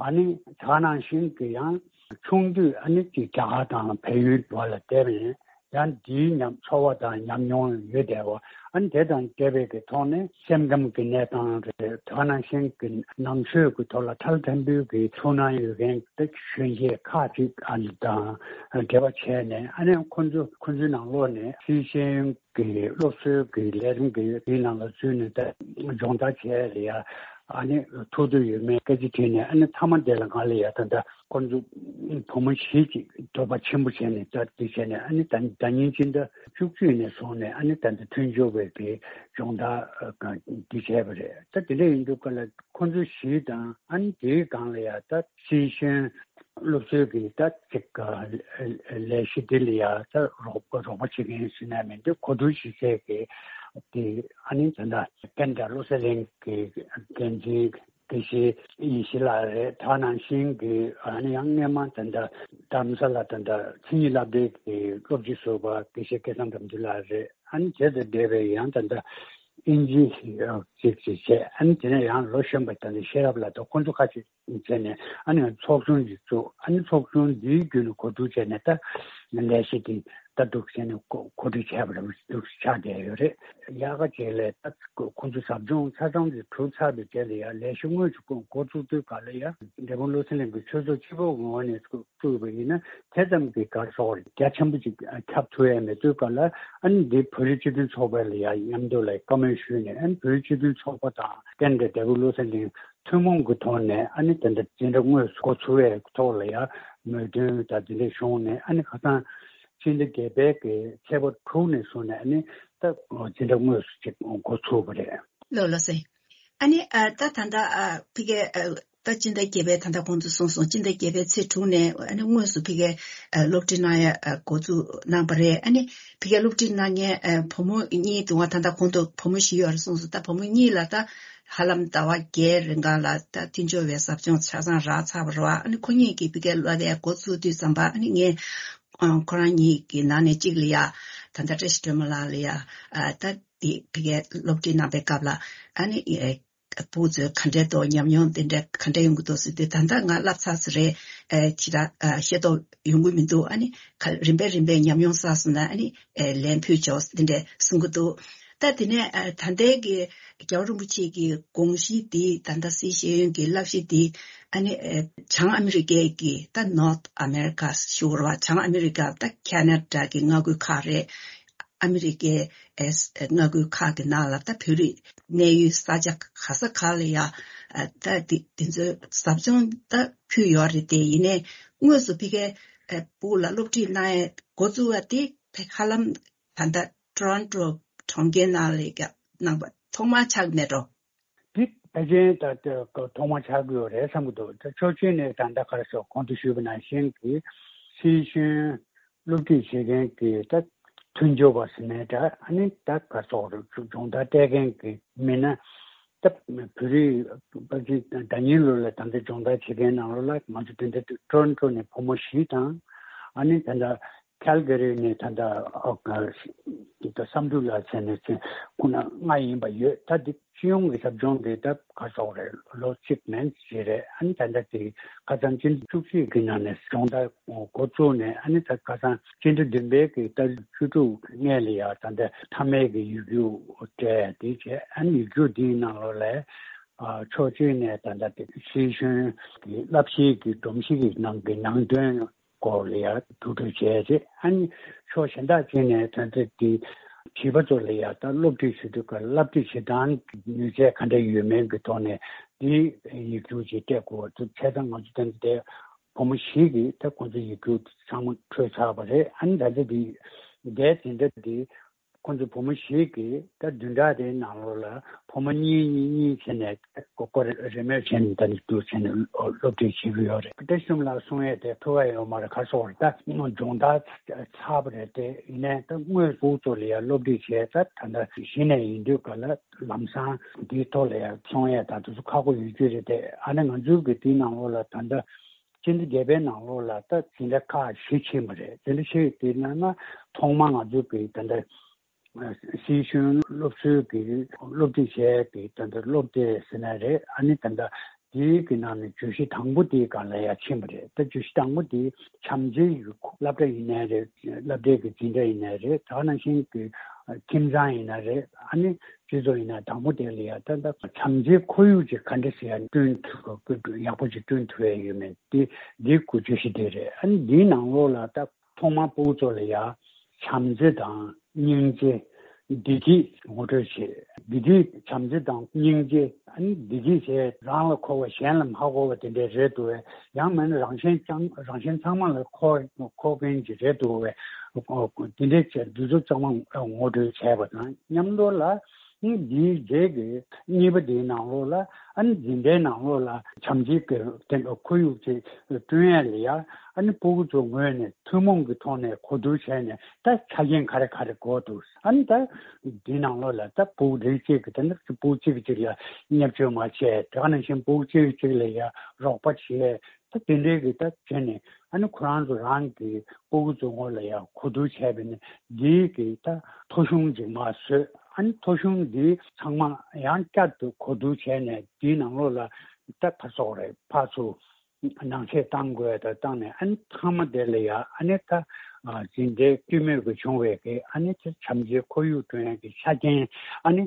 ཨ་ནི་ད་ག་ནང་བཞིན་གི་ཡང་ཆུང་དུས་ཨ་ནི་ཅིག་རྒྱ་གར་དང་བལ་ཡུལ་འདྲ་བ་ལ་བསྡད་པ་ཡིན། ཡང་འདིའི་ཉམས་ཚོར་བ་དང་ཉམས་མྱོང་ཡོད་བསྡད་པ། ཨ་ནི་དེ་དང་འབྲེལ་བའི་གི་ཐོག་ནས་སེམས་ཁམས་ཀྱི་གནས་སྟངས་རེད། དེ་ག་ནང་བཞིན་གྱི་ནང་ཆོས་ཀྱི་ཐོག་ལ་ཐ་ལ་དམ་པོའི་གི་ཐུགས་སྣང་ཡོད་མཁན་དེ་གཞོན་སྐྱེས་ཁག་ཅིག་ཨ་ནི་དང་འབྲེལ་བ་བྱས་ནས། ཨ་ནི་ཁོ་ཚོ་ཁོ་ཚོའི་ནང་ལོགས་ནས་སིའི་ཤེས་ཡོན་གྱི་སློབ་གསོའི་གི་ལས་རིམ་གྱི་དེའི་ནང་ལ་འཛུལ་ནས་ད་སྦྱོང་བརྡར་བྱས་ལ་ཡ། ཨ་ནི་ཐུགས་འདོད་ཡོད་མེད་སྐད་ཆ་དྲིས་ནས། ཨ་ནི་མཐའ་མ་དེ་ལ་ང་ལ་ཡ་ད་ལྟ་ཁོ་ཚོ་བུ་མོ་བཞི་ཅིག་འདོད་པ་ཆེན་པོ་བྱས་ནས་ད་འདི་བྱས་ནས། ཨ་ནི་ད་ཟླ་ཉིན་སྤྱི་ཟླ་བཅུ་གཅིག་ནས་བཟུང་ནས་ཨ་ནི་ད་ལྟ་མཐུན་སྦྱོར་བའི་གི་སྦྱོང་བརྡར་འདི་བྱས་པ་རེད། ད་དེ་འདྲ་ཡིན་དུས་ག་ལ་ཁོ་ཚོ་བཞི་དང་ཨ་ནི་དེའི་སྒང་ལ་ཡ་ད་སིའི་ཤེས་ཡོན་སློབ་གསོའི་གི་ད་ཅིག་ལས་གཞི་འདི་ལ་ཡ་ད་རོགས་རོགས་པ་བྱེད་མཁན་ཟེར་ན་མི་འདུག་གོ་བསྡུར་བྱེད་མཁན་གྱི་དེ་ཨ་ནི་ད་ལྟ་ཀན་ཌ་བློ་གསལ་གླིང་གི་འགན་འཛིན་ དགེ་བཤེས་ཡེ་ཤེས་ལགས་རེད། ད་ནང་བཞིན་གྱི་ཨ་ནི་ཡང་སྔས་མ་ད་ལྟ་རྡ་རམ་ས་ལ་ད་ལྟ་མཚན་ཉིད་སློབ་གྲྭའི་གི་སློབ་སྤྱི་ཟུར་པ་དགེ་བཤེས་སྐལ་བཟང་དམ་ཚུལ་ལགས་རེད། ཨ་ནི་དེ་དང་འབྲེལ་བའི་ཡང་ད་ལྟ་ཨིན་ཇི་ཅིག་ཅིག་བྱས། ཨ་ནི་དེ་ནས་ཡང་ལོ་གཞོན་པ་ད་ལྟ་ཤེས་རབ་ལགས་དང་ཁོང་ཚོ་ཁ་ཅིག་བྱས་ནས་ཨ་ནི་ཚོགས་ཆུང་ཅིག་བཙུགས། ཨ་ནི་ཚོགས་ཆུང་འདིའི་བརྒྱུད་ནས་གོ་བསྡུར་བྱས་ནས་ད་ལས་གཞི་འདི་ད་འདུག་བྱས་ནས་གོ་གོ་སྒྲིག་བྱས་པ་རེད། འདུག་ཆགས་བསྡད་ཡོད་རེད། ཡག་ག་བྱས་ལས་ད་ཁོང་ཚོ་ཟབ་སྦྱོང་ཆ་ཚང་དེ་གྲུབ་ཚར་བའི་རྗེས་ལ་ཡང་ལས་གཞི་དངོས་སུ་འགོ་འགོ་བཙུགས་དུས་ག་ལ་ཡང་འབྲས་སྤུངས་བློ་གསལ་གླིང་གི་ཆོས་ཚོགས་སྤྱི་པའི་ངོས་ནས་བཙུགས་པ་ཡིན་ན་དེ་ཙམ་གྱི་ག་རེ་ཟེར་དགོས་རེད། རྒྱ་ཆེན་པོ་ཅིག་ཁྱབ་ཐུབ་ཡ་མེད་དུས་ག་ལ་ཨ་ནི་འདི་བོད་རིགས་སྤྱི་མཐུན་ཚོགས་པ་ལ་ཡང་མཉམ་དུ་ལ་བཀའ་མོལ་ཞུས་ནས། ཨ་ནི་བོད་རིགས་སྤྱི་མཐུན་ཚོགས་པ་དང་རྟེན་འབྲེལ་འབྲས་སྤུངས་བློ་གསལ་གླིང་ཐུན་མོང་གི་ཐོག་ནས་ཨ་ནི་དེ་འདྲ་འཛིན་གྲྭ་དངོས་སུ་འགོ་ཚུགས་པའི་ཐོག་ལ་ཡང་མོས་མཐུན་དང་དེ་འདྲ་བྱུང་ནས། ཨ་ནི་ཁ་སང་སྤྱི་ཟླ་བརྒྱད་པའི་གི་ཚེས་པ་དྲུག་ནས་བཟུང་ནས་ཨ་ནི་ད་འཛིན་གྲྭ་དངོས་སུ་ཅིག་འགོ་ཚུགས་པ་རེད། ལགས་ལགས་སེ། ཨ་ནི་ཨ་ད་ད་ལྟ་ཨ་ཕ་གིའི་ཨ་ད་སྤྱི་ཟླ་བརྒྱད་པའི་ད་ལྟ་གོང་དུ་གསུངས་སོང་། སྤྱི་ཟླ་བརྒྱད་པའི་ཚེས་དྲུག་ནས་ཨ་ནི་དངོས་སུ་ཕ་གིའི་ཨ་སློབ་ཁྲིད་གནང་ཡ་ཨ་འགོ་འཛུགས་གནང་པ་རེད། ཨ་ནི་ཕ་གིའི་སློབ་ཁྲིད་གནང་མཁན་ཨ་བུ་མོ་གཉིས་འདུག་ག་ད་ལྟ་གོང་དུ་བུ་མོ་བཞི་ཡོད་རེད་གསུངས་སོང་། ད་བུ་མོ་གཉིས་ལ་ད་ཧ་ལམ་ཟླ་བ་བརྒྱད་རིང་ག་ལ་ད་མཐུན་སྦྱོར་བའི་ཟབ་སྦྱོང་ཆ་ཚང་རག་ཚར་བ་རེད་བ། ཨ་ནི་ཁོ་གཉིས་ཀྱིས་ཕ་གིའི་བསླབ་པའི་འགོ་ཚུགས་དུས་ཙམ་པ་ཨ་ནི་ངས་ཨ་ཁོ་རང་གཉིས་ཀྱི་ནང་ནས་གཅིག་ལ་ཡ་ད་ལྟ་བཀྲ་ཤིས་སྒྲོལ་མ་ལགས་ལ་ཡ་ཨ་ད་དེ་ཕ་གིའི་སློབ་ཁྲིད་གནང་པའི་སྐབས་ལ་ཨ་ནི་ཨེ་ཕྲུ་གུ་ཚོས་ག་འདྲའི་ཐོག་ཉམས་མྱོང་དེ་འདྲ་ག་འདྲ་ཡོང་གི་འདུག་ཟེར་དུས། ད་ལྟ་ང་བསླབ་ཚར་ས་རེད། ཨེ་ཁྱེད་རང་ཨ་ཤེས་རྟོགས་ཡོང་གི་མི་འདུག་ཨ་ནི་ག་རིམ་པས་རིམ་པས་ཉམས་མྱོང་བསགས་སོང་ན་ཨ་ནི་ཨེ་ལན་ཕུལ་ཆོག་དེ་འདྲ་གསུང་གི་འདུག་ད་དེ་ནས་ཨ་ད་ལྟའི་གི་རྒྱལ་བ་རིན་པོ་ཆེ་གི་དགོངས་གཞི་འདི་ད་ལྟ་སཱི་ཤེས་ཡོན་གྱི་བསླབ་གཞི་འདི་ཨ་ནི་ཨེ་བྱང་ཨ་མི་རི་ཀའི་གི་ད་North America ཞུ་བར་བ། བྱང་ཨ་མི་རི་ཀ་ད་ཁེ་ན་ཌ་གི་མངའ་ཁུལ་ཁག་རེད། ཨ་མི་རི་ཀའི་ཨེ་མངའ་ཁུལ་ཁག་གི་ནང་ལ་ད་བོད་རིགས་གནས་ཡུལ་ས་ཆ་ག་ས་ག་ལ་ཡ་ཨ་ད་དེ་དེ་ཚོའི་ཟབ་སྦྱོང་ད་ཕུལ་ཡོད་རེད། དེ་ཡིན་ནའི་དངོས་སུ་ཕ་གིའི་ཨེ་ཕྲུ་གུ་ལ་སློབ་ཁྲིད་གནང་ཡས་འགོ་བཙུགས་པ་དེ་ཧ་ལམ་ད་ལྟ་ཊོ་རོན་ཊོ་གྲོང་ཁྱེར་ནང་ལ་ཡ་གནང་པ་ཐོག་མ་ཆགས་མེད་འགྲོ། འདི་ཕལ་ཆེར་ད་ལྟ་ཐོག་མ་ཆགས་ཀྱི་ཡོད་རེད་བསམ་གྱི་འདུག་ད་ཕྱོགས་གཅིག་ནས་ད་ལྟ་ག་རེ་ཟེར་གོང་དུ་ཞུས་པ་ནང་བཞིན་གྱི་སཱི་ཤེས་ཡོན་སློབ་ཁྲིད་བྱེད་མཁན་གྱི་ད་མཐུན་སྦྱོར་བ་ཟེར་ནའི་འདྲ། ཨ་ནི་ད་ག་རེ་ཟེར་དགོས་རེད། སྦྱོང་བརྡར་སྤྲད་མཁན་གྱི་མི་སྣ་ད་བོད་རིགས་ཕལ་ཆེར་ཟླ་ཉིན་ལོ་ལ་ད་ལྟ་སྦྱོང་བརྡར་བྱེད་མཁན་ནང་ལོགས་ལ་ང་ཚོ་དེ་འདྲ་ཊོ་རོན་ཊོ་ནས་བུ་མོ་བཞི་དང་། ཨ་ནི་ད་ལྟ་ཁལ་ག་རི་ནས་ད་ལྟ་ཨ་ད་བསམ་གྲུབ་ལགས་བྱས་ནས་ཚེ་ཁོ་ན་ལྔ་ཡིན་པ་ཡོད། ད་འདི་སྤྱི་ཡོངས་ཀྱི་ཟབ་སྦྱོང་དེ་ད་ག་རེ་ཟེར་དགོས་རེད། ལོ་གཅིག་མན་ཞིག་རེད། ཨ་ནི་ད་ལྟ་དེ་ཁ་སང་སྤྱི་ཟླ་བཅུ་གཅིག་གི་ནང་ནས་སྦྱོང་བརྡར་འགོ་བཙུགས་ནས། ཨ་ནི་ད་ཁ་སང་སྤྱི་ཟླ་བདུན་པའི་གི་ད་བཅུ་དྲུག་སྔས་ལ་ཡ་ད་ལྟ་མཐའ་མའི་གི་ཡིག་རྒྱུགས་སྤྲད་དེ་བྱས། ཨ་ནི་ཡིག་རྒྱུགས་འདིའི་ནང་ལོགས་ལ་ཨ་ཕྱོགས་གཅིག་ནས་ད་ལྟ་དེ་སཱི་ཤེས་ཡོན་གྱི་བསླབ་གཞིའི་གི་སྒྲོམ་གཞི་གི་ནང་གི་ནང་དོན་སྐོར་ལ་ཡང་བསྡུ་སྒྲིག་བྱས་རྗེས། ཨ་ནི་ཕྱོགས་གཞན་དག་ཅིག་ནས་ད་ལྟ་དེ་བྱིས་པ་ཚོ་ལ་ཡང་ད་སློབ་ཁྲིད་བྱེད་དུས་ཀ་བསླབ་ཁྲིད་བྱེད་སྟངས་ནུས་ཚད་ག་འདྲ་ཡོད་མེད་ཀྱི་ཐོག་ནས་དེ་ཡིག་རྒྱུགས་ཅིག་སྤྲད་དགོས་པ་འདུག་བྱས་ཙང་ང་ཚོ་ད་ལྟ་བུ་མོ་བཞི་གིས་ད་ཁོང་ཚོ་ཡིག་རྒྱུགས་ཚང་མ་འཕྲོད་ཚར་བ་རེད། ཨ་ནི་ད་ལྟ་དེ་འདས་དེ་འདྲ་དེ། ཁོང་ཚོ་བུ་མོ་བཞི་གིས་ད་བདུན་ཕྲག་དེའི་ནང་ལོགས་ལ་བུ་མོ་གཉིས་གཉིས་གཉིས་བྱས་ནས་སྐོར་རེ་རེ་མོས་བྱས་ནས་ད་ནི་བསྡུར་བྱས་ནས་སློབ་ཁྲིད་བྱེད་ཀྱི་ཡོད་རེད། བཀྲ་ཤིས་ལགས་གསུང་ཡས་དེ་ཐུགས་ཁག་ཡོད་མ་རེད། ག་རེ་ཟེར་དགོས་རེད། ད་སྦྱོང་བརྡར་ཚར་བ་རེད། དེ་ཡིན་ནའི་ད་དངོས་སུ་ཚོ་ལ་ཡ་སློབ་ཁྲིད་བྱས། ད་ད་ལྟ་གཞི་ནས་ཡིན་དུས་ག་ལ་ལམ་སང་འདིའི་ཐོག་ལ་ཡ་གསུང་ཡས་ད་དུས་ཚོད་ཁག་པོ་ཡོད་རྒྱུ་རེད། དེ་ཨ་ནི་ང་ཚོའི་གི་དེའི་ནང་ལོགས་ལ་ད་ལྟ་སྤྱི་ཟླ་བརྒྱད་པའི་ནང་ལོགས་ལ་ད་འཛིན་གྲྭ་ཁག་བཞི་ཕྱིན་པ་རེད། འཛིན་གྲྭ་བཞི་དེའི་ནང་ན་ཐོག་མ་ང་ཚོའི་གི་ད་ལྟ་སྲིད་གཞུང་སློབ་གསོའི་གི་སློབ་ཁྲིད་བྱས་གི་ད་ལྟ་སློབ་སྡེ་ཟེར་ན་རེད། ཨ་ནི་ད་ལྟ་དེའི་གི་ནང་ནས་བརྗོད་གཞི་དང་པོ་དེའི་སྒང་ལ་ཡ་ཕྱིན་པ་རེད། ད་བརྗོད་གཞི་དང་པོ་དེ་བྱམས་བརྩེའི་སློབ་གྲྭ་ཡིན་ནའི་རེད། སློབ་གྲྭའི་གི་འཛིན་གྲྭ་ཡིན་ནའི་རེད། ད་ག་ནང་བཞིན་གི་ཁྱིམ་ཚང་ཡིན་ན་རེད། ཨ་ནི་སྤྱི་ཚོགས་ཡིན་ན་དང་པོ་དེ་ལ་ཡ་ད་ལྟ་བྱམས་བརྩེའི་ཁོར་ཡུག་ཅིག་ག་འདྲ་ཞིག་ཡ་བསྐྲུན་ཐུབ་ཡག་པོ་ཅིག་བསྐྲུན་ཐུབ་ཡ་ཡོད་མེད་དེ་འདི་གི་བརྗོད་གཞི་དེ་རེད། ཨ་ནི་འདིའི་ནང་ལོགས་ལ་ད་ཐོག་མར་ཕྲུ་གུ་ཚོ་ལ་ཡ་བྱམས་བརྩེ་དང་སྙིང་རྗེ། བདེ་སྐྱིད་ངོ་སྤྲོད་བྱེད། བདེ་སྐྱིད། བྱམས་བརྩེ་དང་སྙིང་རྗེ། ཨ་ནི་བདེ་སྐྱིད་བྱས་རང་ལ་མཁོ་བ་གཞན་ལ་མ་མཁོ་བ་དེ་འདྲས་རེད་འདུག་བས། ཡང་མིན་ན་རང་གཞན་ཅང་རང་གཞན་ཚང་མ་ལ་མཁོ་མཁོ་མཁན་ཅིག་རེད་འདུག་བས། དེ་འདྲས་བྱས་འདི་ཚོ་ཚང་མ་ངོ་སྤྲོད་བྱས་པ་དང་མཉམ་དུ་ལ། འདིའི་རྗེས་ཀྱི་གཉིས་པ་འདིའི་ནང་ལོགས་ལ་ཨ་ནི་འཛིན་གྲྭའི་ནང་ལོགས་ལ་བྱམས་བརྩེ་གི་དེ་འདྲ་ཁོར་ཡུག་ཅིག་བསྐྲུན་ཡས་ལ་ཡ་ཨ་ནི་སྤུ་གུ་ཚོའི་ངོས་ནས་ཐུན་མོང་གི་ཐོག་ནས་གོ་བསྡུར་བྱས་ནས་ད་ཆ་རྐྱེན་ག་རེ་ག་རེ་དགོས་འདུག་ཨ་ནི་ད་འདིའི་ནང་ལོགས་ལ་ད་སྤུ་གུ་རིགས་གཅིག་གི་དེ་འདྲ་སྤུ་གུ་གཅིག་གཅིག་ལ་བརྙས་བཅོས་མ་བྱས། དེ་ག་ནང་བཞིན་སྤུ་གུ་གཅིག་གཅིག་ལ་ཡ་རོགས་པ་བྱས། ད་དེ་འདྲའི་གི་ད་བྱས་ནས་ཨ་ནི་ཁོ་རང་ཚོ་རང་གི་སྤུ་གུ་ཚོ་ངོས་ལ་ཡང་གོ་བསྡུར་བྱས་པ་ཡིན་ན་འདིའི་གི་ད་ཐོ་གཞུང་ཅིག་མར་བཟོས། ཨ་ནི་ཐོ་གཞུང་འདི་ཚང་མ་ཡང་བསྐྱར་དུ་གོ་བསྡུར་བྱས་ནས་འདིའི་ནང་ལོགས་ལ་ད་ག་སོགས་རེད་ཕར་ཚུར་ནང་ཆས་བཏང་དགོས་ད་བཏང་ནས་ཨ་ནི་མཐའ་མ་དེ་ལ་ཡང་ཨ་ནི་ད་འཛིན་གྲྭའི་སྤྱི་མོས་ཀྱི་བྱུང་བའི་གི་ཨ་ནི་ད་བྱམས་བརྩེའི་ཁོར་ཡུག་བསྐྲུན་ཡག་གི་ཆ་རྐྱེན་ཨ་ནི་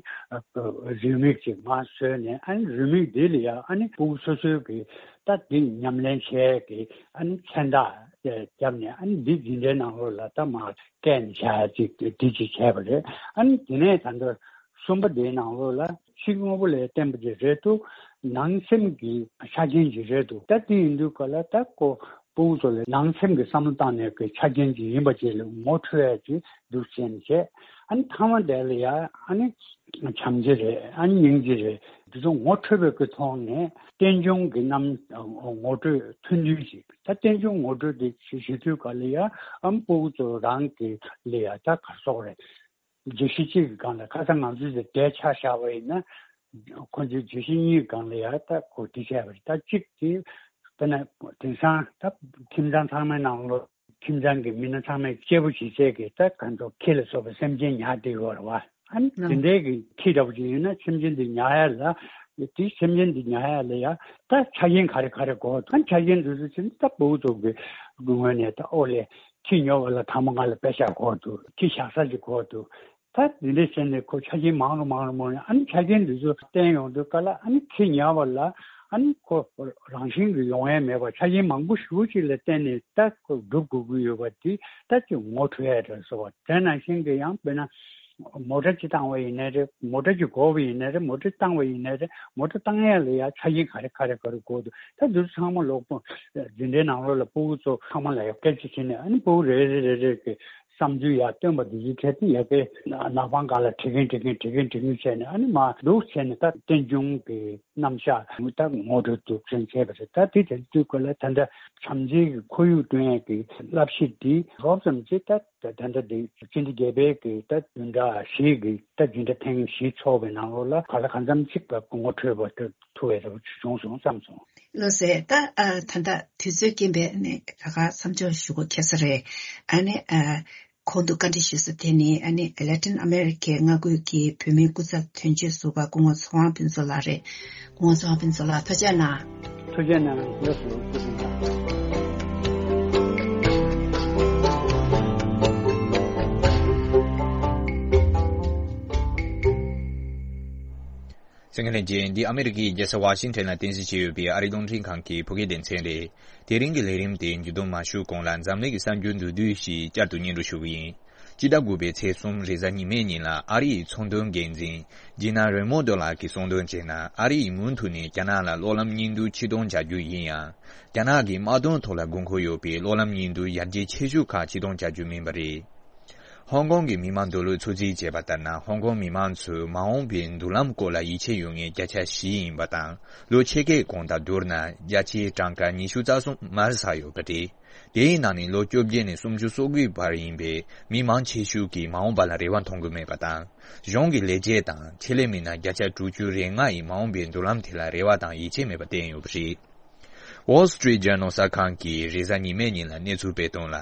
རེའུ་མིག་ཅིག་མར་བཟོས་ནས་ཨ་ནི་རེའུ་མིག་འདི་ལ་ཡང་ཨ་ནི་སྤུ་གུ་སོ་སོའི་གི་ད་འདི་ཉམས་ལེན་བྱས་ཀྱི་ཨ་ནི་མཚན་རྟགས་བརྒྱབ་ནས་ཨ་ནི་འདི་འཛིན་གྲྭའི་ནང་ལོགས་ལ་ད་མར་བཀལ་ནས་བཞག་ཅིག་འདི་ཅིག་བྱས་པ་རེད། ཨ་ནི་དེ་ནས་ད་ལྟ་གསུམ་པ་འདིའི་ནང་ལོགས་ལ་ཕྱི་དངོས་པོ་ལས་བརྟེན་པ་ཅིག་རེད་འདུག་ནང་སེམས་ཀྱི་ཆ་རྐྱེན་ཅིག་རེད་འདུག་ད་དེ་ཡིན་དུས་ག་ལ་ད་ཁོ་སྤུ་གུ་ཚོ་ལ་ནང་སེམས་ཀྱི་བསམ་བློ་བཏང་ནས་ཀྱི་ཆ་རྐྱེན་ཅིག་ཡིན་པ་ཅིག་ལ་ངོ་འཕྲོད་ཡ་ཅིག་འདུག་བྱས་ནས་བྱས། ཨ་ནི་མཐའ་མ་དེ་ལ་ཡ་ཨ་ནི་བྱམས་བརྩེ་རེད། ཨ་ནི་སྙིང་རྗེ་རེད། འདི་ཚོ་ངོ་འཕྲོད་པའི་གི་ཐོག་ནས་རྟེན་འབྱུང་གི་རྣམ་ངོ་སྤྲོད་ཐུང་ཐུང་ཞིག་ད་རྟེན་འབྱུང་ངོ་སྤྲོད་དེ་བྱེད་བྱེད་དུས་ག་ལ་ཡ་ཨམ་སྤུ་གུ་ཚོ་རང་གི་ལ་ཡ་ད་ག་སོགས་རེད། བརྗོད་གཞི་གཅིག་གི་སྒང་ལ་ཁ་སང་ང་ཚོས་དེ་འབྲེལ་ཆ་བཞག་པ་ཡིན་ན་ཁོ་ཚོའི་བརྗོད་གཞི་གཉིས་སྒང་ལ་ཡ་ད་གོ་བསྡུར་བྱས་པ་རེད། ད་གཅིག་དེ་དཔེར་ན་དེང་སང་ད་ཁྱིམ་ཚང་ཚང་མའི་ནང་ལོགས། ཁྱིམ་ཚང་གི་མི་སྣ་ཚང་མས་སྐྱེས་བུ་བྱེད་ཚད་ཀྱི་ད་གང་ཚོ་ཁྱི་ལ་སོགས་པའི་སེམས་ཅན་ཉར་བསྡད་ཡོད་རེད་བ། ཨ་ནི་དེ་འདྲའི་གི་ཁྱི་འདྲ་པོ་ཅིག་ཡིན་ན་སེམས་ཅན་དེ་ཉར་ཡ་ལ་དེ་སེམས་ཅན་དེ་ཉར་ཡ་ལ་ཡ་ད་ཆ་རྐྱེན་ག་རེ་ག་རེ་དགོས་འདུག་ཨ་ཆ་རྐྱེན་དེ་ཚོ་ཅིག་ད་སྤུ་གུ་ཚོ་གི་ངོས་ནས་ད་ཨོ་ལེ་ཁྱི་ཉོ་བ་ལ་ཐ་མ་ང་ལ་པེ་ཤག་དགོས་འདུག་ཁྱི་བཞག་ས་ཅིག་དགོས་འདུག་ད་འདི་འདྲའི་བྱས་ནས་ཁོ་ཆ་རྐྱེན་མང་རུ་མང་རུ་མང་རུ་ཨ་ནི་ཆ་རྐྱེན་འདི་ཚོ་བསྟན་ཡོང་དུས་ག་ལ་ཨ་ནི་ཁྱི་ཉར་བ་ལ་ཨ་ནི་ཁོ་རང་བཞིན་གྱི་ཡོང་ཡ་མེད་པ་ཆ་རྐྱེན་མང་པོ་ཞེ་པོ་ཅིག་ལ་བརྟེན་ནས་ད་ཁོ་སྒྲུབ་དགོས་ཀྱི་ཡོད་པ་དེ་ད་ཅིག་ངོ་འཕྲོད་ཡ་རེད་ཟེར་བ་དེ་ནང་བཞིན་གྱི་ཡང་དཔེར་ན་མོ་ཊ་ཅིག་བཏང་བ་ཡིན་ནའི་རེད། མོ་ཊ་ཅིག་དགོས་པ་ཡིན་ནའི་རེད། མོ་ཊ་བཏང་བ་ཡིན་ནའི་རེད། མོ་ཊ་བཏང་ཡ་ལ་ཡ་ཆ་རྐྱེན་ག་རེ་ག་རེ་ག་རེ་དགོས་འདུག་ད་འདི་ཚོ་ཚང་མ་ལོག་པོ་འཛིན་གྲྭའི་ནང་ལོགས་ལ་སྤུ་གུ་ཚོ་ཚང་མ་ལ་ཡ་སྐད་ཆ་བྱས་ནས་ཨ་ནི་སྤུ་གུ་རེ་རེ་རེ་རེ་གི་བསམ་ཚུལ་ཡར་བཏོན་པ་འདི་ཚོའི་གྲས་དེ་ཡ་གི་ནག་པང་སྒང་ལ་བྲིས་མཁན་བྲིས་མཁན་བྲིས་མཁན་བྲིས་མཁན་བྱས་ནས་ཨ་ནི་མར་འདུག་བྱས་ནས་ད་རྟེན་འབྱུང་གི་རྣམ་གཞག་ད་ངོ་སྤྲོད་འདུག་སེ་བྱས་པ་རེད། ད་དེ་དེ་དུས་སྐབས་ལ་ད་ལྟ་བྱམས་བརྩེ་གི་ཁོར་ཡུག་བསྐྲུན་ཡས་ཀྱི་བསླབ་གཞི་འདི་རོབ་ཙམ་ཅིག་ད་ད་ལྟ་འདི་སྤྱི་ཟླ་བརྒྱད་པའི་གི་ད་བདུན་ཕྲག་བཞི་གི་ད་བདུན་ཕྲག་ཐེངས་བཞི་ཚོགས་པའི་ནང་ལོགས་ལ་ག་ལ་གང་འཚམ་ཅིག་ངོ་འཕྲོད་པ་ཐུབ་པའི་རེ་བ་བྱུང་སོང་བསམ་སོང་། ལགས་སེ། ད་ཨ་ད་ལྟ་དུས་ཚོད་རྐྱེན་པས་ནི་ད་ག་མཚམས་འཇོག་ཞུ་དགོས་ཁེལ་ས་རེད། ཨ་ནི་ཨ་གོང་དུ་བཀའ་འདྲི་ཞུས་ས་དེ་ནི་ཨ་ནི་ལེ་ཏིན་ཨ་མེ་རི་ཁའི་མངའ་ཁུལ་གྱི་བོད་མིའི་སྐུ་ཚབ་དོན་གཅོད་ཟུར་པ་སྐུ་ངོ་ཚེ་དབང་ཕུན་ཚོགས་ལགས་རེད། སྐུ་ངོ་ཚེ་དབང་ཕུན་ཚོགས་ལགས་ཐུགས་རྗེ་གནང་། ཐུགས་རྗེ་གནང་། ལགས་སོ། ཐུགས་རྗེ་གནང་། གསན་མཁན་ལྷན་རྒྱས། འདི་ཨ་མེ་རི་ཀའི་རྒྱལ་ས་ཝ་ཤིང་ཊོན་ལ་རྟེན་གཞི་བྱས་ཡོད་པའི་ཨ་རིའི་རླུང་འཕྲིན་ཁང་གི་བོད་སྐད་སྡེ་ཚན་རེད། དེ་རིང་གི་ལས་རིམ་དེ་མཇུག་བསྡོམས་མ་ཞུས་གོང་ལ་འཛམ་གླིང་གི་གསར་འགྱུར་མདོར་བསྡུས་ཤིག་བསྐྱར་དུ་སྙན་སྒྲོན་ཞུ་གི་ཡིན། སྤྱི་ཟླ་དགུ་པའི་ཚེས་གསུམ་རེས་གཟའ་ཉི་མའི་ཉིན་ལ་ཨ་རི་ཡི་ཚོང་དོན་འགན་འཛིན་ཇི་ན་རེ་མོན་ཌོ་ལགས་ཀྱིས་གསུངས་དོན་བྱས་ན། ཨ་རི་ཡིས་མུ་མཐུད་ནས་རྒྱ་ནག་ལ་གློག་ལམ་སྙིང་བསྡུས་ཕྱིར་གཏོང་བྱ་རྒྱུ་ཡིན་ཡང་། རྒྱ་ནག་གིས་དམག་དོན་ཐོག་ལ་དགོས་མཁོ་ཡོད་པའི་གློག་ལམ་སྙིང་བསྡུས་ཡར་རྒྱས་ཆེ་ཤོས་ཁག་ཕྱིར་གཏོང་བྱ་རྒྱུ་མིན་པ་རེད། ཧོང་ཀོང་གི་མི་མང་འདོད་བློས་ཚོད་རྩིས་བྱས་པ་ལྟར་ན། ཧོང་ཀོང་མི་མང་ཚོས་མ་འོངས་པའི་མདུན་ལམ་སྐོར་ལ་ཡིད་ཆེས་ཡོད་མཁན་བརྒྱ་ཆ་བཞི་ཡིན་པ་དང་། ལོ་ཕྱེད་ཀའི་གོང་དང་བསྡུར་ན་བརྒྱ་ཆའི་གྲངས་ཀ་ཉི་ཤུ་རྩ་གསུམ་མར་ཟག་ཡོད་པ་རེད། དེའི་ནང་ནས་ལོ་བཅོ་བརྒྱད་ནས་སུམ་ཅུ་སོ་དགུའི་བར་ཡིན་པའི་མི་མང་ཆེ་ཤོས་ཀྱིས་མ་འོངས་པ་ལ་རེ་བ་མཐོང་གི་མེད་པ་དང་། གཞུང་གི་ལས་བྱེད་དང་ཆེད་ལས་མི་སྣ་བརྒྱ་ཆ་དྲུག་ཅུ་རེ་ལྔ་ཡིས་མ་འོངས་པའི་མདུན་ལམ་དེ་ལ་རེ་བ་དང་ཡིད་ཆེས་མེད་པ་བསྟན་ཡོད་པ་རེད། Wall Street Journal གསར་ཁང་གིས་རེས་གཟའ་ཉི་མའི་ཉིན་ལ་གནས་ཚུལ་སྤེལ་དོན་ལ།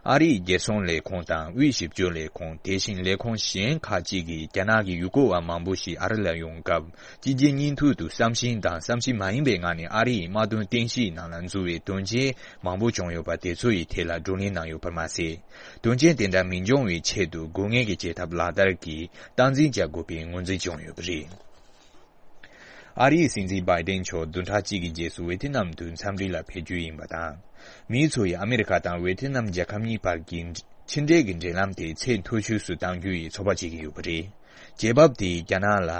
ཨ་རིའི་རྒྱལ་སྲུང་ལས་ཁུངས་དང་དབུས་ཞིབ་དཔྱོད་ལས་ཁུངས། དེ་བཞིན་ལས་ཁུངས་གཞན་ཁག་ཅིག་གིས་རྒྱ་ནག་གི་ཡུལ་སྐོར་བ་མང་པོ་ཞིག་ཨ་རི་ལ་ཡོང་སྐབས། སྤྱི་རྒྱལ་སྙིང་ཐུབ་ཏུ་བསམ་བཞིན་དང་བསམ་བཞིན་མ་ཡིན་པའི་ངང་ནས་ཨ་རི་ཡི་དམག་དོན་རྟེན་གཞིའི་ནང་ལ་འཛུལ་བའི་དོན་རྐྱེན་མང་པོ་བྱུང་ཡོད་པ་དེ་ཚོ་ཡི་ཐད་ལ་བགྲོ་གླེང་གནང་ཡོད་པར་མ་ཟད། དོན་རྐྱེན་དེ་འདྲ་མི་འབྱུང་བའི་ཆེད་དུ་དགོས་ངེས་ཀྱི་བྱེད་ཐབས་ལག་བསྟར་གྱིས་སྟངས་འཛིན་བྱ་དགོས་པའི་ངོས་འཛིན་བྱུང་ཡོད་པ་རེད། ཨ་རིའི་སྲིད་འཛིན་བྷའི་ཏིན་མཆོག་བདུན་ཕྲག་གཅིག་གི་རྗེས་སུ་ཝེ་ཐི་ནམ་དུ་འཚམས་འདྲི་ལ་ཕེབས་རྒྱུ་ཡིན་པ་དང་། མིའི་ཚོ་ཡིས་ཨ་མེ་རི་ཁ་དང་ཝེ་ཐི་ནམ་རྒྱལ་ཁབ་གཉིས་བར་གྱི་ཕྱི་འབྲེལ་གྱི་འབྲེལ་ལམ་དེ་ཚད་མཐོ་ཤོས་སུ་གཏང་རྒྱུ་ཡི་ཚོད་དཔག་བྱེད་ཀྱི་ཡོད་པ་རེད། རྒྱལ་བབ་དེས་རྒྱ་ནག་ལ་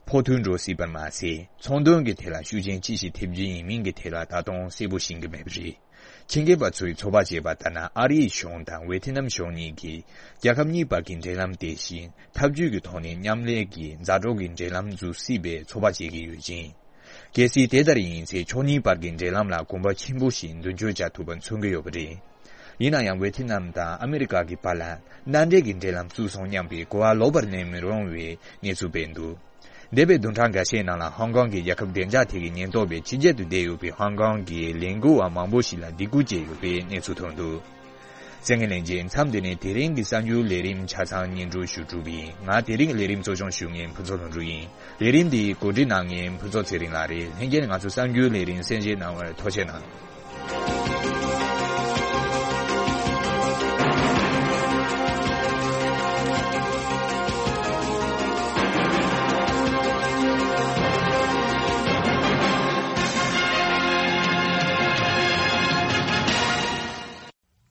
ཕོག་ཐུག་འགྲོ་སྲིད་པར་མ་ཟད། ཚོང་དོན་གྱི་ཐད་ལ་ཤུགས་རྐྱེན་ཅི་ཞིག་ཐེབས་རྒྱུ་ཡིན་མིན་གྱི་ཐད་ལ་ད་དུང་གསལ་པོ་ཤེས་ཀྱི་མེད་པ་རེད། ཆེད་མཁས་པ་ཚོས་ཚོད་དཔག་བྱས་པ་ལྟར་ན། ཨ་རིའི་གཞུང་དང་ཝེ་ཐི་ནམ་གཞུང་གཉིས་ཀྱིས་རྒྱལ་ཁབ་གཉིས་བར་གྱི་འབྲེལ་ལམ་དེ་བཞིན་འཐབ་ཇུས་ཀྱི་ཐོག་ནས་མཉམ་ལས་ཀྱི་མཛའ་གྲོགས་ཀྱི་འབྲེལ་ལམ་འཛུགས་སྲིད་པའི་ཚོད་དཔག་བྱེད་ཀྱི་ཡོད་ཅིང་། གལ་སྲིད་དེ་ལྟར་ཡིན་ཚེ། ཕྱོགས་གཉིས་བར་གྱི་འབྲེལ་ལམ་ལ་གོམ་པ་ཆེན་པོ་ཞིག་མདུན་སྐྱོད་བྱ་ཐུབ་པ་མཚོན་གྱི་ཡོད་པ་རེད། ཡིན་ན་ཡང་། ཝེ་ཐི་ནམ་དང་ཨ་མི་རི་ཀ་གི་བར་ལ་མནའ་འབྲེལ་གྱི་འབྲེལ་ལམ་བཙུགས་སོང་སྙམ་པའི་གོ་བ་ལོག་པར་གནས་མི་རུང་བའི་གནས་ཚུལ་སྤེལ་འདུག་འདས་པའི་བདུན་ཕྲག་འགའ་ཤས་ནང་ལ། ཧོང་ཀོང་གི་རྒྱལ་ཁབ་བདེ་འཇགས་ཐད་ཀྱི་ཉེན་རྟོག་པས་ཕྱི་རྒྱལ་དུ་བསྡད་ཡོད་པའི་ཧོང་ཀོང་གི་ལས་འགུལ་བ་མང་པོ་ཞིག་ལ་སྡིགས་སྐུལ་བྱས་ཡོད་པའི་གནས་ཚུལ་ཐོན་འདུག་གསན་མཁན་ལྷན་རྒྱས། མཚམས་འདི་ནས་དེ་རིང་གི་གསར་འགྱུར་ལས་རིམ་ཆ་ཚང་སྙན་སྒྲོན་ཞུ་གྲུབ་ཡིན། ང་དེ་རིང་གི་ལས་རིམ་གཙོ་སྐྱོང་ཞུ་མཁན་ཕུན་ཚོགས་ལྷུན་གྲུབ་ཡིན། ལས་རིམ་འདི་གོ་སྒྲིག་གནང་མཁན་ཕུན་ཚོགས་ཚེ་རིང་ལགས་རེད། ལྷན་རྒྱས་ནས་ང་ཚོ་གསར་འགྱུར་ལས་རིམ་གསན་བཞེས་གནང་བར་ཐུགས་རྗེ་གནང་།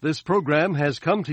This program has come to